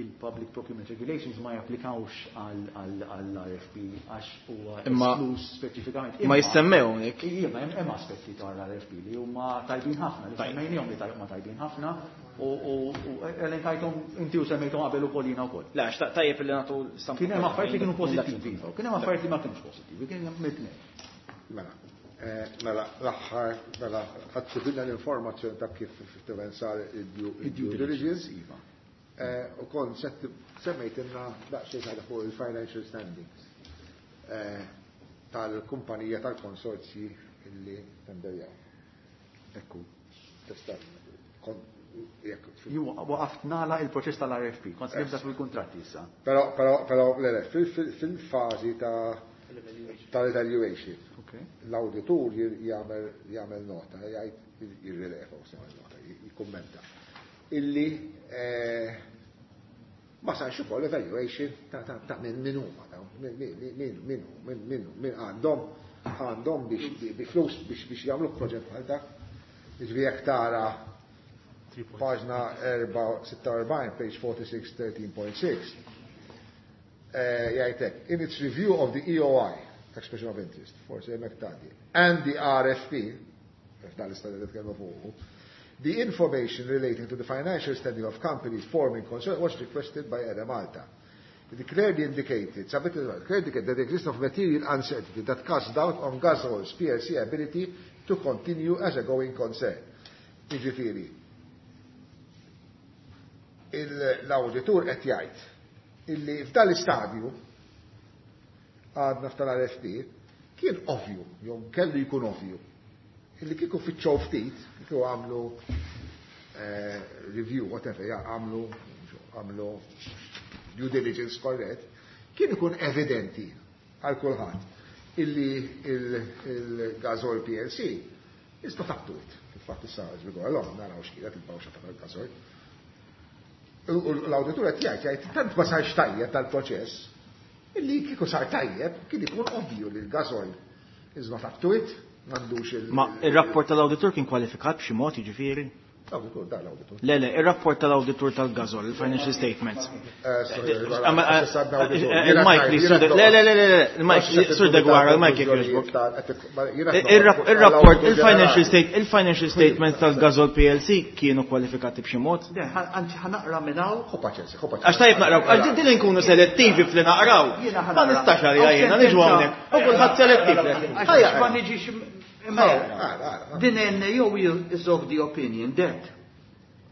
Il-Public Procurement Regulations ma japplikawx għall-R F P għax huwa Imma- esklus speċifikament. Ma jissemmew hawnhekk. Iva, hemm hemm aspetti tal-R F P li huma tajbin ħafna, li semmejnihom li huma tajbin ħafna u u u elenkajthom inti u semmejthom qabel ukoll jiena wkoll. La, xtaq tajjeb li nagħtu stampa. Kien hemm affarijiet li kienu pożittivi, iva, u kien hemm affarijiet li ma kienux pożittivi, kien hemm mit-tnejn. Mela, eh, mela, l-aħħar, mela, ħadd l-informazzjoni ta' kif effettivament sar il-due Id-due diligence. Iva. Eh, U kont semmejtilna daqsxejn ħaġa fuq il-financial standings eh, tal-kumpanija tal-konsorzji illi tenderjaw. Ekku. Tista' kon- jekk Ju waqaft nala il-proċess tal-R F P, kont se nibda fil-kontratti issa. Però, però, però, le, le, fil- fil- fil-fażi ta' tal-evaluation, Okay. l-auditur jagħmel jagħmel nota, jgħid jirrileva, u jagħmel nota, jikkummenta. Illi eh, ma sarx ukoll evaluation ta' ta' ta' min min huma dawn, min min min min min min min għandhom għandhom biex bi flus biex biex jagħmlu proġett bħal dak. Jiġifieri jekk tara paġna sitta u erbgħin, page forty-six, thirteen point six, eh, jgħidlek, in its review of the E O I, Expression of Interest, forsi hemmhekk tgħaddi, and the R F P, f'dan l-istadju li tkellmu fuqu, the information relating to the financial standing of companies forming concern was requested by Enemalta. It clearly indicated, submitted, clearly indicated that the existence of material uncertainty that casts doubt on Gasoil's P L C ability to continue as a going concern. Jiġifieri, l-auditur qed jgħid illi f'dan l-istadju għadna f'tal-R F P kien ovvju, jew kellu jkun ovvju, illi kieku fittxew ftit, kieku għamlu eh, review, whatever, ja, għamlu għamlu due diligence korrett, kien ikun evidenti għal kulħadd illi il-Gasoil P L C is not up to it. Fil-fatt issa as we go along, naraw x'kienet il-bawxa tal-Gasoil. U l-auditur qed jgħid jgħid tant ma sarx tajjeb tal-proċess, illi kieku sar tajjeb kien ikun ovvju li l-Gasoil is not up to it, m'għandux il- Ma il-rapport tal-auditur kien kwalifikat b'xi mod, jiġifieri? L-auditur, da l-auditur. Le, le, il-rapport tal-auditur tal-Gasoil, il-financial statements. Il-mic li sur, le, le, le, le, il-mic, sur Deguara, il-mic jekk jogħġbok. Il-rapport, il-financial state, il-financial statements tal-Gasoil P L C kienu kwalifikati b'xi mod? Ħa naqra minn hawn. Ħu paċenzja, ħu paċenzja. Għax tajjeb naqraw, għax din nkunu selettivi fli naqraw. Ma nistax għalija jiena niġu hawnhekk. U kulħadd selettiv. Għax ma niġix. Din N A O is of the opinion that,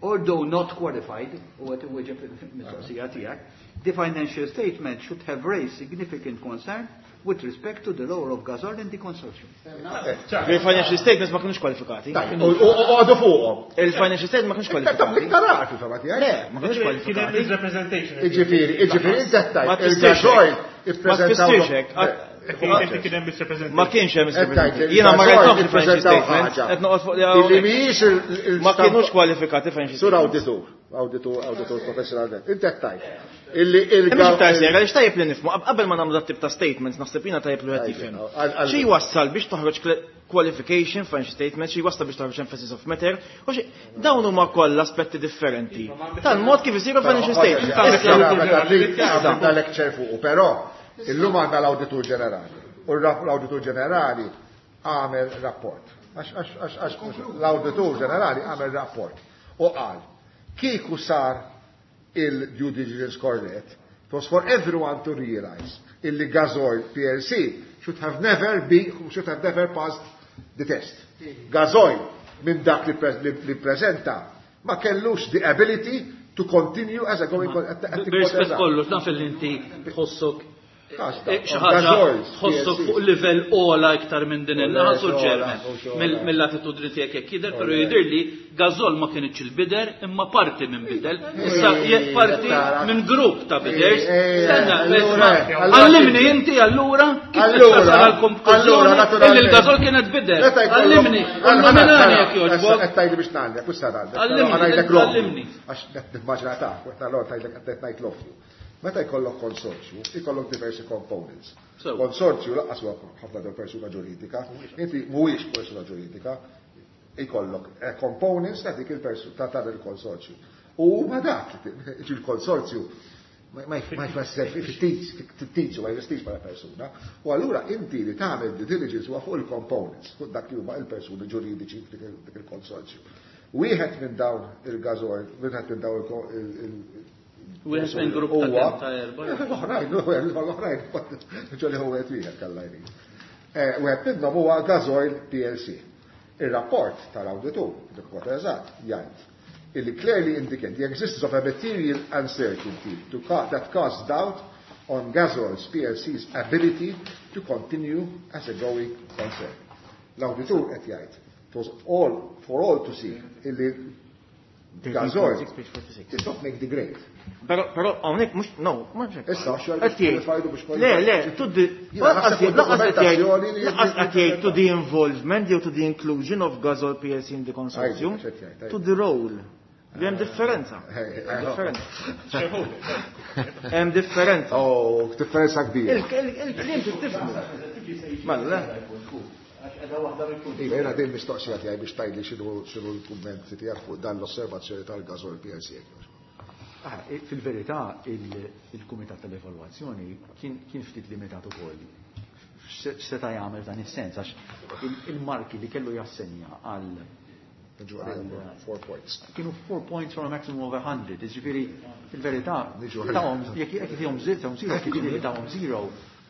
although not qualified, u qed iwieġeb il-mistoqsija tiegħek, the financial statement should have raised significant concern with respect to the role of Gasoil in the consortium. Il-financial statements ma kienux kwalifikati. U għadu fuqhom. Il-financial statements ma kienux kwalifikati. Iktar għarfi fema tiegħek. Le, ma kienux kwalifikati. Misrepresentation. Iġifieri, iġifieri, inti Ma tfissirx il-Gasoil hekk. Ma tfissirx hekk. Kien hemm misrepresentation. Ma kienx hemm misrepresentation. Jiena ma rajthomx il-financial statements, qed noqgħod fuq li Illi mhijiex il- Ma kienux kwalifikati financial Sur statements. auditur, auditur, auditur professional. Inti qed tgħid. Illi il Mhux iktar serja, għaliex tajjeb li nifhmu, qabel ma nagħmlu dat tip ta' statements, naħseb jiena tajjeb li wieħed jifhem. Xi jwassal biex toħroġ qualification, financial statement, xi jwassal biex toħroġ emphasis of matter, u xi dawn huma kollha aspetti differenti. Tal-mod kif isiru financial statements. Għandna lecture fuqu, però illum għandna l-Awditur Ġenerali. U l-Awditur Ġenerali għamel rapport. Għax għax għax l-Awditur Ġenerali għamel rapport. U qal, kieku sar il-due diligence correct, it was for everyone to realize illi Gasoil P L C should have never be, should have never passed the test. Gasoil minn dak li, pre, li, li prezenta ma kellux the ability to continue as a going B'rispett kollu, naf li inti tħossok xi ħaġa tħossok fuq livell ogħla iktar minn din il-naħa, Sur Chairman, mill-attitudni tiegħek jekk jidher, però jidher li Gasoil ma kienx il-bidder imma parti minn bidder. Issa jekk parti minn grupp ta' bidders. Stenna, għallimni inti allura kif tista' tasal għall-konklużjoni illi l-Gasoil kienet bidder. Għallimni, illuminani jekk jogħġbok. Qed tgħidli biex ngħallek, u sa Għallimni, għallimni. Għax qed nimmaġina ta' qed allora tgħidlek qed ngħid l-offju. Meta jkollok konsorzju, jkollok diversi components. Konsorzju lanqas huwa ħafna del persuna ġuridika, inti mhuwiex persuna ġuridika, jkollok eh, components ta' dik il-persuna ta' dan il-konsorzju. U ma dak, il-konsorzju ma jfisser fittizju, ma jfissirx bħala persuna. U allura inti li tagħmel due diligence huwa fuq il-components, fuq dak li huma il-persuni ġuridiċi f'dik il-konsorzju. Wieħed minn dawn il-Gasoil, wieħed minn dawn il- Wieħed minn grupp ta' kemm ta' erba'? L-oħrajn, l-oħrajn, ġoli huwa wieħed kalla jrid. Wieħed minnhom huwa Gasoil P L C. Ir-rapport tal-awditur, dik eżatt, jgħid illi clearly indicate the existence of a material uncertainty to ca-, that casts doubt on Gasoil's P L C's ability to continue as a going concern. L-awditur qed jgħid, it was all for all to see illi Gasoil did not make the grade. Però, però hawnhekk mhux, no, mhux hekk. Issa, xi Qed jgħid, jgħidu biex Le, le, to the, Jiena naħseb lanqas jgħid, lanqas qed jgħid, dokumentazzjoni li lanqas qed jgħid to the involvement jew to the inclusion of Gasoil P L C in the consortium, Għajdu, x'qed jgħid, to the role. Li hemm differenza. Hey, hey, Hemm differenza. Hemm differenza. Oh, differenza kbira. Il-, il-, il-kliem tifhmu. Mela, le. Iva, jiena din mistoqsija tiegħi biex tgħidli x'inhu, x'inhu l-kummenti tiegħek fuq dan l-osservazzjoni tal-Gasoil P L C. Ah, fil-verità, il-, il-Kumitat tal-Evalwazzjoni kien, kien ftit limitat ukoll. X'seta' jagħmel f'dan is-sens, għax il-, il-marki li kellu jassenja għal Niġu għal four points. Kienu four points from a maximum of a hundred. Jiġifieri, fil-verità, Niġu għal tawhom, jekk jekk jtihom zero, tawhom zero, jekk jtihom tawhom zero,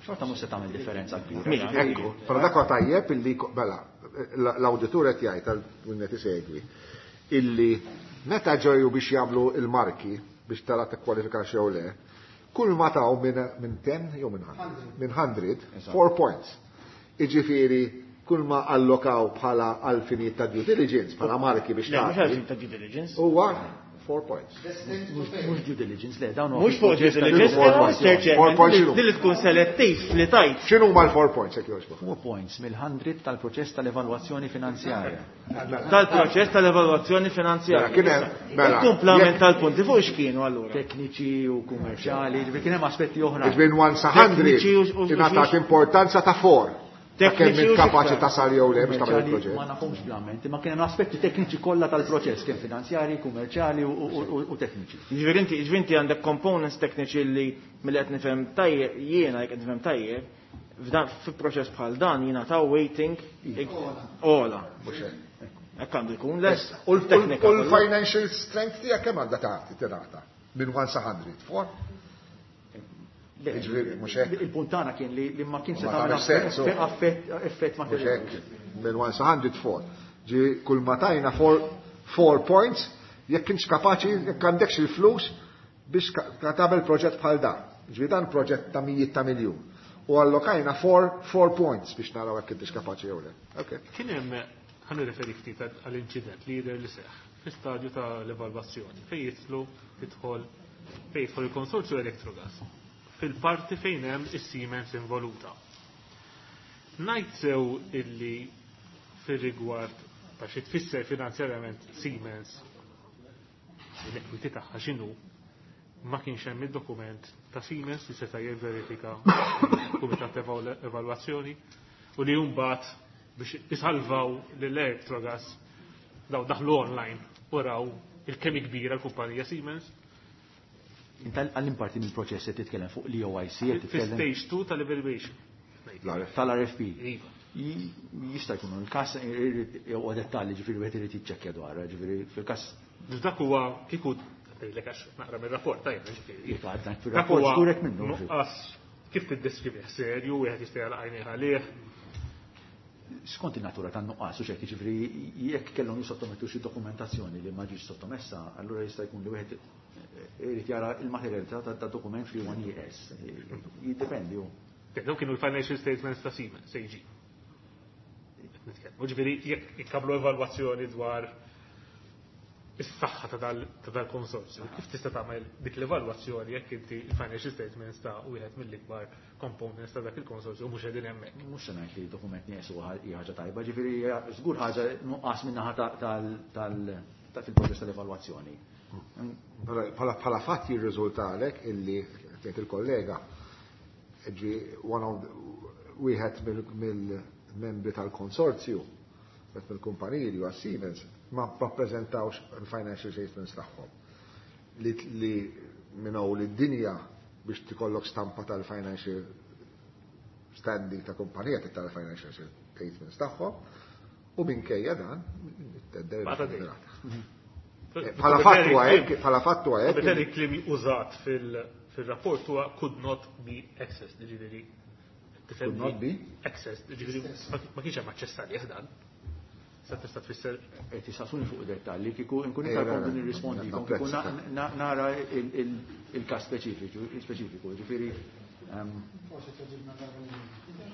xorta mhux se tagħmel differenza kbira. Mela, ekku, però dak huwa tajjeb illi ko-, mela, l-, l-awditur qed jgħid għal min qed isegwi illi meta ġew biex jagħmlu il-marki biex tara tikkwalifikax jew le, kull ma taw minn, minn ten jew minn hundred, minn hundred, Eżatt. four points. Jiġifieri kull ma allokaw bħala għalfinijiet ta' due diligence, bħala marki biex Le, mhux tagħti, għalfinijiet ta' due diligence. Huwa four points. Mhux due diligence, le, dawn huwa Mhux fuq due proċess ta' diligence, Four però points. Mister Chairman, Four points x'inhu? din li tkun selettiv li tajt. X'inhu huma l-four points, jekk jogħġbok? Four points mill-hundred tal-proċess tal-evalwazzjoni finanzjarja. Tal-proċess tal-evalwazzjoni finanzjarja. Mela, kien hemm, mela, Il-kumplament jekk tal-punti fuq x'kienu allura? Tekniċi u kummerċjali, ġifieri kien hemm aspetti oħra. Ġifieri one sa hundred Tekniċi u- u- ingħatat importanza ta' four. Tekniċi Kemm u kapaċi xiktar. tasal jew le biex tagħmel Kummerċjali il-proġett. Ma nafhomx bl-amment, imma kien hemm aspetti tekniċi kollha tal-proċess, kemm finanzjari, kummerċjali u, u, u, u tekniċi. Ġifieri inti, ġifieri inti għandek components tekniċi li milli qed nifhem tajjeb, jiena jekk qed nifhem tajjeb, f'dan fi proċess bħal dan jingħataw waiting ola. Mhux hekk. Hekk għandu jkun les. U l- teknika u kollha. l-financial strength tiegħek kemm għandha tagħti tingħata? Minn one sa hundred, four? Ġifieri, mhux hekk. Il-punt tagħna kien li, li ma kienx se Ma tagħmel tagħmel sens, effett, oh. effett, effett Mhux materjali. hekk, minn one sa hundred four. Ġi kull ma tajna four, four points, jekk kienx kapaċi, jekk għandekx il-flus biex ka-, ka-, tagħmel proġett bħal dan. Ġifieri dan proġett ta' mijiet ta' miljun. U allokajna four, four points biex naraw jekk intix kapaċi jew le. Okay. Kien hemm, ħa nirreferi ftit għall-inċident li jidher li seħħ fi stadju tal-evalwazzjoni fejn jidħlu jidħol fejn jidħol il-konsorzju Electrogas fil-parti fejn hemm is-Siemens involuta. Ngħid sew illi fir-rigward ta' xi tfisser finanzjarjament Siemens l-equity tagħha x'inhu, ma kienx hemm id-dokument ta' Siemens li seta' jivverifika l-Kumitat ta' Evalwazzjoni u li mbagħad biex isalvaw lill-Electrogas daw daħlu online u raw il-kemm kbira l-kumpanija Siemens. Inta għall-imparti mill-proċess qed titkellem fuq l-E O I C, qed Fi titkellem stage two tal-evaluation. Tal-R F P. Iva. J-, jista' jkun il-każ jew dettalji, ġifieri wieħed irid jiċċekkja dwar, ġifieri fil-każ. Dak huwa kieku ngħidlek għax naqra mir-rapport tajjeb, ġifieri. Iva, għadna Dak fir-rapport huwa żgurek minnu, ġifieri. nuqqas kif tiddeskrivih serju, wieħed jista' jagħlaq għajnejh għalih. Skont in-natura tan-nuqqas, u xejn, ġifieri jekk kellhom jissottomettu xi dokumentazzjoni li ma ġietx sottomessa, allura jista' jkun li wieħed irid jara l-materjalità ta', ta' dokument li huwa nieqes. Jiddependi hu. Dawn kienu l-financial statements ta' Siemens, A G. Nitkellmu, ġifieri jekk ikkablu evalwazzjoni dwar is-saħħa ta' dal-, ta' dal-konsorzju, kif tista' tagħmel dik l-evalwazzjoni jekk inti l-financial statements ta' wieħed mill-ikbar components ta' dak il-konsorzju mhux qegħdin hemmhekk. Mhux se ngħid li dokument nieqes huwa hija ħaġa tajba, ġifieri hija żgur ħaġa nuqqas min-naħa ta', tal-, tal-, ta' fil-proċess tal-evalwazzjoni. Bħala, bħala, bħala fatt jirriżultalek illi tgħid il-kollega ġi one of the, wieħed mill-, mill-membri tal-konsorzju, wieħed mill-kumpaniji li huwa Siemens, ma ppreżentawx il-financial statements tagħhom. li minn hawn lid-dinja biex tikollok stampa tal-financial standing ta' kumpanija tara financial statements tagħhom u minkejja dan it-tender. Bħala fatt huwa hekk, bħala fatt huwa hekk. Bħala kliem użat fil-rapport huwa could not be accessed, jiġifieri could not be accessed, jiġifieri ma kienx hemm aċċess għalih dan. Sa tista' tfisser qed tistaqsuni fuq dettalji kieku nkun iktar komdu nirrispondi kieku nara il-każ speċifiku, speċifiku, jiġifieri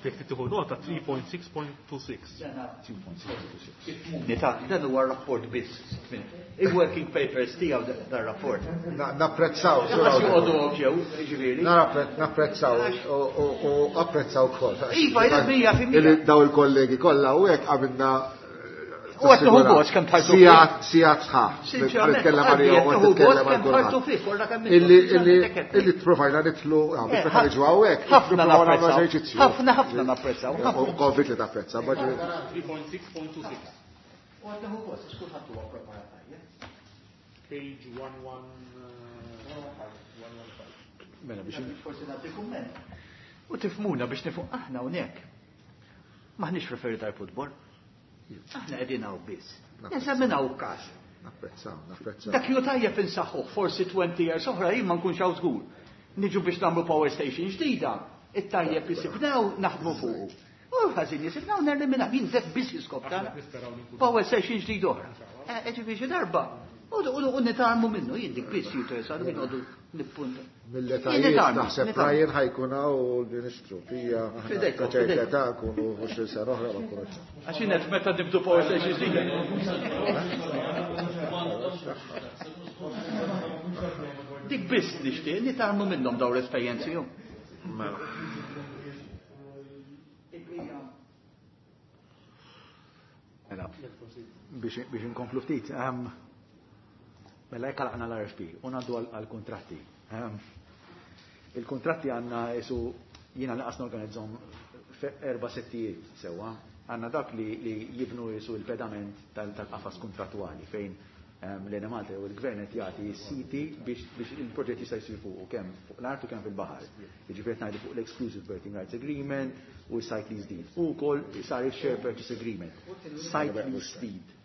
Jekk tieħu nota three point six point two six. Dan huwa rapport biss. Il-working papers tiegħu dan rapport. Napprezzaw, jiġifieri. Napprezzaw u apprezzaw ukoll. Iva, mija fil-mija. Daw il-kollegi kollha u hekk għamilna U għat nħu gost kemm tħarsu. Sigħat, sigħat sħaħ. Nitkellem għalija u nitkellem għal kulħadd. Illi illi tprovajna nidħlu biex meta niġu hawnhekk. Ħafna napprezzaw. Ħafna ħafna napprezzaw. U konvint li tapprezza. three point six point two six. U għat nħu gost, għax kulħadd huwa preparat tajjeb. Page one one one one five. Mela biex forsi nagħti kumment. U tifhmuna biex nifhmu aħna hawnhekk. Maħniex referi tal-futbol. Aħna qegħdin hawn biss. Neżaminaw każ. Napprezzaw, napprezzaw. Dak ju tajjeb insaħħuh, forsi twenty years oħra jien ma nkunx hawn żgur. Niġu biex nagħmlu power station ġdida, it-tajjeb jisibnaw naħdmu fuqu. U ħażin jisibnaw nerliminaw, jien dak biss jiskop tagħna. Power station ġdida oħra. Ġifieri xi darba. U nitarmu minnu, jien dik biss jinteressani minn għodu nippunta. Mill-etajiet naħseb Ryan ħajkun hawn u l-Ministru fija Fidejkom, ta' ċerta fidejkom. età nkunu għoxrin sena oħra ma nkunux. Għax jien qed meta nibdu power station ġdida. Dik biss nixtieq nitarmu minnhom dawn l-esperjenzi jum. Mela. Mela, biex, biex inkomplu ftit, ehm, mela jekk għalaqna l-R F P u ngħaddu għall-kuntratti. Ehm, il-kuntratti għandna isu jiena naqas norganizzahom erba' settijiet sewwa. Għandna dak li, li jibnu isu l-pedament tal-, tal-qafas kontrattwali fejn, ehm, l-Enemalta jew il-gvern qed jagħti s-siti biex, biex il-proġett jista' jsir fuq kemm fuq l-art u kemm fil-baħar. Jiġifieri qed ngħidu fuq l-Exclusive Berthing Rights Agreement u s-Site Lease Deed. U wkoll sar il-Share Purchase Agreement. Site Lease Deed.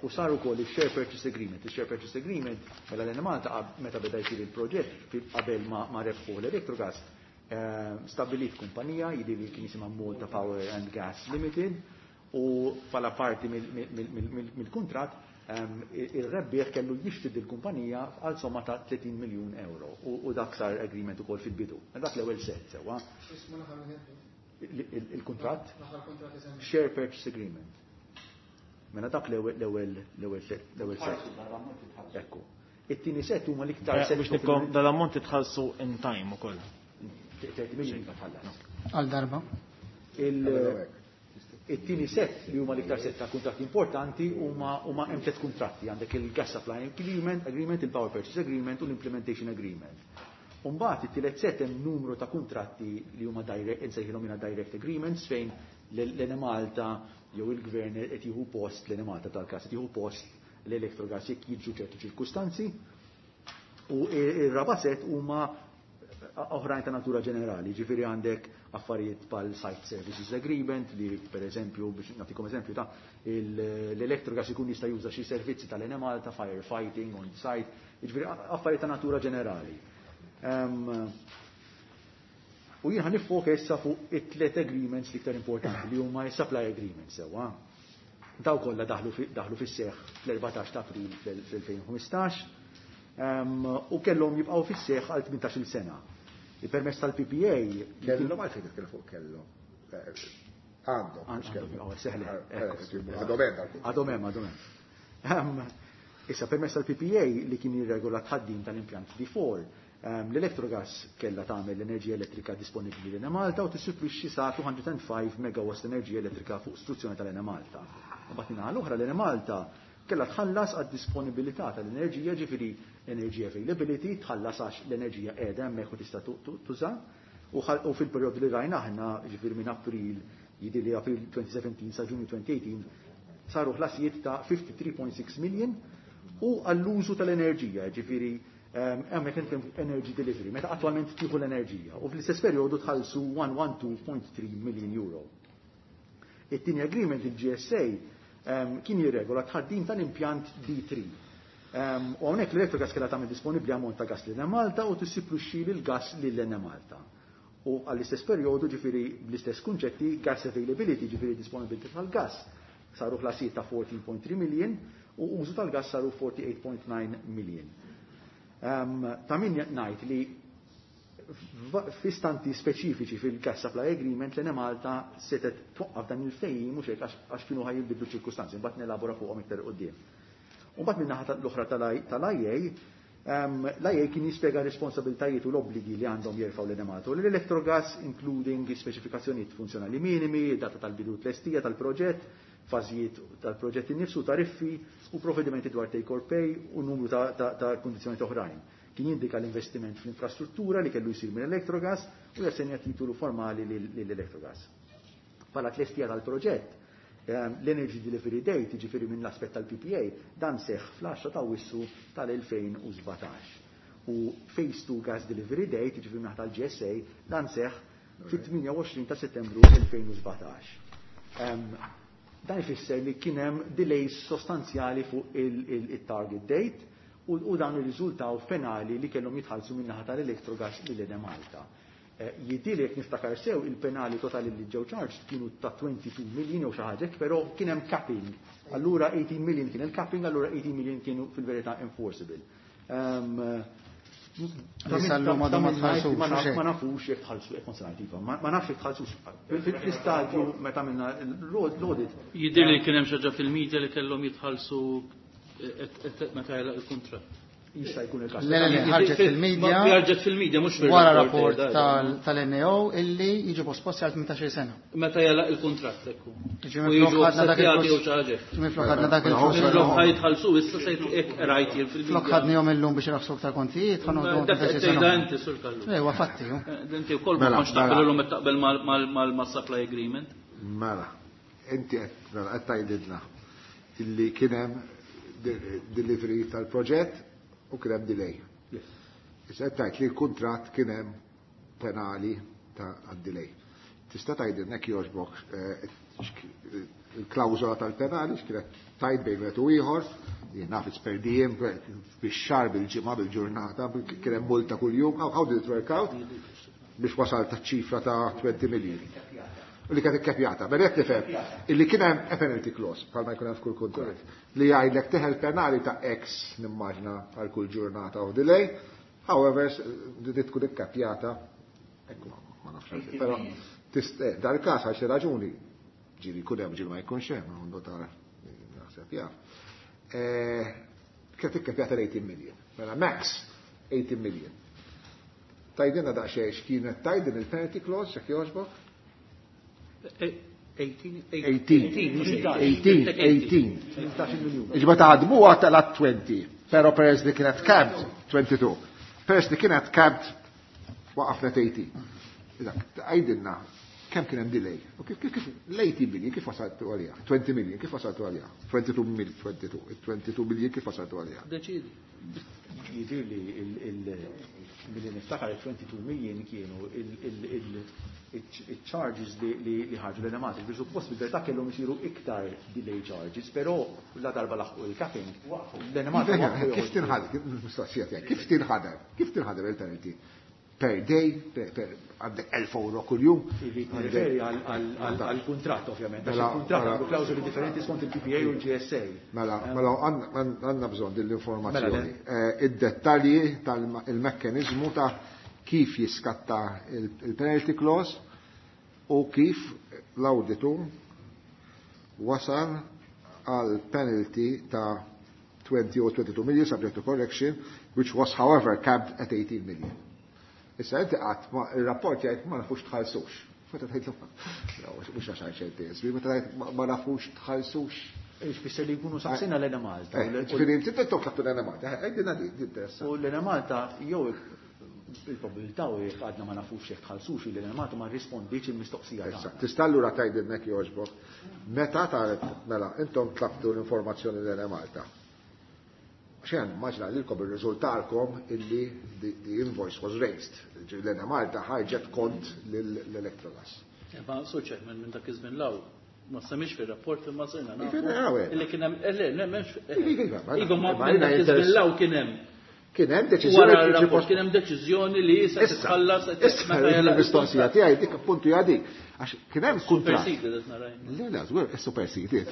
U sar ukoll il-Share Purchase Agreement. Il-Share Purchase Agreement mela l-Enemalta qab-, meta beda jsir il-proġett qabel ma, ma rebħu l-Electrogas, eh, stabbilit kumpanija jidhi li kien jisimha Malta Power and Gas Limited u bħala parti mill-, mill-, mill-, mill-, mill-kuntratt, ehm, il-rebbieħ kellu jixtri dil-kumpanija għal somma ta' tletin miljun euro u, u dak sar agreement ukoll fil-bidu. Dak l-ewwel set sewwa. X'ismu l-aħħar wieħed? Il-, il-, il-kuntratt? L-aħħar kuntratt li semmi. Share Purchase Agreement. Mela dak l-ewwel, l-ewwel, l-ewwel set, l-ewwel set. Ekku. It-tieni set huma l-iktar Eh, set biex nikkom dal-ammont titħallsu in time ukoll. Thirty million iva tħallas. Għal darba. Il-, it-tieni set li huma l-iktar set ta' kuntratti importanti huma, huma hemm tliet kuntratti, għandek il-Gas Supply Agreement, Agreement, il-Power Purchase Agreement u l-Implementation Agreement. U mbagħad it-tielet set hemm numru ta' kuntratti li huma direct, insejħilhom jiena direct agreements fejn l-Enemalta jew il-gvern qed jieħu post l-Enemalta tal-każ qed jieħu post l-Electrogas jekk jiġu ċertu ċirkustanzi. U ir-raba' set huma oħrajn ta' natura ġenerali, ġifieri għandek affarijiet bħal Site Services Agreement li per eżempju, biex nagħtikom eżempju ta' il-, l-Electrogas ikun jista' juża xi servizzi tal-Enemalta, firefighting on site, ġifieri affarijiet ta' natura ġenerali. Ehm, u jien ħa nifoka issa fuq it-tliet agreements l-iktar importanti li huma s-supply agreements sewwa. Daw kollha daħlu fi-, daħlu fis-seħħ fl-erbatax ta' April fl-elfejn u ħmistax, ehm, u kellhom jibqgħu fis-seħħ għal tmintax-il sena. Il-permess tal-P P A Kellhom għalfejn titkellem fuq kellhom. Eh, għandhom, mhux Għandhom, kellhom. għaw, seħli. Eh, Ekku. eh, għandhom hemm dal-punt. Għadhom hemm, għadhom hemm. Ehm, issa permess tal-P P A li kien jirregola tħaddim tal-impjant D four, ehm, l-Electrogas kellha tagħmel l-enerġija elettrika disponibbli lil Enemalta u tissupplixxi sa two hundred and five megawatts enerġija elettrika fuq struzzjoni tal-Enemalta. Mbagħad min-naħa l-oħra l-Enemalta kellha tħallas għad-disponibilità tal-enerġija, ġifieri energy availability, tħallas għax l-enerġija qiegħda hemmhekk u tista' tu-, tu-, tuża. U ħal-, u fil-perjodu li rajna aħna, ġifieri minn April, jidhirli li April twenty seventeen sa Ġunju twenty eighteen, saru ħlasijiet ta' fifty-three point six million U għall-użu tal-enerġija, ġifieri hemmhekk nitkellmu energy delivery, meta attwalment tieħu l-enerġija u fl-istess perjodu tħallsu one hundred twelve point three million euro. It-tieni agreement, il-G S A, kien jirregola tħaddim tal-impjant D three. U hawnhekk l-Electrogas kellha tagħmel disponibbli ammont ta' gas lil Malta u tissipluxxi l-gas lil Malta. U għall-istess perjodu, ġifieri bl-istess kunċetti, gas availability, ġifieri disponibility tal-gas, saru ħlasijiet ta' fourteen point three million u użu tal-gas saru forty-eight point nine million. Ta' min ngħid li f'istanti speċifiċi fil-gas supply agreement l-Enemalta setet twaqqaf dan il-ftehim mhux hekk għax kienu ħaj jinbidlu ċirkustanzi, mbagħad nelabora fuqhom iktar quddiem. U mbagħad min-naħa l-oħra tal-I A, l-I A kien jispjega responsabiltajiet u l-obbligi li għandhom jerfgħu l-Enemalta u l-Electrogas, including speċifikazzjonijiet funzjonali minimi, data tal-bidu tlestija tal-proġett, fażijiet tal-proġett innifsu, tariffi u provvedimenti dwar take or pay u numru ta', ta, ta' kundizzjonijiet oħrajn. Kien jindika l-investiment fl-infrastruttura li kellu jsir minn Electrogas u jassenja titolu formali lill-Electrogas. Bħala tlestija tal-proġett, ehm, l-Energy Delivery Date, jiġifieri minn l-aspett tal-P P A, dan seħħ fl-għaxra ta' Awwissu tal-elfejn u sbatax. U Phase two Gas Delivery Date, jiġifieri minn tal-G S A, dan seħħ fit-tmienja u għoxrin ta' Settembru elfejn u sbatax. Ehm, dan ifisser li kien hemm delays sostanzjali fuq il-, il-, il-target date u, u dan irriżultaw penali li kellhom jitħallsu min-naħa tal-Electrogas lil Enemalta. Eh, jidhirli jekk niftakar sew il-penali totali li ġew charged kienu ta' twenty-two million jew xi ħaġa hekk, però kien hemm capping. Allura eighteen million kien il-capping, allura eighteen million kienu fil-verità enforceable. Ehm, ta' min- Jisallu ma ta' ma min tħallsux, ma naf- xejn. ma nafux jekk tħallsu, jekk kont se ngħid, iva, ma-, ma nafx jekk tħallsux. Fil-istadju meta minna l-audit. Jidher li kien hemm xi ħaġa fil-media li kellhom jitħallsu meta jagħlaq il-kuntratt. Jista' jkun il-każ. Le, le, le, ħarġet fil-media. Ma ħarġet fil-media, mhux fil-rapport, Wara rapport eh, tal-, tal-N A O illi jiġu posposti għal tmintax-il sena. Meta jagħlaq il-kuntratt, ekku. Jiġu U minflok jiġu ħadna dak offsettjati il-flus. jew xi ħaġa. Jiġu minflok ħadna dak il-flus. Minflok ħa jitħallsu issa se jt-, hekk rajt jien fil-media. Flok ħadnihom illum biex irħsu aktar kontijiet, ħa noħduhom Dak tmintax-il qed tgħidha sena. inti, Sur Kallu. Ejwa, fatti, ju. Eh, inti wkoll ma Mela, kontx taqbel mela. illum qed taqbel mal-, mal-, mal-, mas-supply agreement. Mela, inti qed, mela, qed tgħidilna illi kien hemm de-, delivery tal-proġett u kien hemm delay. Yes. Issa qed tgħid li l-kuntratt kien hemm penali ta' għad-delay. Tista' tgħidilna jekk jogħġbok, eh, il-klawżola tal-penali x'kienet tgħid bejn wieħed u ieħor, jien naf it's per diem, bix-xahar, bil-ġimgħa, bil-ġurnata, kien hemm multa kuljum, how, how did it work out? Biex wasal ta' ċifra ta' twenty million. U li kienet ikkepjata. Mela qed nifhem illi kien hemm a penalty clause bħalma jkun hemm f'kull kuntratt li jgħidlek teħel penali ta' X nimmaġna għal kull ġurnata of delay, however, di tkun ikkapjata, ekku, ma nafx għalfejn, però tist-, eh, dal-każ għal xi raġuni ġieli jkun hemm, ġieli ma jkunx hemm, għandu tar naħseb jaf. Eh, kienet ikkapjata l-eighteen million. Mela max eighteen million. Tajdinna daqsxejn x'kienet tajdin il-penalty clause, jekk jogħġbok? Eighteen, Eighteen. eighteen, Eighteen, eighteen. Tmintax-il miljun. Iġba taħdmuha tal twenty, però peress li kienet capped twenty-two. Peress li kienet capped waqafnet eighteen. Iżak, għajdilna kemm kien hemm delay. U kif, kif, kif, l-eighteen million kif wasaltu għaliha? twenty million kif wasaltu għaliha? twenty-two million, twenty-two, twenty-two million kif wasaltu għaliha? Deċidi. Jidir li il-, il-, milli niftakar twenty-two million kienu il-, il-, il-, il-charges li, li, li ħarġu l-Enemalta. Ġifieri suppost bil-verità kellhom isiru iktar delay charges, però la darba laħqu il-capping, l-Enemalta Kif waqfu kif tinħadem, kif mistoqsija tiegħek, kif tinħadem, kif tinħadem il-penalty? Per day, per, per għandek elf euro kuljum. Irrid nirreferi għal, għal, għal, għal-kuntratt ovvjament, għax Mela, il-kuntratt mela. għandu klawżoli differenti skont il-P P A u l-G S A. Mela, mela, għandna, għandna bżonn din l-informazzjoni. Mela, le. Eh, id-dettalji tal-mekkanizmu ta' kif jiskatta il-, il-penalty clause u kif l-auditur wasal għal penalty ta' twenty or twenty-two million subject to correction, which was however capped at eighteen million. Issa inti qatt ma il-rapport jgħid ma nafux tħallsux. Meta tgħid no, mhux għax għal xejn tiegħek, meta tgħid ma, ma nafux tħallsux. Ifisser li jkunu saqsina l-Enemalta. Eh, ġifieri inti titlob tlabtu l-Enemalta, eh, għidilna di, di interessa. U l-Enemalta jew il-probabilità u jekk għadna ma nafux jekk tħallsux li l-Enemalta ma rrispondiċ il-mistoqsija Issa, tagħna. tista' allura tgħidilna jekk jogħġbok. Meta taret, mela, intom tlabtu l-informazzjoni l-Enemalta. Xejn, maġna lilkom irriżultalkom illi the invoice was raised. L-Enemalta ħarġet kont l-Electrogas. Ma Sur Chairman, minn dak iż-żmien law ma semmix fir-rapport imma sirna nafu. Illi kien hemm, le, le, m'hemmx. Iva, ma minn dak iż-żmien law kien hemm. Kien hemm deċiżjoni Wara r-rapport kien hemm deċiżjoni li se titħallas Issa, il-mistoqsija tiegħi dik appuntu hija dik. Għax kien hemm kuntratt. Superseded qed nara. Le, le, żgur, superseded.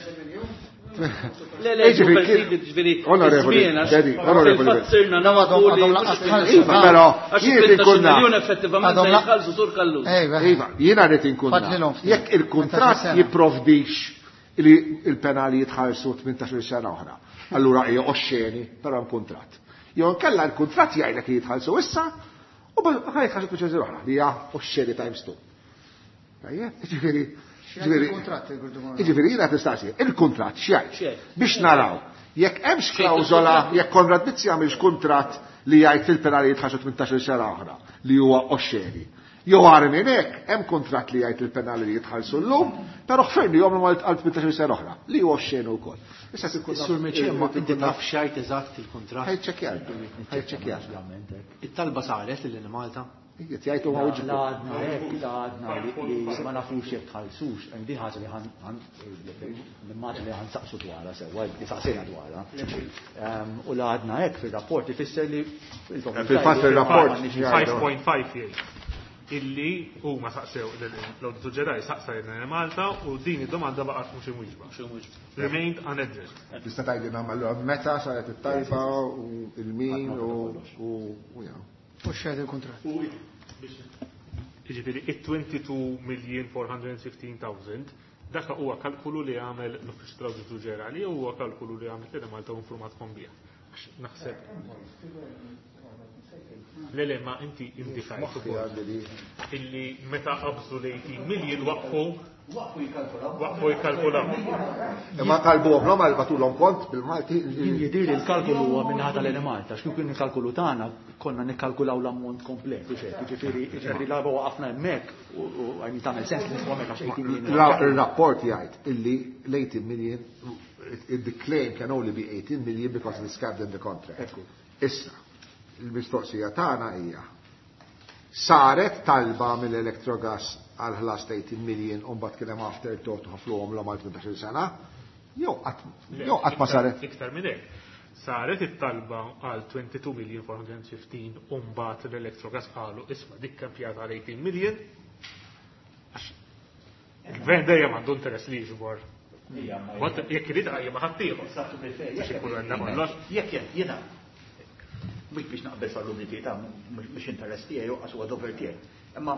Le, le, superseded ġifieri. Onorevoli, Daddy, onorevoli. Fil-fatt sirna nafu li Iva, però jien irid inkun naf. miljun effettivament se jitħallsu sur Kallus. Iva, jiena rrid inkun naf. Jekk il-kuntratt jipprovdix li il-penali jitħallsu tmintax-il sena oħra. Allura hija oxxeni, però hemm kuntratt. Jew inkella l-kuntratt jgħidlek li jitħallsu issa u ħa jitħallsu tmintax-il oħra li hija oxxeni times two. Tajjeb, ġifieri, ġifieri, ġifieri jiena tistaqsi, il-kuntratt x'jgħid? Biex naraw, jekk hemmx klawżola, jekk Konrad Mizzi għamilx kuntratt li jgħid il-penali jitħallsu tmintax-il sena oħra li huwa oxxeni. Jew għar minn hekk, hemm kuntratt li jgħid il-penali li jitħallsu llum, però ħfirni jom għal tmintax-il sena oħra, li huwa oxxeni wkoll. Issa se Sur Miċi, ma inti taf x'jgħid eżatt il-kuntratt. Ħajċċekkjar, ħajċċekkjar. It-talba saret lil Malta. Qed jgħidu ma La għadna hekk, la għadna li ma nafux jekk tħallsux, din ħaġa li ħan nimmaġina li ħan saqsu dwarha sewwa, li saqsejna dwarha. U la għadna hekk fir-rapport ifisser li Fil-fatt fir-rapport five point five jgħid illi huma saqsew l-Awditur Ġenerali saqsa lil Malta u din id-domanda baqgħet mhux imwieġba. Remained unaddressed. Tista' tgħidilna allura meta saret it-talba u il-min u u jew. U x'għed il-kuntratt? Jiġifieri it-twenty-two million four hundred and fifteen thousand dak huwa kalkulu li għamel l-Uffiċċju tal-Awditur Ġenerali u huwa kalkulu li għamlet lil Malta u informatkom bih. Għax naħseb Le, le, ma inti indikajt ukoll illi meta qabżu l-eighteen million waqfu Waqfu jikkalkulaw. Waqfu jikkalkulaw. Imma talbuhom l-hom għal batulhom kont bil-Malti. Jien jidhir li l-kalkulu huwa minn ħadd tal-Enemalta, għax kieku nikkalkulu tagħna konna nikkalkulaw l-ammont komplet, u xejn, jiġifieri, jiġifieri l-arba waqafna hemmhekk u, u għajmi tagħmel sens li nifhom hemmhekk għax eighteen million. La, il-rapport jgħid illi l-eighteen million, the claim can only be eighteen million because it's capped in the contract. Ekku. Issa, il-mistoqsija tagħna hija saret talba mill-Electrogas għal ħlas ta' eighteen million u mbagħad kien hemm afterthought u ħafluhom l għal tmintax-il sena? Jew qatt, jew qatt ma saret. Iktar minn hekk. Saret it-talba għal twenty-two million four hundred and fifteen u mbagħad l-Electrogas qalu isma' dik kemm pjata għal eighteen million. Għax il-gvern dejjem għandu interess li jiġbor. Mbagħad jekk irid qajjem ma' ħaddieħor. Biex ikun għandna kollox. Jekk jien, jiena mhux biex naqbel sal-umniti ta' mhux interess tiegħi u huwa dover tiegħi. Imma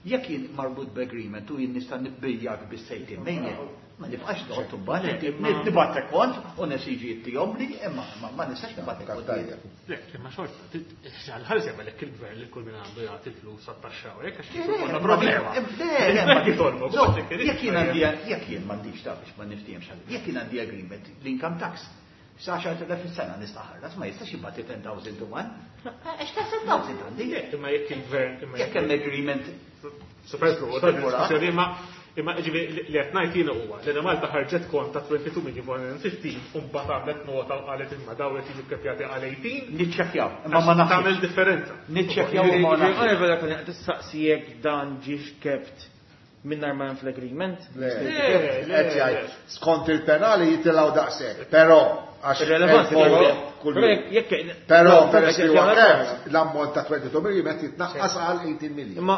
jekk jien marbut b'agreement u jien nista' nibbiljak bis-sejtin million, ma nibqax noqgħod imbagħad nibgħatek kont u nesiġi jittihom li, imma ma nistax nibgħatek kont. Le, imma xorta, għal-ħares jagħmel hekk il-gvern li kull min għandu jagħti l-flus għat-taxxa u hekk għax kif ikollna problema. Le, le, ma Jekk jitolbu, No, jekk irid jekk jien għandi, jekk jien m'għandix ta' biex ma niftihemx ħalli. Jekk jien għandi agreement l-income tax sa għaxar elef fis-sena nista' ħallas, ma jistax jibgħati ten thousand to one. Għax ta' ten thousand għandi. Le, imma jekk il-gvern, imma Jekk hemm agreement Superflu, ta' diskussjoni, imma imma ġifieri li qed ngħid jiena huwa li Malta ħarġet kont ta' twenty-two million four hundred and fifteen u mbagħad għamlet nota u qalet imma dawn qed jiġu kkepjati għal eighteen. Niċċekkjaw, imma ma nafx. Tagħmel differenza. Niċċekkjaw imma ma nafx. Ġifieri, ġifieri, ġifieri, qed tistaqsi jekk dan ġiex kept mingħajr ma hemm fl-agreement? Le, Le, le, qed jgħid, skont il-penali jitilgħu daqshekk, però għax Irrelevanti, hemm però. kull Però jum. jekk jekk Però jekk peress li jekk huwa jekk kept, l-ammont ta' twenty-two million qed jitnaqqas għal eighteen million. Imma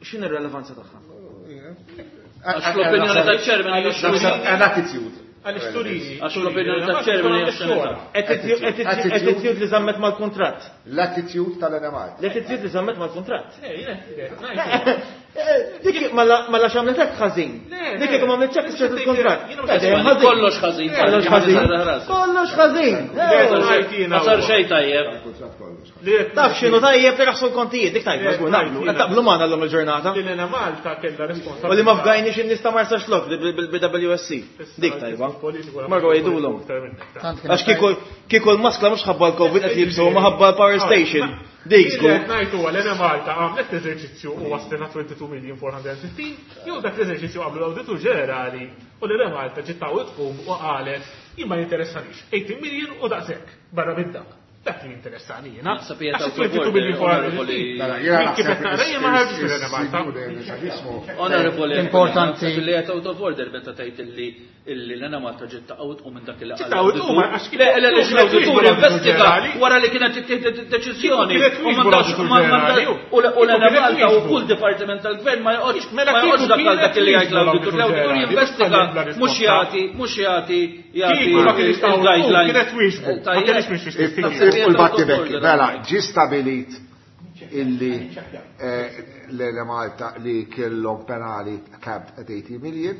x'inhi r-relevanza tagħha? Għax l-opinjoni tal-ċermen hija Naħseb an attitude. Għaliex turini. Għax l-opinjoni tal-ċermen hija xena. Attitude li żammet mal-kuntratt. L-attitude tal-Enemalta. L-attitude li żammet mal-kuntratt. Eh, jiena, jiena, Dik mela x'għamlet hekk ħażin. Dik jekk ma għamlet hekk ċertu l-kuntratt. Kollox ħażin. Kollox ħażin. Kollox ħażin. Ma sar xejn tajjeb. Taf x'inhu tajjeb li raħsu l-kontijiet, dik tajba, żgur naqblu. Qed taqblu magħna llum il-ġurnata. Li l-Enemalta kellha responsabilità. U li ma fgajniex in-nies ta' Marsaxlokk bil-B W S C. Dik tajba. Marru jgħidulhom. Għax kieku kieku l-maskla mhux ħabba l-Covid qed jibsu, ma ħabba l-power station. Dik żgur. Li qed ngħid huwa l-Enemalta għamlet eżerċizzju u waslina twenty-two million four hundred and fifteen, jew dak l-eżerċizzju għamlu l-Awditur Ġenerali u l-Enemalta ġiet tawwet tqum u qalet Jien ma jinteressanix. eighty million u daqshekk barra minn dak. Dak li jinteressani jiena. Onorevoli, importanti li qed out of order meta tgħid illi illi l-Enemalta ġiet taqgħod u minn dak il Le le l-awditur investiga wara li kienet ittieħdet id-deċiżjoni u u l-Enemalta u kull dipartiment tal-gvern ma joqgħodx ma joqgħodx dak għal dak li jgħid l-awditur. L-awditur jinvestiga mhux jagħti mhux jagħti jagħti il-guideline. U l-battibekki, mela, ġi stabilit illi l-Enemalta li kellhom penali capped at eighty million,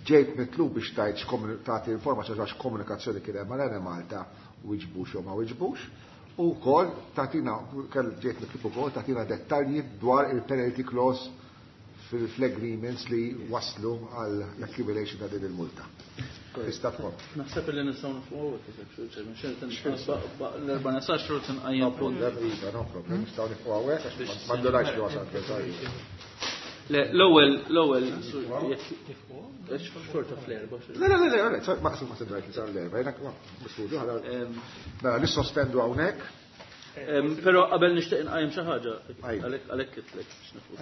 ġejt mitlub biex tajt tagħti informazzjoni għax komunikazzjoni kien hemm mal-Enemalta wiġbux jew ma wiġbux, u wkoll tagħtina ġejt mitlub ukoll tagħtina dettalji dwar il-penalty clause fil-agreements li waslu għal accumulation ta' din il-multa. Tista' tkun. Naħseb li nistgħu nifqgħu l-erba' nesax xhur tinqajjem punt. No problem, nistgħu nifqgħu hawnhekk għax m'għandunajx li wasal. Le, l-ewwel l-ewwel xorta fl-erba'. Le, le, le, le, maqsum ma tindrajt li sar l-erba', jiena misfudu ħala. Mela nissospendu hawnhekk. Però qabel nixtieq inqajjem xi ħaġa, għalhekk kitlek biex nifqu.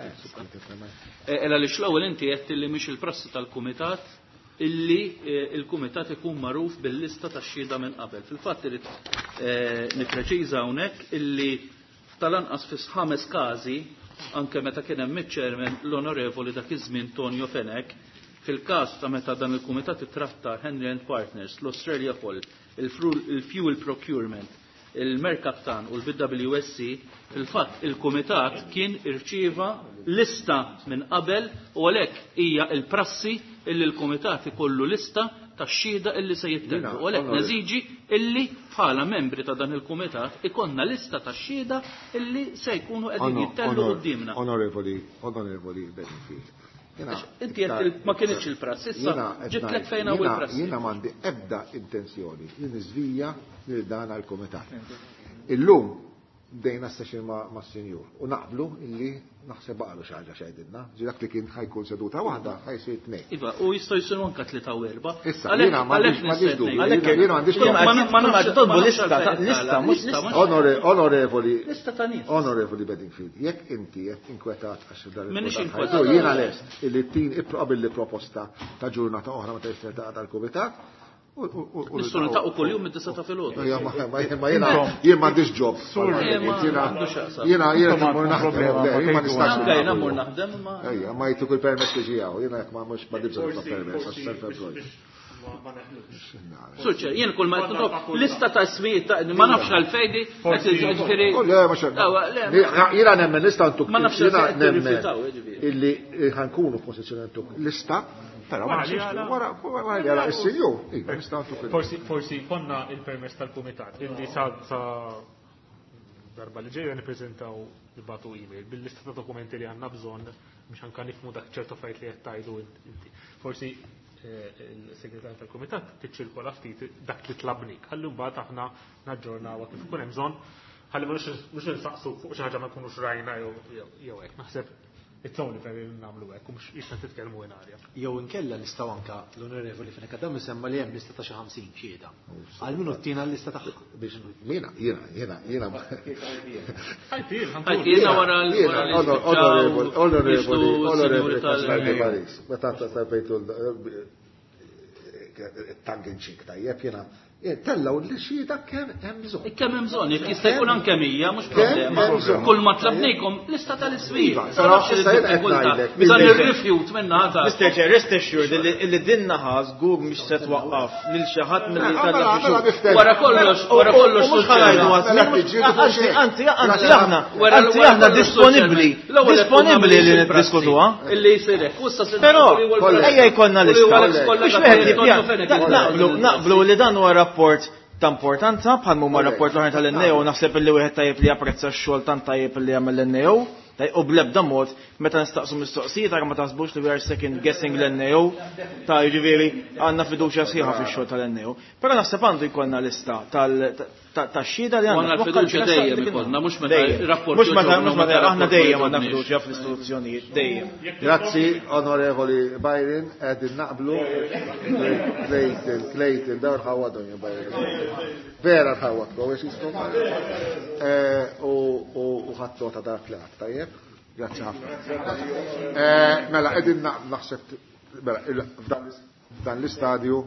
Ela li l-ewwel inti qed li mhix il-prassi tal-kumitat illi il-kumitat ikun magħruf bil-lista tax-xhieda minn qabel. Fil-fatt irid nippreċiża hawnhekk illi tal-anqas fi ħames każi anke meta kien hemm iċ-chairman l-onorevoli dak iż-żmien Tonio Fenech, fil-każ ta' meta dan il-kumitat ittratta Henry and Partners, l-Australia Poll, il-Fuel Procurement, il-Mercaptan u l-B W S C, fil-fatt il-kumitat kien irċieva lista minn qabel u għalhekk hija l-prassi illi l-kumitat ikollu lista tax-xhieda illi se jittellu. U għalhekk neżiġi illi bħala membri ta' dan il-kumitat ikonna lista tax-xhieda illi se jkunu qegħdin jittellu quddiemna. Onorevoli, onorevoli Bedingfield. Inti qed ma kienx il-prassi, issa ġitlek fejn hawn il-prassi. Jiena m'għandi ebda intenzjoni li niżvija lil dan għall-kumitat. Illum bdejna session ma' sinjur u naqblu illi naħseb baqalu xi ħaġa x'għidilna, ġi dak li kien ħajkun seduta waħda ħajsir tnejn. Iva, u jistgħu jsiru anke tlieta u erba'. Issa, jiena m'għandix dubju, jiena m'għandix Ma nafx tolbu lista, lista, mhux lista. Onorevoli, lista ta' nies. Onorevoli Bedingfield, jekk inti qed inkwetat għax dan M'iniex inkwetat. Jiena lest illi tin ipprobabbli proposta ta' ġurnata oħra meta jista' tal-kumitat. Nistgħu niltaqgħu kuljum mid-disa ta' filgħodu. Ma jiena jien m'għandix ġob. Jiena jiena jiena mmur naħdem, jien ma nistax. Anke jiena mmur naħdem ma. Ejja, ma jtuk il-permess li ġijaw, jiena jekk ma mhux ma bżonn ta' permess għax self-employed. Suċċer, jien kull ma qed nitlob lista ta' ismijiet ta' ma nafx għalfejdi, ġifieri. Jiena nemmen lista ntuk. Jiena nemmen illi ħankunu f'pożizzjoni ntuk lista. Però wara wara is-sinjur. Forsi forsi konna il-permess tal-kumitat illi sa darba li ġejja nippreżentaw nibgħatu email bil-lista ta' dokumenti li għandna bżonn biex anke nifhmu dak ċertu affarijiet li qed tgħidu inti. Forsi il-segretarju tal-kumitat tiċċirkola ftit dak li tlabnik. Ħalli mbagħad aħna naġġornawha kif ikun hemm bżonn, ħalli mhux insaqsu fuq xi ħaġa ma nkunux rajna jew hekk. Naħseb it's only fair li nagħmlu hekk u mhux jista' titkellmu in arja. Jew inkella nistgħu anke l-onorevoli Fenech Adami semma li hemm lista ta' xi ħamsin xhieda. Għal min uttina l-lista tagħha. Biex jiena jiena jiena jiena. Ħajtina wara l-onorevoli onorevoli onorevoli Paris. Meta tasabejtu tongue in cheek tajjeb jiena tellaw li xhieda kemm hemm bżonn. Kemm hemm bżonn, jekk jista' jkun anke mija, mhux problema. Kull ma tlabnikom lista tal-ismijiet. Però issa jien qed ngħidlek. Dan ir-rifjut minna ħadd. Mister Chair, rest assured illi din naħa żgur mhix se twaqqaf lil xi ħadd milli tellaq. Wara kollox, wara kollox mhux ħanajdu anzi, anzi, anzi aħna, anzi aħna disponibbli, disponibbli li niddiskutuha. Illi jsir hekk. Però ejja jkollna lista. Biex wieħed naqblu naqblu li dan huwa rapport ta' importanza bħal huma rapport l-oħra tal-N A O, naħseb illi wieħed tajjeb li japprezza x-xogħol tant tajjeb li jagħmel l-N A O, U bl-ebda mod meta nistaqsu mistoqsijiet ara ma taħsbux li we are second guessing l-N A O, ta' jiġifieri għandna fiduċja sħiħa fix-xogħol tal-N A O. Però naħseb għandu jkollna lista tax-xhieda li għandna. Għandna l-fiduċja dejjem ikollna, mhux meta rapport Mhux meta, mhux meta, aħna dejjem għandna fiduċja fl-istituzzjonijiet, dejjem. Grazzi, Onorevoli Byron, qegħdin naqblu. Clayton, Clayton, dawn ħawadhom ja Byron. Vera ħawadkom, għax jiskom. U ħadt nota dak li għedt, tajjeb? Grazzi ħafna. Mela, qegħdin naħseb, mela, f'dan l-istadju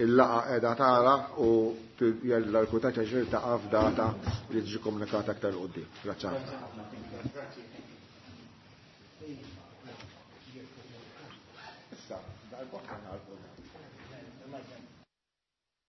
il-laqgħa qiegħda tara u jella l-kumitat jiltaqa' f'data li tiġi komunikata aktar 'il quddiem. Grazzi ħafna. Issa, dal-bokka.